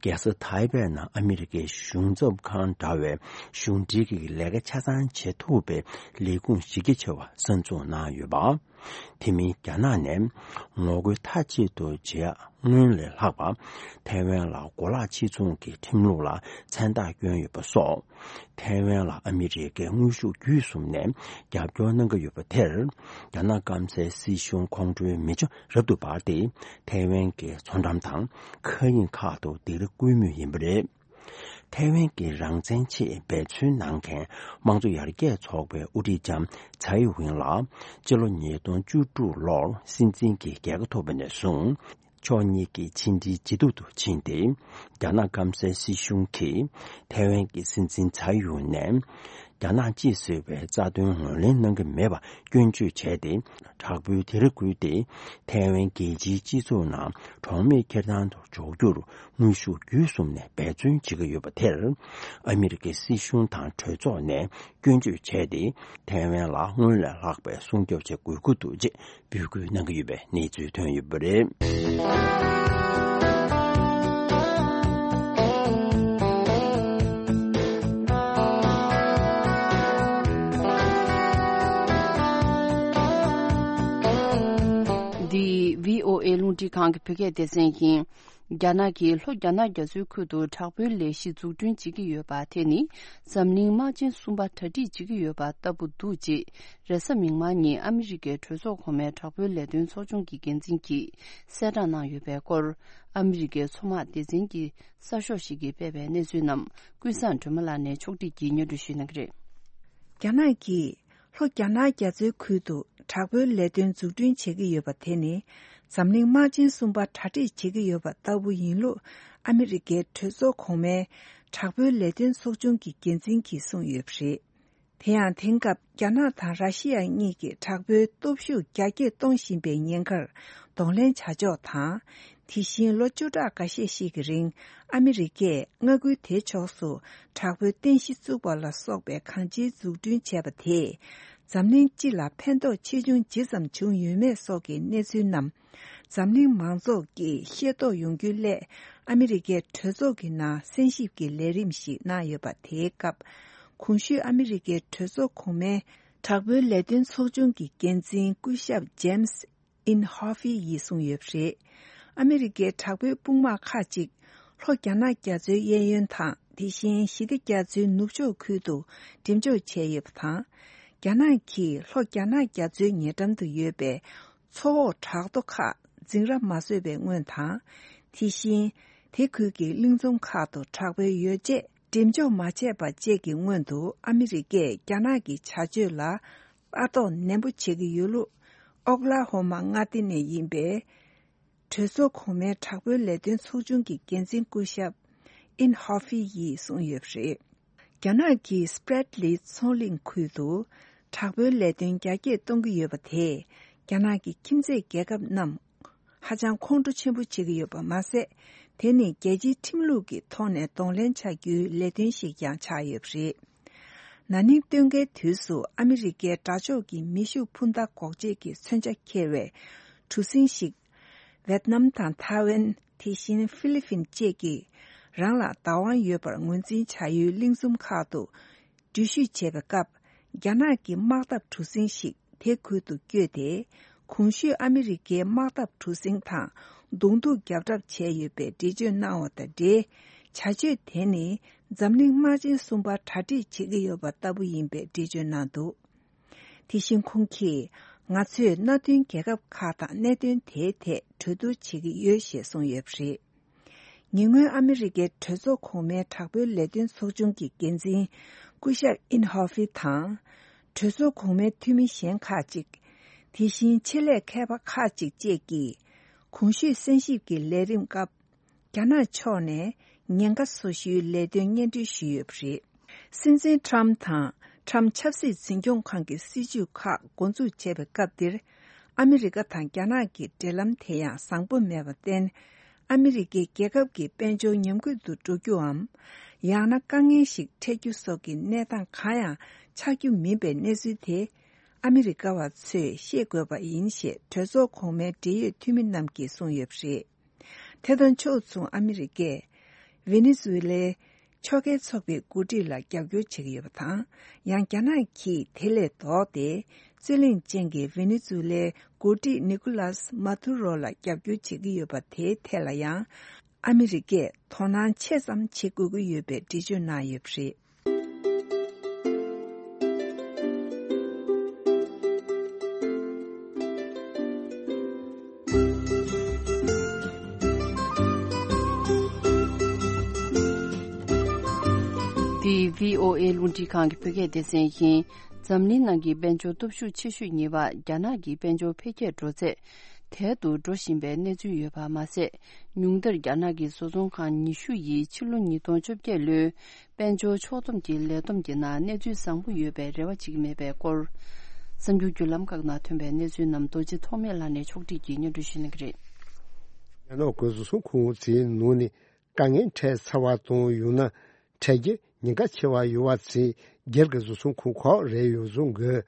རྒྱལ་ས་ཐའེ་པེ་ནང་ཨ་མི་རི་ཀའི་གཞུང་ཚབ་ཁང་འདྲ་བའི་གཞུང་འབྲེལ་གྱི་ལས་ཀ་ཆ་ཚང་བྱེད་ཐུབ་པའི་ལས་ཁུངས་གཞི་རྒྱ་ཆེ་བ་གསར་འཛུགས་གནང་ཡོད་པ། དེ་མིན་རྒྱ་ནག་ནས་ངོ་རྒོལ་མཐའ་གཅིག་ཏུ་བྱེད་ཡ་སྔོན་ལས་ལྷག་པ། ཐའེ་ཝན་ལ་གོ་ལག་ཕྱིར་ཚོང་གི་ཁྲིམས་ལུགས་ལ་མཚན་རྟགས་བསྐྱོན་ཡོད་པ་སོགས། ཐའེ་ཝན་ལ་ཨ་མི་རི་ཀས་དངོས་ཤུགས་བརྒྱུད་གསུམ་ནས་རྒྱབ་སྐྱོར་གནང་གི་ཡོད་པ་དེར། རྒྱ་ནག་སྐམ་སའི་སྲིད་གཞུང་ཁོང་ཁྲོའི་མེ་ལྕེ་རབ་ཏུ་འབར་ཏེ། ཐའེ་ཝན་གྱི་མཚོ་འགྲམ་དང་མཁའ་དབྱིངས་ཁག་ཏུ་སྡིགས་ར་བསྐུལ་མུས་ཡིན་པ་རེད། ཐའེ་ཝན་གྱི་རང་བཙན་ཆེད་འབད་བརྩོན་གནང་མཁན་དམངས་གཙོ་ཡར་རྒྱས་ཚོགས་པའི་དབུ་ཁྲིད་ལྕམ་ཚའེ་ཝེན་ལགས་སྤྱི་ལོ་ཉིས་སྟོང་བཅུ་དྲུག་ལོར་སྲིད་འཛིན་གྱི་རྒྱལ་ཁ་ཐོབ་པ་ནས་བཟུང་། ཕྱོགས་གཉིས་ཀྱི་ཕྱི་འབྲེལ་ཇེ་སྡུག་ཏུ་ཕྱིན་ཏེ། རྒྱ་ནག་སྐམ་སའི་སྲིད་གཞུང་གིས་ཐའེ་ཝན་གྱི་སྲིད་འཛིན་ཚའེ་ཝེན་ནས་རྒྱ་ནག་གཅིག་ཟེར་བའི་རྩ་དོན་ངོས་ལེན་གནང་གི་མེད་པ་སྐྱོན་བརྗོད་བྱས་ཏེ། དྲག་པོའི་སྡིགས་ར་བསྐུལ་ཏེ། ཐའེ་ཝན་རྒྱལ་སྤྱིའི་སྤྱི་ཚོགས་ནང་གྲོགས་མེད་འཁྱེར་སྟངས་དུ་འཇོག་རྒྱུར་དངོས་ཤུགས་བརྒྱུད་གསུམ་ནས་འབད་བརྩོན་བྱེད་ཀྱི་ཡོད་པ་དེར། ཨ་མི་རི་ཀའི་སྲིད་གཞུང་དང་གྲོས་ཚོགས་ནས་སྐྱོན་བརྗོད་བྱས་ཏེ། ཐའེ་ཝན་ལ་སྔོན་ལས་ལྷག་པའི་སྲུང་སྐྱོབ་བྱེད་དགོས་ཀྱི་འདུག་ཅེས་འབོད་སྐུལ་གནང་གི་ཡོད་པའི་གནས་ཚུལ་ཐོན་ཡོད་པ་རེད། འདི་བྷི་ཨོ་ཨེ་རླུང་འཕྲིན་ཁང་གི་བོད་སྐད་སྡེ་ཚན་ཡིན། རྒྱ་ནག་གིས་ལྷོ་རྒྱ་ནག་རྒྱ་མཚོའི་ཁུལ་དུ་དྲག་པོའི་ལས་གཞི་འཛུགས་སྐྲུན་བྱེད་ཀྱི་ཡོད་པ་དེ་ནི་འཛམ་གླིང་དམག་ཆེན་གསུམ་པ་གྲ་སྒྲིག་བྱེད་ཀྱི་ཡོད་པ་ལྟ་བུ་འདུག་ཅེས་རེས་གཟའ་མིག་དམར་ཉིན་ཨ་མི་རི་ཀའི་གྲོས་ཚོགས་གོང་མའི་དྲག་པོའི་ལས་དོན་ཚོགས་ཆུང་གི་འགན་འཛིན་གྱིས་གསལ་བསྒྲགས་གནང་ཡོད་པའི་སྐོར། ཨ་མི་རི་ཀའི་མཚོ་དམག་སྡེ་ཚན་གྱི་གསར་ཤོག་ཞིག་གིས་སྤེལ་བའི་གནས་ཚུལ་རྣམས་ཀུན་བཟང་སྒྲོལ་མ་ལགས་ནས་ཕྱོགས་བསྒྲིགས་ཀྱིས་སྙན་སྒྲོན་ཞུ་གནང་གི་རེད། རྒྱ་ནག་གིས་ལྷོ་རྒྱ་ནག་རྒྱ་མཚོའི་ཁུལ་དུ་དྲག་པོའི་ལས་དོན་འཛུགས་སྐྲུན་བྱེད་ཀྱི་ཡོད་པ་དེ་ནི་འཛམ་གླིང་དམག་ཆེན་གསུམ་པ་གྲ་སྒྲིག་བྱེད་ཀྱི་ཡོད་པ་ལྟ་བུ་ཡིན་ལུགས་ཨ་མི་རི་ཀའི་གྲོས་ཚོགས་གོང་མའི་དྲག་པོའི་ལས་དོན་ཚོགས་ཆུང་གི་འགན་འཛིན་གྱིས་གསུངས་ཡོད་པ་རེད། དེ་ཡང་དེང་སྐབས་རྒྱ་ནག་དང་ར་ཤི་ཡ་གཉིས་ཀྱིས་དྲག་པོའི་སྟོབས་ཤུགས་རྒྱ་སྐྱེད་གཏོང་བཞིན་པའི་ཉེན་ཁར་གདོང་ལེན་བྱ་ཕྱོགས་དང་། དེ་བཞིན་ལོ་བཅུ་ཕྲག་འགའ་ཤས་ཤིག་གི་རིང་ཨ་མི་རི་ཀས་མངའ་ཁུལ་དེའི་ཕྱོགས་སུ་དྲག་པོའི་རྟེན་གཞི་བཙུགས་པ་ལ་སོགས་པའི་གང་ཅིའི་འཛུགས་སྐྲུན་བྱས་པ་དེས་འཛམ་གླིང་སྤྱི་ལ་ཕན་ཐོགས་ཆེ་ཆུང་ཇི་ཙམ་བྱུང་ཡོད་མེད་སོགས་ཀྱི་གནས་ཚུལ་རྣམས་འཛམ་གླིང་མང་ཚོགས་ཀྱིས་ཤེས་རྟོགས་ཡོང་རྒྱུའི་སླད་ཨ་མི་རི་ཀའི་གྲོས་ཚོགས་ཀྱི་ནང་གསན་ཞིབ་ཀྱི་ལས་རིམ་ཞིག་གནང་ཡོད་པ་དེའི་སྐབས། གོང་ཞུས་ཨ་མི་རི་ཀའི་གྲོས་ཚོགས་གོང་མའི་དྲག་པོའི་ལས་དོན་ཚོགས་ཆུང་གི་འགན་འཛིན་སྐུ་ཞབས་ཇེམ་སི་ཨིན་ཧོ་ཧྥི་ཡིས་གསུངས་ཡོད་པ་རེད། ཨ་མི་རི་ཀའི་དྲག་པོའི་དཔུང་དམག་ཁག་ཅིག་ལྷོ་རྒྱ་ནག་རྒྱ་མཚོའི་གཡས་གཡོན་དང་། དེ་བཞིན་ཞི་བདེ་རྒྱ་མཚོའི་ནུབ་ཕྱོགས་ཁུལ་དུ་འགྲེམས་འཇོག་བྱས་ཡོད་པ་དང་། རྒྱ་ནག་གིས་ལྷོ་རྒྱ་ནག་རྒྱ་མཚོའི་ཉེ་འགྲམ་དུ་ཡོད་པའི་མཚོ་འོག་བྲག་རྡོ་ཁག་འཛིང་ར་མ་བཟོས་པའི་སྔོན་དང་། དེ་བཞིན་དེ་ཁུལ་གྱི་གླིང་ཚོམ་ཁག་ཏུ་དྲག་པོའི་ཡོ་བྱད་འགྲེམས་འཇོག་མ་བྱས་པ་བཅས་ཀྱི་སྔོན་དུ་ཨ་མི་རི་ཀས་རྒྱ་ནག་གི་བྱ་སྤྱོད་ལ་ལྟ་རྟོག་ནན་པོ་བྱེད་ཀྱི་ཡོད་ལུགས། ཨོག་ལ་ཧོ་མ་མངའ་སྡེ་ནས་ཡིན་པའི་གྲོས་ཚོགས་གོང་མའི་དྲག་པོའི་ལས་དོན་ཚོགས་ཆུང་གི་འགན་འཛིན་སྐུ་ཞབས་ཨིན་ཧོ་ཧྥི་ཡིས་གསུངས་ཡོད་པ་རེད། རྒྱ་ནག་གིས་སྤྲེད་ལི་མཚོ་གླིང་ཁུལ་དུ་དྲག་པོའི་ལས་དོན་རྒྱ་སྐྱེད་གཏོང་གི་ཡོད་པ་དེས་རྒྱ་ནག་གི་ཁྱིམ་མཚེས་རྒྱལ་ཁབ་རྣམས་ཧ་ཅང་ཁོང་ཁྲོ་ཆེན་པོ་བྱེད་ཀྱི་ཡོད་པ་མ་ཟད། དེ་ནི་རྒྱལ་སྤྱིའི་ཁྲིམས་ལུགས་ཀྱི་ཐོག་ནས་གདོང་ལེན་བྱ་རྒྱུའི་ལས་དོན་ཞིག་ཀྱང་ཆགས་ཡོད་པ་རེད། ན་ནིང་སྟོན་ཁའི་དུས་སུ་ཨ་མི་རི་ཀའི་དགྲ་ཕྱོགས་ཀྱི་མེ་ཤུགས་འཕུར་མདའ་འགོག་བྱེད་ཀྱི་མཚོན་ཆ་འཁྱེར་བའི་གྲུ་གཟིངས་ཤིག་ཝེད་ནམ་དང་ཐའེ་ཝན། དེ་བཞིན་ཧྥི་ལི་ཕིན་བཅས་ཀྱིས་རང་ལ་བདག་དབང་ཡོད་པར་ངོས་འཛིན་བྱ་ཡུལ་གླིང་ཚོམ་ཁག་ཏུ་འགྲུལ་བཞུད་བྱེད་པའི་སྐབས། རྒྱ་ནག་གི་དམག་འཐབ་གྲུ་གཟིངས་ཤིག་དེ་ཁུལ་དུ་བསྐྱོད་དེ། གོང་ཞུས་ཨ་མི་རི་ཀའི་དམག་འཐབ་གྲུ་གཟིངས་དང་གདོང་ཐུག་བརྒྱབ་གྲབས་བྱས་ཡོད་པའི་འགྲེལ་བརྗོད་གནང་བ་དང་འབྲེལ། བྱ་སྤྱོད་དེ་ནི་འཛམ་གླིང་དམག་ཆེན་གསུམ་པ་གྲ་སྒྲིག་བྱེད་ཀྱི་ཡོད་པ་ལྟ་བུ་ཡིན་པའི་འགྲེལ་བརྗོད་གནང་འདུག་དེ་བཞིན་ཁོང་གིས། ང་ཚོས་མནའ་མཐུན་རྒྱལ་ཁབ་ཁག་དང་གནད་དོན་དེའི་ཐད་གྲོས་བསྡུར་བྱེད་ཀྱི་ཡོད་ཞེས་གསུངས་ཡོད་པ་རེད། ཉེ་སྔོན་ཨ་མི་རི་ཀའི་གྲོས་ཚོགས་གོང་མའི་དྲག་པོའི་ལས་དོན་ཚོགས་ཆུང་གི་འགན་འཛིན་སྐུ་ཞབས་ཨིན་ཧོ་ཧྥི་དང་། གྲོས་ཚོགས་གོང་མའི་འཐུས་མི་གཞན་ཁག་ཅིག་དེ་བཞིན་ཆེད་ལས་མཁས་པ་ཁག་ཅིག་བཅས་ཀྱིས། གོང་ཞུས་གསན་ཞིབ་ཀྱི་ལས་རིམ་སྐབས། རྒྱ་ནག་ཕྱོགས་ནས་ཉེན་ཁ་བཟོ་ཞུའི་ལས་དོན་སྙན་སྒྲོན་ཞུས་ཡོད་པ་རེད། སྲིད་འཛིན་ཁྲམ་དང་ཁྲམ་ཆབ་སྲིད་འཛིན་སྐྱོང་ཁང་གི་སྲིད་ཇུས་ཁག་འགོ་འཛུགས་བྱས་པའི་སྐབས་འདིར། ཨ་མི་རི་ཀ་དང་རྒྱ་ནག་གི་འབྲེལ་ལམ་དེ་ཡང་བཟང་པོ་མེད་པར་བརྟེན། ཨ་མི་རི་ཀའི་རྒྱལ་ཁབ་ཀྱི་དཔལ་འབྱོར་ཉམས་རྒུད་དུ་འགྲོ་རྒྱུའམ། ཡང་ན་དཀའ་ངལ་ཞིག་འཕྲད་རྒྱུ་སོགས་ཀྱི་གནས་སྟངས་གང་ཡང་ཆགས་རྒྱུ་མིན་པའི་གནས་ཚུལ་དེ། ཨ་མི་རི་ཀ་བ་ཚོས་ཤེས་དགོས་པ་ཡིན་ཞེས་གྲོས་ཚོགས་གོང་མའི་འབྲེལ་ཡོད་འཐུས་མི་རྣམས་ཀྱིས་གསུངས་ཡོད་པ་རེད། དེ་དང་ཕྱོགས་མཚུངས་ཨ་མི་རི་ཀས་ཝེ་ནེ་ཛུ་ཝེ་ལའི་ཕྱོགས་འགལ་ཚོགས་པའི་འགོ་ཁྲིད་ལ་རྒྱབ་སྐྱོར་བྱེད་ཀྱི་ཡོད་པ་དང་། ཡང་རྒྱ་ནག་གིས་དེ་ལས་ལྡོག་སྟེ་རྩོད་གླེང་ཅན་གྱི་ཝེ་ནེ་ཛུ་ཝེ་ལའི་འགོ་ཁྲིད་ནི་ཀུ་ལཱས་མ་ཏུ་རོ་ལ་རྒྱབ་སྐྱོར་བྱེད་ཀྱི་ཡོད་པ་དེའི་ཐད་ལ་ཡང་ཨ་མི་རི་ཀས་དོ་སྣང་ཆེ་ཙམ་བྱེད་དགོས་ཀྱི་ཡོད་པའི་འགྲེལ་བརྗོད་གནང་ཡོད་པ་རེད། འདི་བྷི་ཨོ་ཨེ་རླུང་འཕྲིན་ཁང་གི་བོད་སྐད་སྡེ་ཚན་ཡིན། འཛམ་གླིང་ནང་གི་དཔལ་འབྱོར་སྟོབས་ཤུགས་ཆེ་ཤོས་གཉིས་པ་རྒྱ་ནག་གི་དཔལ་འབྱོར་འཕེལ་རྒྱས་འགྲོ་ཚད་དལ་དུ་འགྲོ་བཞིན་པའི་གནས་ཚུལ་ཡོད་པ་མ་ཟད། ཉུང་མཐར་རྒྱ་ནག་གི་བཟོ་ཚོང་ཁང་ཉི་ཤུ་ཡིས་ཕྱི་ལོ་ཉིས་སྟོང་བཅོ་བརྒྱད་ལོའི་དཔལ་འབྱོར་ཕྱོགས་བསྡོམས་ཀྱི་ལས་བསྡོམས་ཀྱི་ནང་གནས་ཚུལ་བཟང་པོ་ཡོད་པའི་རེ་བ་བྱེད་ཀྱི་མེད་པའི་སྐོར། གསར་འགྱུར་བརྒྱུད་ལམ་ཁག་ནང་ཐོན་པའི་གནས་ཚུལ་རྣམས་རྡོ་རྗེ་ཐོགས་མེད་ལགས་ནས་ཕྱོགས་བསྒྲིགས་ཀྱིས་སྙན་སྒྲོན་ཞུ་གནང་གི་རེད། རྒྱ་ནག་གི་བཟོ་ཚོང་ཁང་ཚོའི་ནང་ནས་དཀའ་ངལ་འཕྲད་ཚར་བ་དང་། ཡང་ན་འཕྲད་རྒྱུ་ཉེན་ཁ་ཆེ་བ་ཡོད་པ་ཚོའི་སྒེར་གྱི་བཟོ་ཚོང་ཁང་ཁག་རེ་ཡོད་བཟོ་གི།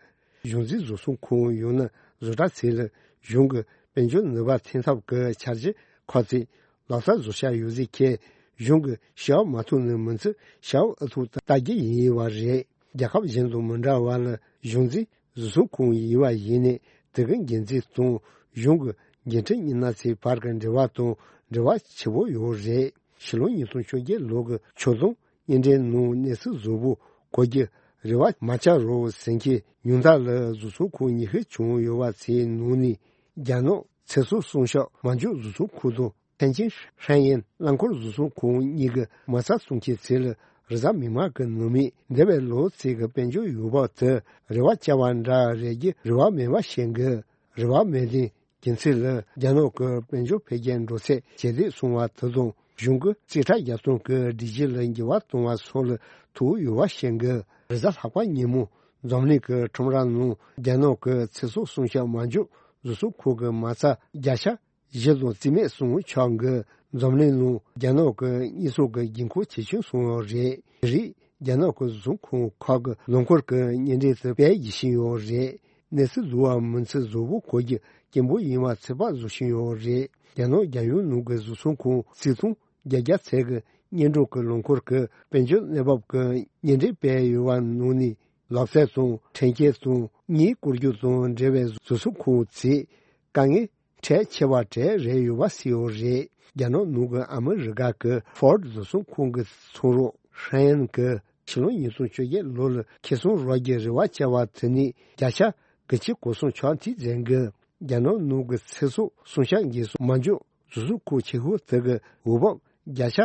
གཞུང་འཛིན་བཟོ་ཚོང་ཁང་ཡང་ན་བཟོ་གྲྭ་ཚོ་ལ་གཞུང་གི་དཔལ་འབྱོར་ནུས་པ་འཐེན་ཐབས་ཀྱི་འཆར་གཞི་ཁག་ཚོ་ལག་བསྟར་བཟོ་འཆར་ཡོད་ཚུལ་གྱིས། གཞུང་གིས་ཞལ་མ་ཐུག་ནས་མི་ཚེ་ཞལ་ཨ་ཐུག་ལྟ་རྒྱུ་ཡིན་པ་རེད། རྒྱལ་ཁབ་གཞན་དང་མི་འདྲ་བ་ལ། གཞུང་འཛིན་བཟོ་ཚོང་ཁང་ཡིན་པ་ཡིན་ནའི་དེ་གི་འགན་འཛིན་དང་གཞུང་གི་འགན་འཁྲི་གཉིས་སྣ་ཚོའི་བར་གྱི་འབྲེལ་བ་དང་འབྲེལ་བ་ཆེ་བོ་ཡོད་རེད། ཕྱི་ལོ་ཉིས་སྟོང་བཅོ་བརྒྱད་ལོ་གི་ཆུ་ཚོད་བརྙན་འཕྲིན་ནང་གནས་ཚུལ་བཟང་པོ་གོ་རྒྱུ་རེ་བ་མ་ཆག་རོགས་ཟེར་མཁན། ཉུང་མཐའ་ལ་བཟོ་ཚོང་ཁང་ཉི་ཤུ་བྱུང་ཡོད་པ་ཚོའི་ནང་ནས་རྒྱ་ནག་ཚེ་སྲོག་སྲུང་སྐྱོབ་མ་འཇོག་བཟོ་ཚོང་ཁང་དང་། ཐེན་ཅིན་ཧྲན་ཡན་རླངས་འཁོར་བཟོ་ཚོང་ཁང་གཉིས་ཀྱི་མ་རྩ་བཙུགས་མཁན་ཚོ་ལ་རེས་གཟའ་མིག་དམར་གྱི་ནང་མི་འདས་པའི་ལོ་ཚོད་ཀྱི་དཔལ་འབྱོར་འོས་འབབ་དེ་རེ་བ་བཅོལ་བ་འདྲ་རེད་རྒྱུ་རེ་བ་མེད་པ་བཤད་གི། རེ་བ་མེད་དུས་རྒྱུ་མཚན་ལ་རྒྱ་ནག་གི་དཔལ་འབྱོར་འཕེལ་རྒྱས་འགྲོ་ཚད་ཇེ་ལེགས་སོང་བ་དེ་དང་། གཞུང་གི་རྩིས་ཁྲ་རྒྱབ་སྟངས་ཀྱི་སྒྲིག་གཞི་ལ་འགྱུར་བ་གཏོང་བ་སོགས་ལ་ཐུག་ཡོད་པ་བཤད་གི། རེས་གཟའ་ལྷག་པ་ཉིན་མོ་འཛམ་གླིང་གི་ཁྲོམ་ར་ནང་རྒྱ་ནག་གི་ཚེ་སྲོག་སྲུང་སྐྱོབ་མ་འཇོག་བཟོ་ཚོང་ཁང་གི་མ་རྩ་བརྒྱ་ཆ་བཞི་དང་རྩིས་མེད་སོང་ཆོག་གི། འཛམ་གླིང་ནང་རྒྱ་ནག་གི་གཉེར་སྐྱོང་གི་དགོས་མཁོ་ཇེ་ཆུང་སོང་ཡོད་རེད། དེ་རིང་རྒྱ་ནག་གི་བཟོ་ཚོང་ཁང་ཁག་གི་ལོ་འཁོར་གྱི་བརྙན་འཕྲིན་དེ་སྤེལ་བཞིན་ཡོད་རེད། གནས་ཚུལ་བཟང་བ་མིན་ཚུལ་བཟང་པོ་གོ་རྒྱུ་སྐྱིད་པོ་ཡིན་པ་ཚོད་དཔག་བཟོ་བཞིན་ཡོད་རེད། རྒྱ་ནག་རྒྱལ་ཡོངས་ནང་གི་བཟོ་ཚོང་ཁང་རྩིས་ཐོ་བརྒྱད་བརྒྱ་ཚོད་ཀྱི་སྙན་སྒྲོན་གྱི་ལོ་འཁོར་གྱི་དཔལ་འབྱོར་གནས་བབ་ཀྱི་བརྙན་འཕྲིན་སྤེལ་ཡོད་པ་ནང་ནས། ལག་རྩལ་དང་འཕྲིན་སྐྱེལ་དང་གཉེར་སྐྱོང་རྒྱུ་དང་འབྲེལ་བའི་བཟོ་ཚོང་ཁང་ཚོས་དཀའ་ངལ་འཕྲད་ཆེ་བ་གྲས་རེ་ཡོད་པ་གསལ་ཡོད་རེད། རྒྱ་ནག་ནང་གི་ཨ་མི་རི་ཀ་གི་ཧྥོར་ཌི་བཟོ་ཚོང་ཁང་གི་ཚོང་རོགས་ཧྲན་ཡན་གྱིས་ཕྱི་ལོ་ཉིས་སྟོང་བཅོ་བརྒྱད་ལོ་ལ་ཁེ་བཟང་རག་རྒྱུ་རེ་བ་བཅོལ་བ་དེ་ནས་བརྒྱ་ཆ་དགུ་བཅུ་གོ་གསུམ་ཆག་འཐུས་མཛད་གི། རྒྱ་ནག་ནང་གི་ཚེ་སྲོག་སྲུང་སྐྱོབ་འགན་སྲུང་མ་འཇོག་བཟོ་ཚོང་ཁང་ཆེ་ཤོས་དེ་གི་འོས་འབབ་བརྒྱ་ཆ་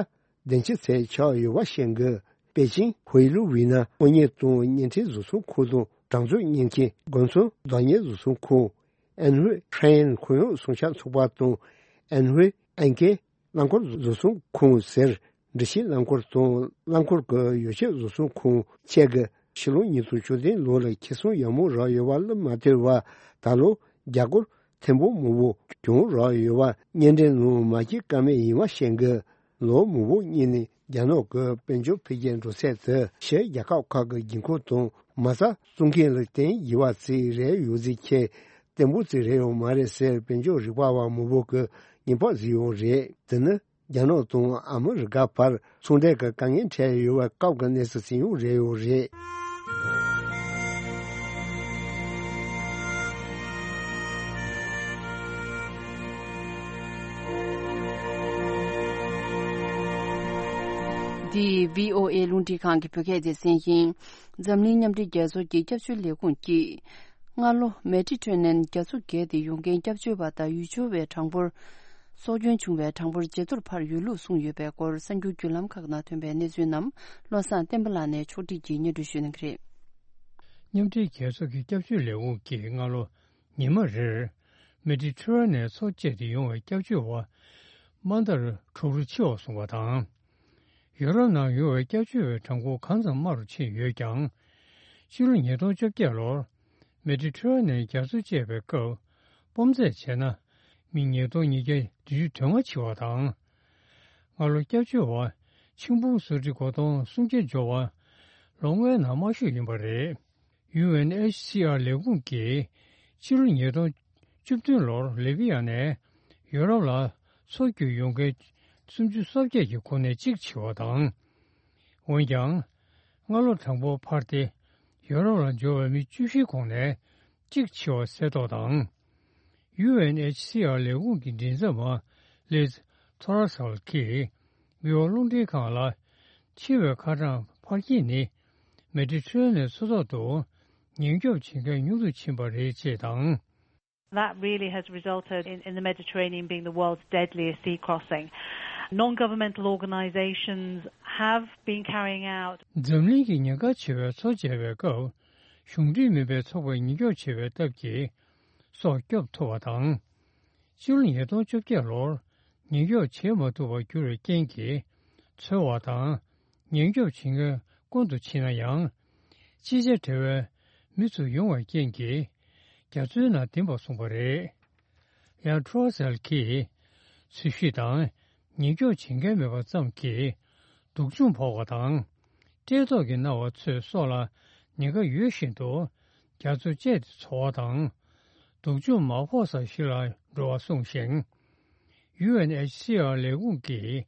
བདུན་ཅུ་ཚོད་ཆགས་ཡོད་པ་བཤད་གི། པེ་ཅིང་ཧུའེ་ལུའུ་ཝི་ན་དངོས་གཉེར་དང་བརྙན་འཕྲིན་བཟོ་ཚོང་ཁང་དང་གྲངས་འཛུགས་མཉེན་ཆས་དགོན་ཚོང་བདག་གཉེར་བཟོ་ཚོང་ཁང་། ཨན་ཧུའེ་ཧྲན་ཡན་ཁོར་ཡུག་སྲུང་སྐྱོབ་ཚོགས་པ་དང་ཨན་ཧུའེ་ཨན་ཀེ་རླངས་འཁོར་བཟོ་ཚོང་ཁང་ཟེར། འབྲི་ཆུའི་རླངས་འཁོར་དང་རླངས་འཁོར་གྱི་ཡོ་བྱད་བཟོ་ཚོང་ཁང་བཅས་ཀྱིས་ཕྱི་ལོ་ཉིས་སྟོང་བཅུ་བདུན་ལོ་ལ་ཁེ་བཟང་ཡག་མོ་རག་ཡོད་པ་ལ་མ་ལྟོས་པར། ད་ལོ་རྒྱ་སྒོར་ཐེར་འབུམ་མང་པོ་གྱོང་རག་ཡོད་པ་བརྙན་འཕྲིན་ནང་མ་བརྗེད་ཀ་མེད་ཡིན་པ་བཤད་གི། ལོ་མང་པོ་སྔོན་ནས་རྒྱ་ནག་གི་དཔལ་འབྱོར་འཕེལ་རྒྱས་འགྲོ་ཚད་དེ་ཕྱིའི་རྒྱལ་ཁབ་ཁག་གི་དགོས་མཁོ་དང་མ་རྩ་བཙུགས་མཁན་ལ་བརྟེན་ཡོད་པ་ཅིག་རེད། ཡོད་ཚད་ཁྱད་བརྟན་པོ་ཅིག་རེད་ཡོད་མ་རེད་ཟེར་དཔལ་འབྱོར་རིག་པ་བ་མང་པོ་གིས་ཉེན་བརྡ་བཟོས་ཡོད་རེད། དེ་ནི་རྒྱ་ནག་དང་ཨ་མི་རི་ཀ་བར་ཚོང་འབྲེལ་གྱི་དཀའ་ངལ་འཕྲད་ཡོད་པའི་སྐབས་ཀྱི་གནས་ཚུལ་ཞིག་ཡང་རེད་ཡོད་རེད། འདི་བྷི་ཨོ་ཨེ་རླུང་འཕྲིན་ཁང་གི་བོད་སྐད་སྡེ་ཚན་ཡིན། འཛམ་གླིང་མཉམ་འབྲེལ་རྒྱལ་ཚོགས་ཀྱི་སྐྱབས་བཅོལ་ལས་ཁུངས་ཀྱིས། སྔ་ལོ་མེ་ཌི་ཊེ་རེ་ནན་རྒྱ་མཚོ་བརྒལ་ཏེ་ཡོང་མཁན་སྐྱབས་བཅོལ་བ་དང་ཡུལ་སྐྱོར་བའི་གྲངས་འབོར། སྲོག་སྐྱོན་བྱུང་བའི་གྲངས་འབོར་ཇེ་མཐོར་འཕར་ཡོད་ལུགས་གསུངས་ཡོད་པའི་སྐོར། གསར་འགྱུར་བརྒྱུད་ལམ་ཁག་ནང་ཐོན་པའི་གནས་ཚུལ་རྣམས་བློ་བཟང་བསྟན་པ་ལགས་ནས་ཕྱོགས་སྒྲིག་གིས་སྙན་སྒྲོན་ཞུ་གནང་གི་རེད། མཉམ་འབྲེལ་རྒྱལ་ཚོགས་ཀྱི་སྐྱབས་བཅོལ་ལས་ཁུངས་ཀྱིས་སྔ་ལོ་ཉི་མ་རེར་མེ་ཌི་ཊེ་རེ་ནན་མཚོ་བཅད་དེ་ཡོང་བའི་སྐྱབས་བཅོལ་བ་དམའ་མཐར་དྲུག་རུ་ཆེ་བ་སོང་བ་དང་། ཡུ་རོབ་ནང་ཡོང་བའི་སྐྱབས་བཅོལ་བའི་གྲངས་འབོར་གང་ཙམ་དམའ་རུ་ཕྱིན་ཡོད་ཀྱང་། ཕྱི་ལོ་ཉིས་སྟོང་བཅོ་བརྒྱད་ལོར་མེ་ཌི་ཊེ་རེ་ནན་རྒྱ་མཚོ་བཅད་པའི་སྐབས་སྤོམ་རྩེད་བྱས་ན་མི་ཉིས་སྟོང་ཉིས་བརྒྱ་བདུན་ཅུ་དོན་ལྔ་འཆི་བ་དང་ སྔ་ལོ་སྐྱབས་བཅོལ་བ་ཆིང་ཕུང་སུའུ་ཊི་སྒོ་སྟོང་སུམ་བརྒྱ་འབྱོར་བ་ལོ་ལྔའི་ནང་དམའ་ཤོས་ཡིན་པ་རེད། ཡུ་ཨེན་ཨེཆ་སི་ཨར་ལས་ཁུངས་ཀྱིས་ཕྱི་ལོ་ཉིས་སྟོང་བཅུ་བདུན་ལོར་ལི་བི་ཡ་ནས་ཡོ་རོབ་ལ་མཚོ་བརྒྱུད་ཡོང་མཁན་སུམ་ཅུ་སོ་བརྒྱད་ཀྱི་ཁོངས་ནས་གཅིག་འཆི་བ་དང་། འོན་ཀྱང་། སྔ་ལོ་གྲངས་འབོར་འཕར་ཏེ། ཡོ་རོབ་ལ་འབྱོར་བའི་མི་བཅུ་བཞིའི་ཁོངས་ནས་གཅིག་འཆི་བ་གསལ་རྟོགས་དང་། ཡུ་ཨེན་ཨེཆ་སི་ཨར་ལས་ཁུངས་ཀྱི་མགྲིན་ཚབ་པ་ལིཛ་ཐོ་ར་སལ་གྱིས་མི་འོག་རླུང་འཕྲིན་ཁང་ལ། འཆི་བའི་ཁ་གྲངས་འཕར་རྐྱེན་ནི་མེ་ཌི་ཊི་རེ་ནི་མཚོ་ཐོག་ཏུ་ཉེན་སྐྱོབ་བྱེད་མཁན་ཉུང་དུ་ཕྱིན་པ་རེད་ཅེས་དང་། That really has resulted in, in the Mediterranean being the world's deadliest sea crossing. Non-governmental organisations have been carrying out འཛམ་གླིང་གི་ཉེན་ཁ་ཆེ་བའི་མཚོ་མཇལ་བའི་སྐབས། གཞུང་འབྲེལ་མིན་པའི་ཚོགས་པས་ཉེན་སྐྱོབ་བྱེད་པའི་སྟབས་ཀྱིས་སྲོག་སྐྱོབ་ཐུབ་པ་དང་། ཕྱི་ལོ་ཉིས་སྟོང་བཅོ་བརྒྱད་ལོར་ཉེན་སྐྱོབ་བྱེད་མ་ཐུབ་པར་གྱུར་བའི་རྐྱེན་གྱིས་འཚོལ་བ་དང་ཉེན་སྐྱོབ་བྱེད་མཁན་དཀོན་དུ་ཕྱིན་ན་ཡང་། ཅི་བྱ་བྲལ་བའི་མི་ཚོ་ཡོང་བའི་རྐྱེན་གྱིས་རྒྱ་མཚོའི་ནང་ལྡིང་བར་གསུངས་པ་རེད། ཡང་ཁྲོ་སེལ་གྱིས་འཚོལ་ཞིབ་དང་ཉེན་སྐྱོབ་བྱེད་མཁན་མེད་པ་ཙམ་གྱིས་སྡུག་སྦྱོང་ཕོག་པ་དང་། བཀྲེས་ལྟོགས་ཀྱིས་མནར་བ་ཚོས་སྲོག་ལ་ཉེན་ཁ་ཡོད་བཞིན་དུ་རྒྱ་མཚོ་བཅད་དེ་འཚོ་བ་དང་། སྡུག་སྦྱོང་མ་ཕོག་ས་ཞིག་ལ་འགྲོ་བ་གསུངས་ཤིང་། ཡུ་ཨེན་ཨེཆ་སི་ཨར་ལས་ཁུངས་ཀྱིས་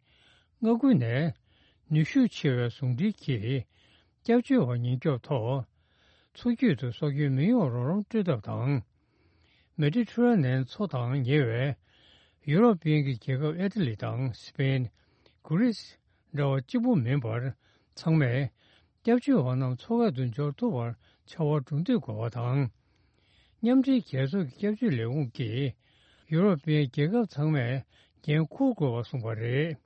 མངའ་ཁུལ་ནས་ནུས་ཤུགས་ཆེ་བའི་ཟུང་འབྲེལ་གྱིས་སྐྱབས་བཅོལ་བ་ཉེན་སྐྱོབ་ཐོག་མཚོ་རྒྱུད་དུ་སྲོག་སྐྱོན་མི་ཡོང་རོགས་རམ་སྤྲོད་ཐབས་དང་། མེ་ཌི་ཊི་རེ་ནེན་མཚོ་དང་ཉེ་བའི་ཡུ་རོབ་པའི་རྒྱལ་ཁབ་ཨི་ཊ་ལི་དང་སི་པེན། གྷི་རིས་འདྲ་བ་གཅིག་པུ་མིན་པར་ཚང་མས་སྐྱབས་བཅོལ་བ་རྣམས་མཚོ་ཁ་དུ་འབྱོར་ཐུབ་པར་ཕྱར་བ་གྲུ་འདེགས་དགོས་པ་དང་། མཉམ་འབྲེལ་རྒྱལ་ཚོགས་ཀྱི་སྐྱབས་བཅོལ་ལས་ཁུངས་ཀྱིས་ཡུ་རོབ་པའི་རྒྱལ་ཁབ་ཚང་མས་འགན་འཁུར་དགོས་པ་གསུངས་པ་རེད།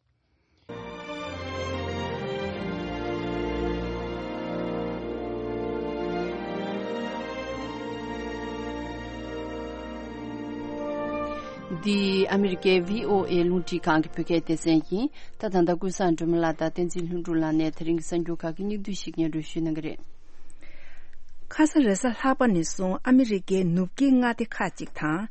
འདི་ཨ་མི་རི་ཀའི་བྷི་ཨོ་ཨེ་རླུང་འཕྲིན་ཁང་གི་བོད་སྐད་སྡེ་ཚན་ཡིན། ད་ད་ལྟ་ཀུན་བཟང་སྒྲོལ་མ་ལགས་དང་བསྟན་འཛིན་ལྷུན་གྲུབ་ལགས་ནས་དེ་རིང་གི་གསར་འགྱུར་ཁག་གི་སྙིང་བསྡུས་ཤིག་སྙན་སྒྲོན་ཞུ་གནང་གི་རེད། ཁ་ས་རེས་གཟའ་ལྷག་པ་ནས་བཟུང་ཨ་མི་རི་ཀའི་ནུབ་དཀྱིལ་མངའ་སྡེ་ཁག་ཅིག་དང་།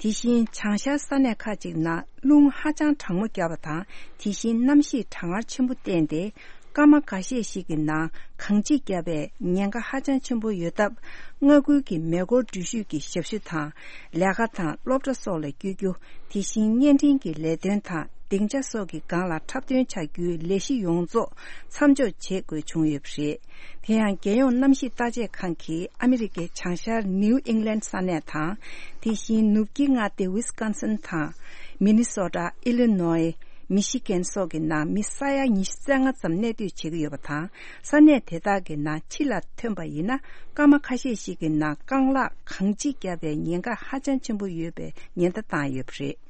དེ་བཞིན་བྱང་ཤར་ས་གནས་ཁག་ཅིག་ནང་རླུང་ཧ་ཅང་གྲང་མོ་བརྒྱབ་པ་དང་། དེ་བཞིན་གནམ་གཤིས་གྲང་ངར་ཆེན་པོ་བསྟན་ཏེ། སྐར་མ་འགའ་ཤས་ཤིག་གི་ནང་གངས་འཁྱིག་བརྒྱབ་པའི་ཉེན་ཁ་ཧ་ཅང་ཆེན་པོ་ཡོད་སྟབས། མངའ་ཁུལ་གྱི་མེ་འཁོར་འགྲུལ་བཞུད་ཀྱི་ཞབས་ཞུ་དང་། ལས་ཀ་དང་སློབ་གྲྭ་སོགས་ལ་བསྐྱོད་རྒྱུ། དེ་བཞིན་བརྙན་འཕྲིན་གྱི་ལས་དོན་དང་སྡིངས་ཆ་སོགས་ཀྱི་སྒང་ལ་འཁྲབ་སྟོན་བྱ་རྒྱུའི་ལས་གཞི་ཡོངས་རྫོགས་མཚམས་འཇོག་བྱེད་དགོས་བྱུང་ཡོད་པ་རེད། དེ་ཡང་རྒྱལ་ཡོངས་གནམ་གཤིས་བརྟག་དཔྱད་ཁང་གིས་ཨ་མི་རི་ཀའི་བྱང་ཤར་ནིའུ་ཨིང་ལན་ས་གནས་དང་། དེ་བཞིན་ནུབ་དཀྱིལ་མངའ་སྡེ་ཝི་སི་ཀོན་སིན་དང་། མི་ནི་སོ་ཊ། ཨི་ལི་ནོའི། མི་ཤི་གན་སོགས་ཀྱི་ནང་མི་ས་ཡ་ཉི་ཤུ་རྩ་ལྔ་ཙམ་གནས་སྡོད་བྱེད་ཀྱི་ཡོད་པ་དང་། ས་གནས་དེ་དག་གི་ནང་ཕྱི་ལ་ཐོན་པ་ཡིན་ན། སྐར་མ་ཁ་ཤས་ཤིག་གི་ནང་རྐང་ལག་གངས་འཁྱིག་བརྒྱབ་པའི་ཉེན་ཁ་ཧ་ཅང་ཆེན་པོ་ཡོད་པའི་ཉེན་བརྡ་བཏང་ཡོད་པ་རེད།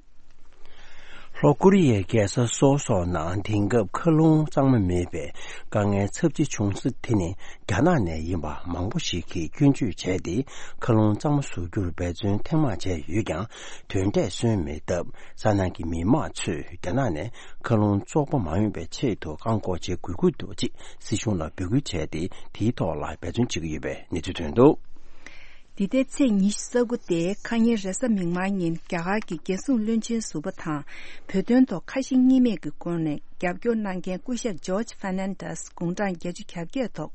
ལྷོ་ཀོ་རི་ཡའི་རྒྱལ་ས་སོལ་སོགས་ནང་དེང་སྐབས་མཁའ་རླུང་གཙང་མ་མེད་པའི་དཀའ་ངལ་ཚབས་ཆེ་བྱུང་ས་དེ་ནི། རྒྱ་ནག་ནས་ཡིན་པ་མང་པོ་ཞིག་གིས་སྐྱོན་བརྗོད་བྱས་ཏེ། མཁའ་རླུང་གཙང་མ་བཟོ་རྒྱུར་འབད་བརྩོན་ཐེངས་མང་བྱས་ཡོད་ཀྱང་། དོན་འབྲས་སོན་མེད་སྟབས། ས་གནས་ཀྱི་མི་མང་ཚོས་རྒྱ་ནག་ནས་མཁའ་རླུང་བཙོག་པ་མ་ཡོང་བའི་ཆེད་དུ་བཀག་འགོག་བྱེད་དགོས་ཀྱི་འདུག་ཅེས་སྲིད་གཞུང་ལ་འབོད་སྐུལ་བྱས་ཏེ། དེའི་ཐོག་ལ་འབད་བརྩོན་བྱེད་ཀྱི་ཡོད་པའི་གནས་ཚུལ་ཐོན་འདུག། འདི་ཟླའི་ཚེས་ཉི་ཤུ་རྩ་དགུ་སྟེ། ཁ་ཉིན་རེས་གཟའ་མིག་དམར་ཉིན། རྒྱ་གར་གྱི་རྒྱལ་སྲུང་བློན་ཆེན་ཟུར་པ་དང་། བོད་དོན་ཐོག་ཁ་ཞེ་གཉིས་མེད་ཀྱི་སྒོ་ནས་རྒྱབ་སྐྱོར་གནང་མཁན་སྐུ་ཞབས་ཇོརྗ་ཧྥར་ནན་ཌེས་དགུང་གྲངས་བརྒྱད་ཅུ་གྱ་བརྒྱད་ཐོག་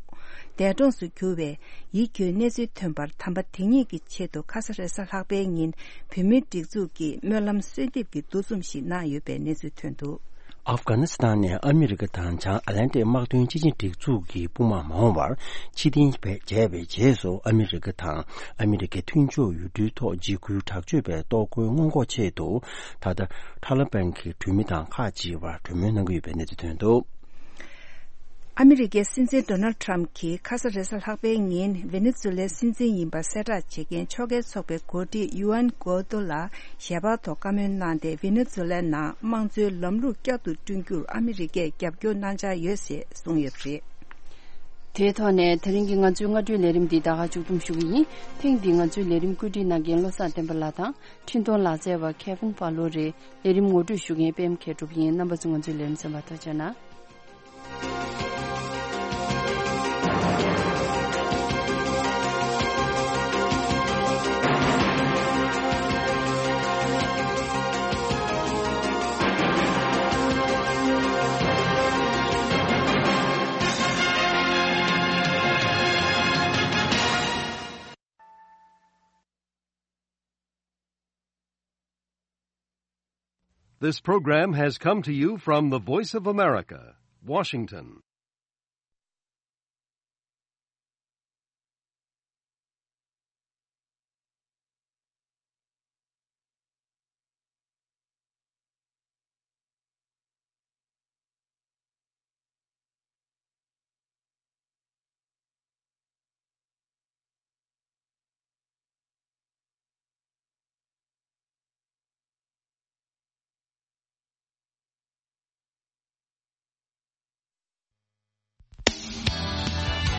འདས་གྲོངས་སུ་གྱུར་བའི་ཡིད་སྐྱོའི་གནས་ཚུལ་ཐོན་པར། དམ་པ་དེ་ཉིད་ཀྱི་ཆེད་དུ་ཁ་ས་རེས་གཟའ་ལྷག་པའི་ཉིན་བོད་མིའི་སྒྲིག་འཛུགས་ཀྱིས་སྨོན་ལམ་གསོལ་འདེབས་ཀྱི་འདུ་འཛོམས་ཤིག་གནང་ཡོད་པའི་གནས་ཚུལ་ཐོན་འདུག། ཨབ་གྷ་ནི་སི་ཐན་ནས་ཨ་མི་རི་ཀ་དང་བྱང་ཨ་ལན་ཏིག་དམག་དོན་སྤྱི་ཆིངས་སྒྲིག་འཛུགས་ཀྱི་དཔུང་དམག་མ་འོངས་པར་ཕྱིར་འཐེན་བྱས་པའི་རྗེས་སུ། ཨ་མི་རི་ཀ་དང་ཨ་མི་རི་ཀའི་མཐུན་ཕྱོགས་ཡུལ་གྲུའི་ཐོག་འཇིགས་སྐུལ་དྲག་སྤྱོད་པའི་གཏོར་རྒོལ་སྔོན་འགོག་ཆེད་དུ། ད་ལྟ་ཐ་ལི་བན་གྱི་གྲོས་མི་དང་ཁག་ཅིག་བར་གྲོས་མོལ་གནང་གི་ཡོད་པའི་གནས་ཚུལ་ཐོན་འདུག། ཨ་མི་རི་ཀའི་སྲིད་འཛིན་ཌོ་ནལ་ཌི་ཊརམ་གྱིས་ཁ་ས་རེས་གཟའ་ལྷག་པའི་ཉིན་ཝེ་ནེ་ཛུ་ལའི་སྲིད་འཛིན་ཡིན་པ་གསལ་བསྒྲགས་བྱེད་མཁན་ཕྱོགས་འགལ་ཚོགས་པའི་འགོ་ཁྲིད་ཡུ་ཨན་གོ་ཏོ་ལ་ཞལ་པར་ཐོག་བཀའ་མོལ་གནང་སྟེ། ཝེ་ནེ་ཛུ་ལའི་ནང་དམངས་གཙོའི་ལམ་ལུགས་བསྐྱར་དུ་བསྐྲུན་རྒྱུར་ཨ་མི་རི་ཀས་རྒྱབ་སྐྱོར་གནང་འཆར་ཡོད་ཅེས་གསུངས་ཡོད་པ་རེད། དེའི་ཐོག་ནས་དེ་རིང་གི་ང་ཚོའི་སྔ་དྲོའི་ལས་རིམ་འདི་ད་ག་མཇུག་བསྡོམས་ཞུ་གི་ཡིན། ཐེངས་འདིའི་ང་ཚོའི་ལས་རིམ་བཀོད་སྒྲིག་གནང་མཁན་བློ་བཟང་བསྟན་པ་ལགས་དང་། འཕྲིན་གཏོང་ལག་རྩལ་བ་མཁས་དབང་དཔའ་ལོ་རེད། ལས་རིམ་ངོ་སྤྲོད་ཞུ་མཁན་པད་མ་མཁས་གྲུབ་ཡིན། རྣམ་པ་ཚོ་ང་ཚོའི་ལས་རིམ་གསན་པར་ཐུགས་རྗེ་གནང་། This program has come to you from the Voice of America, Washington.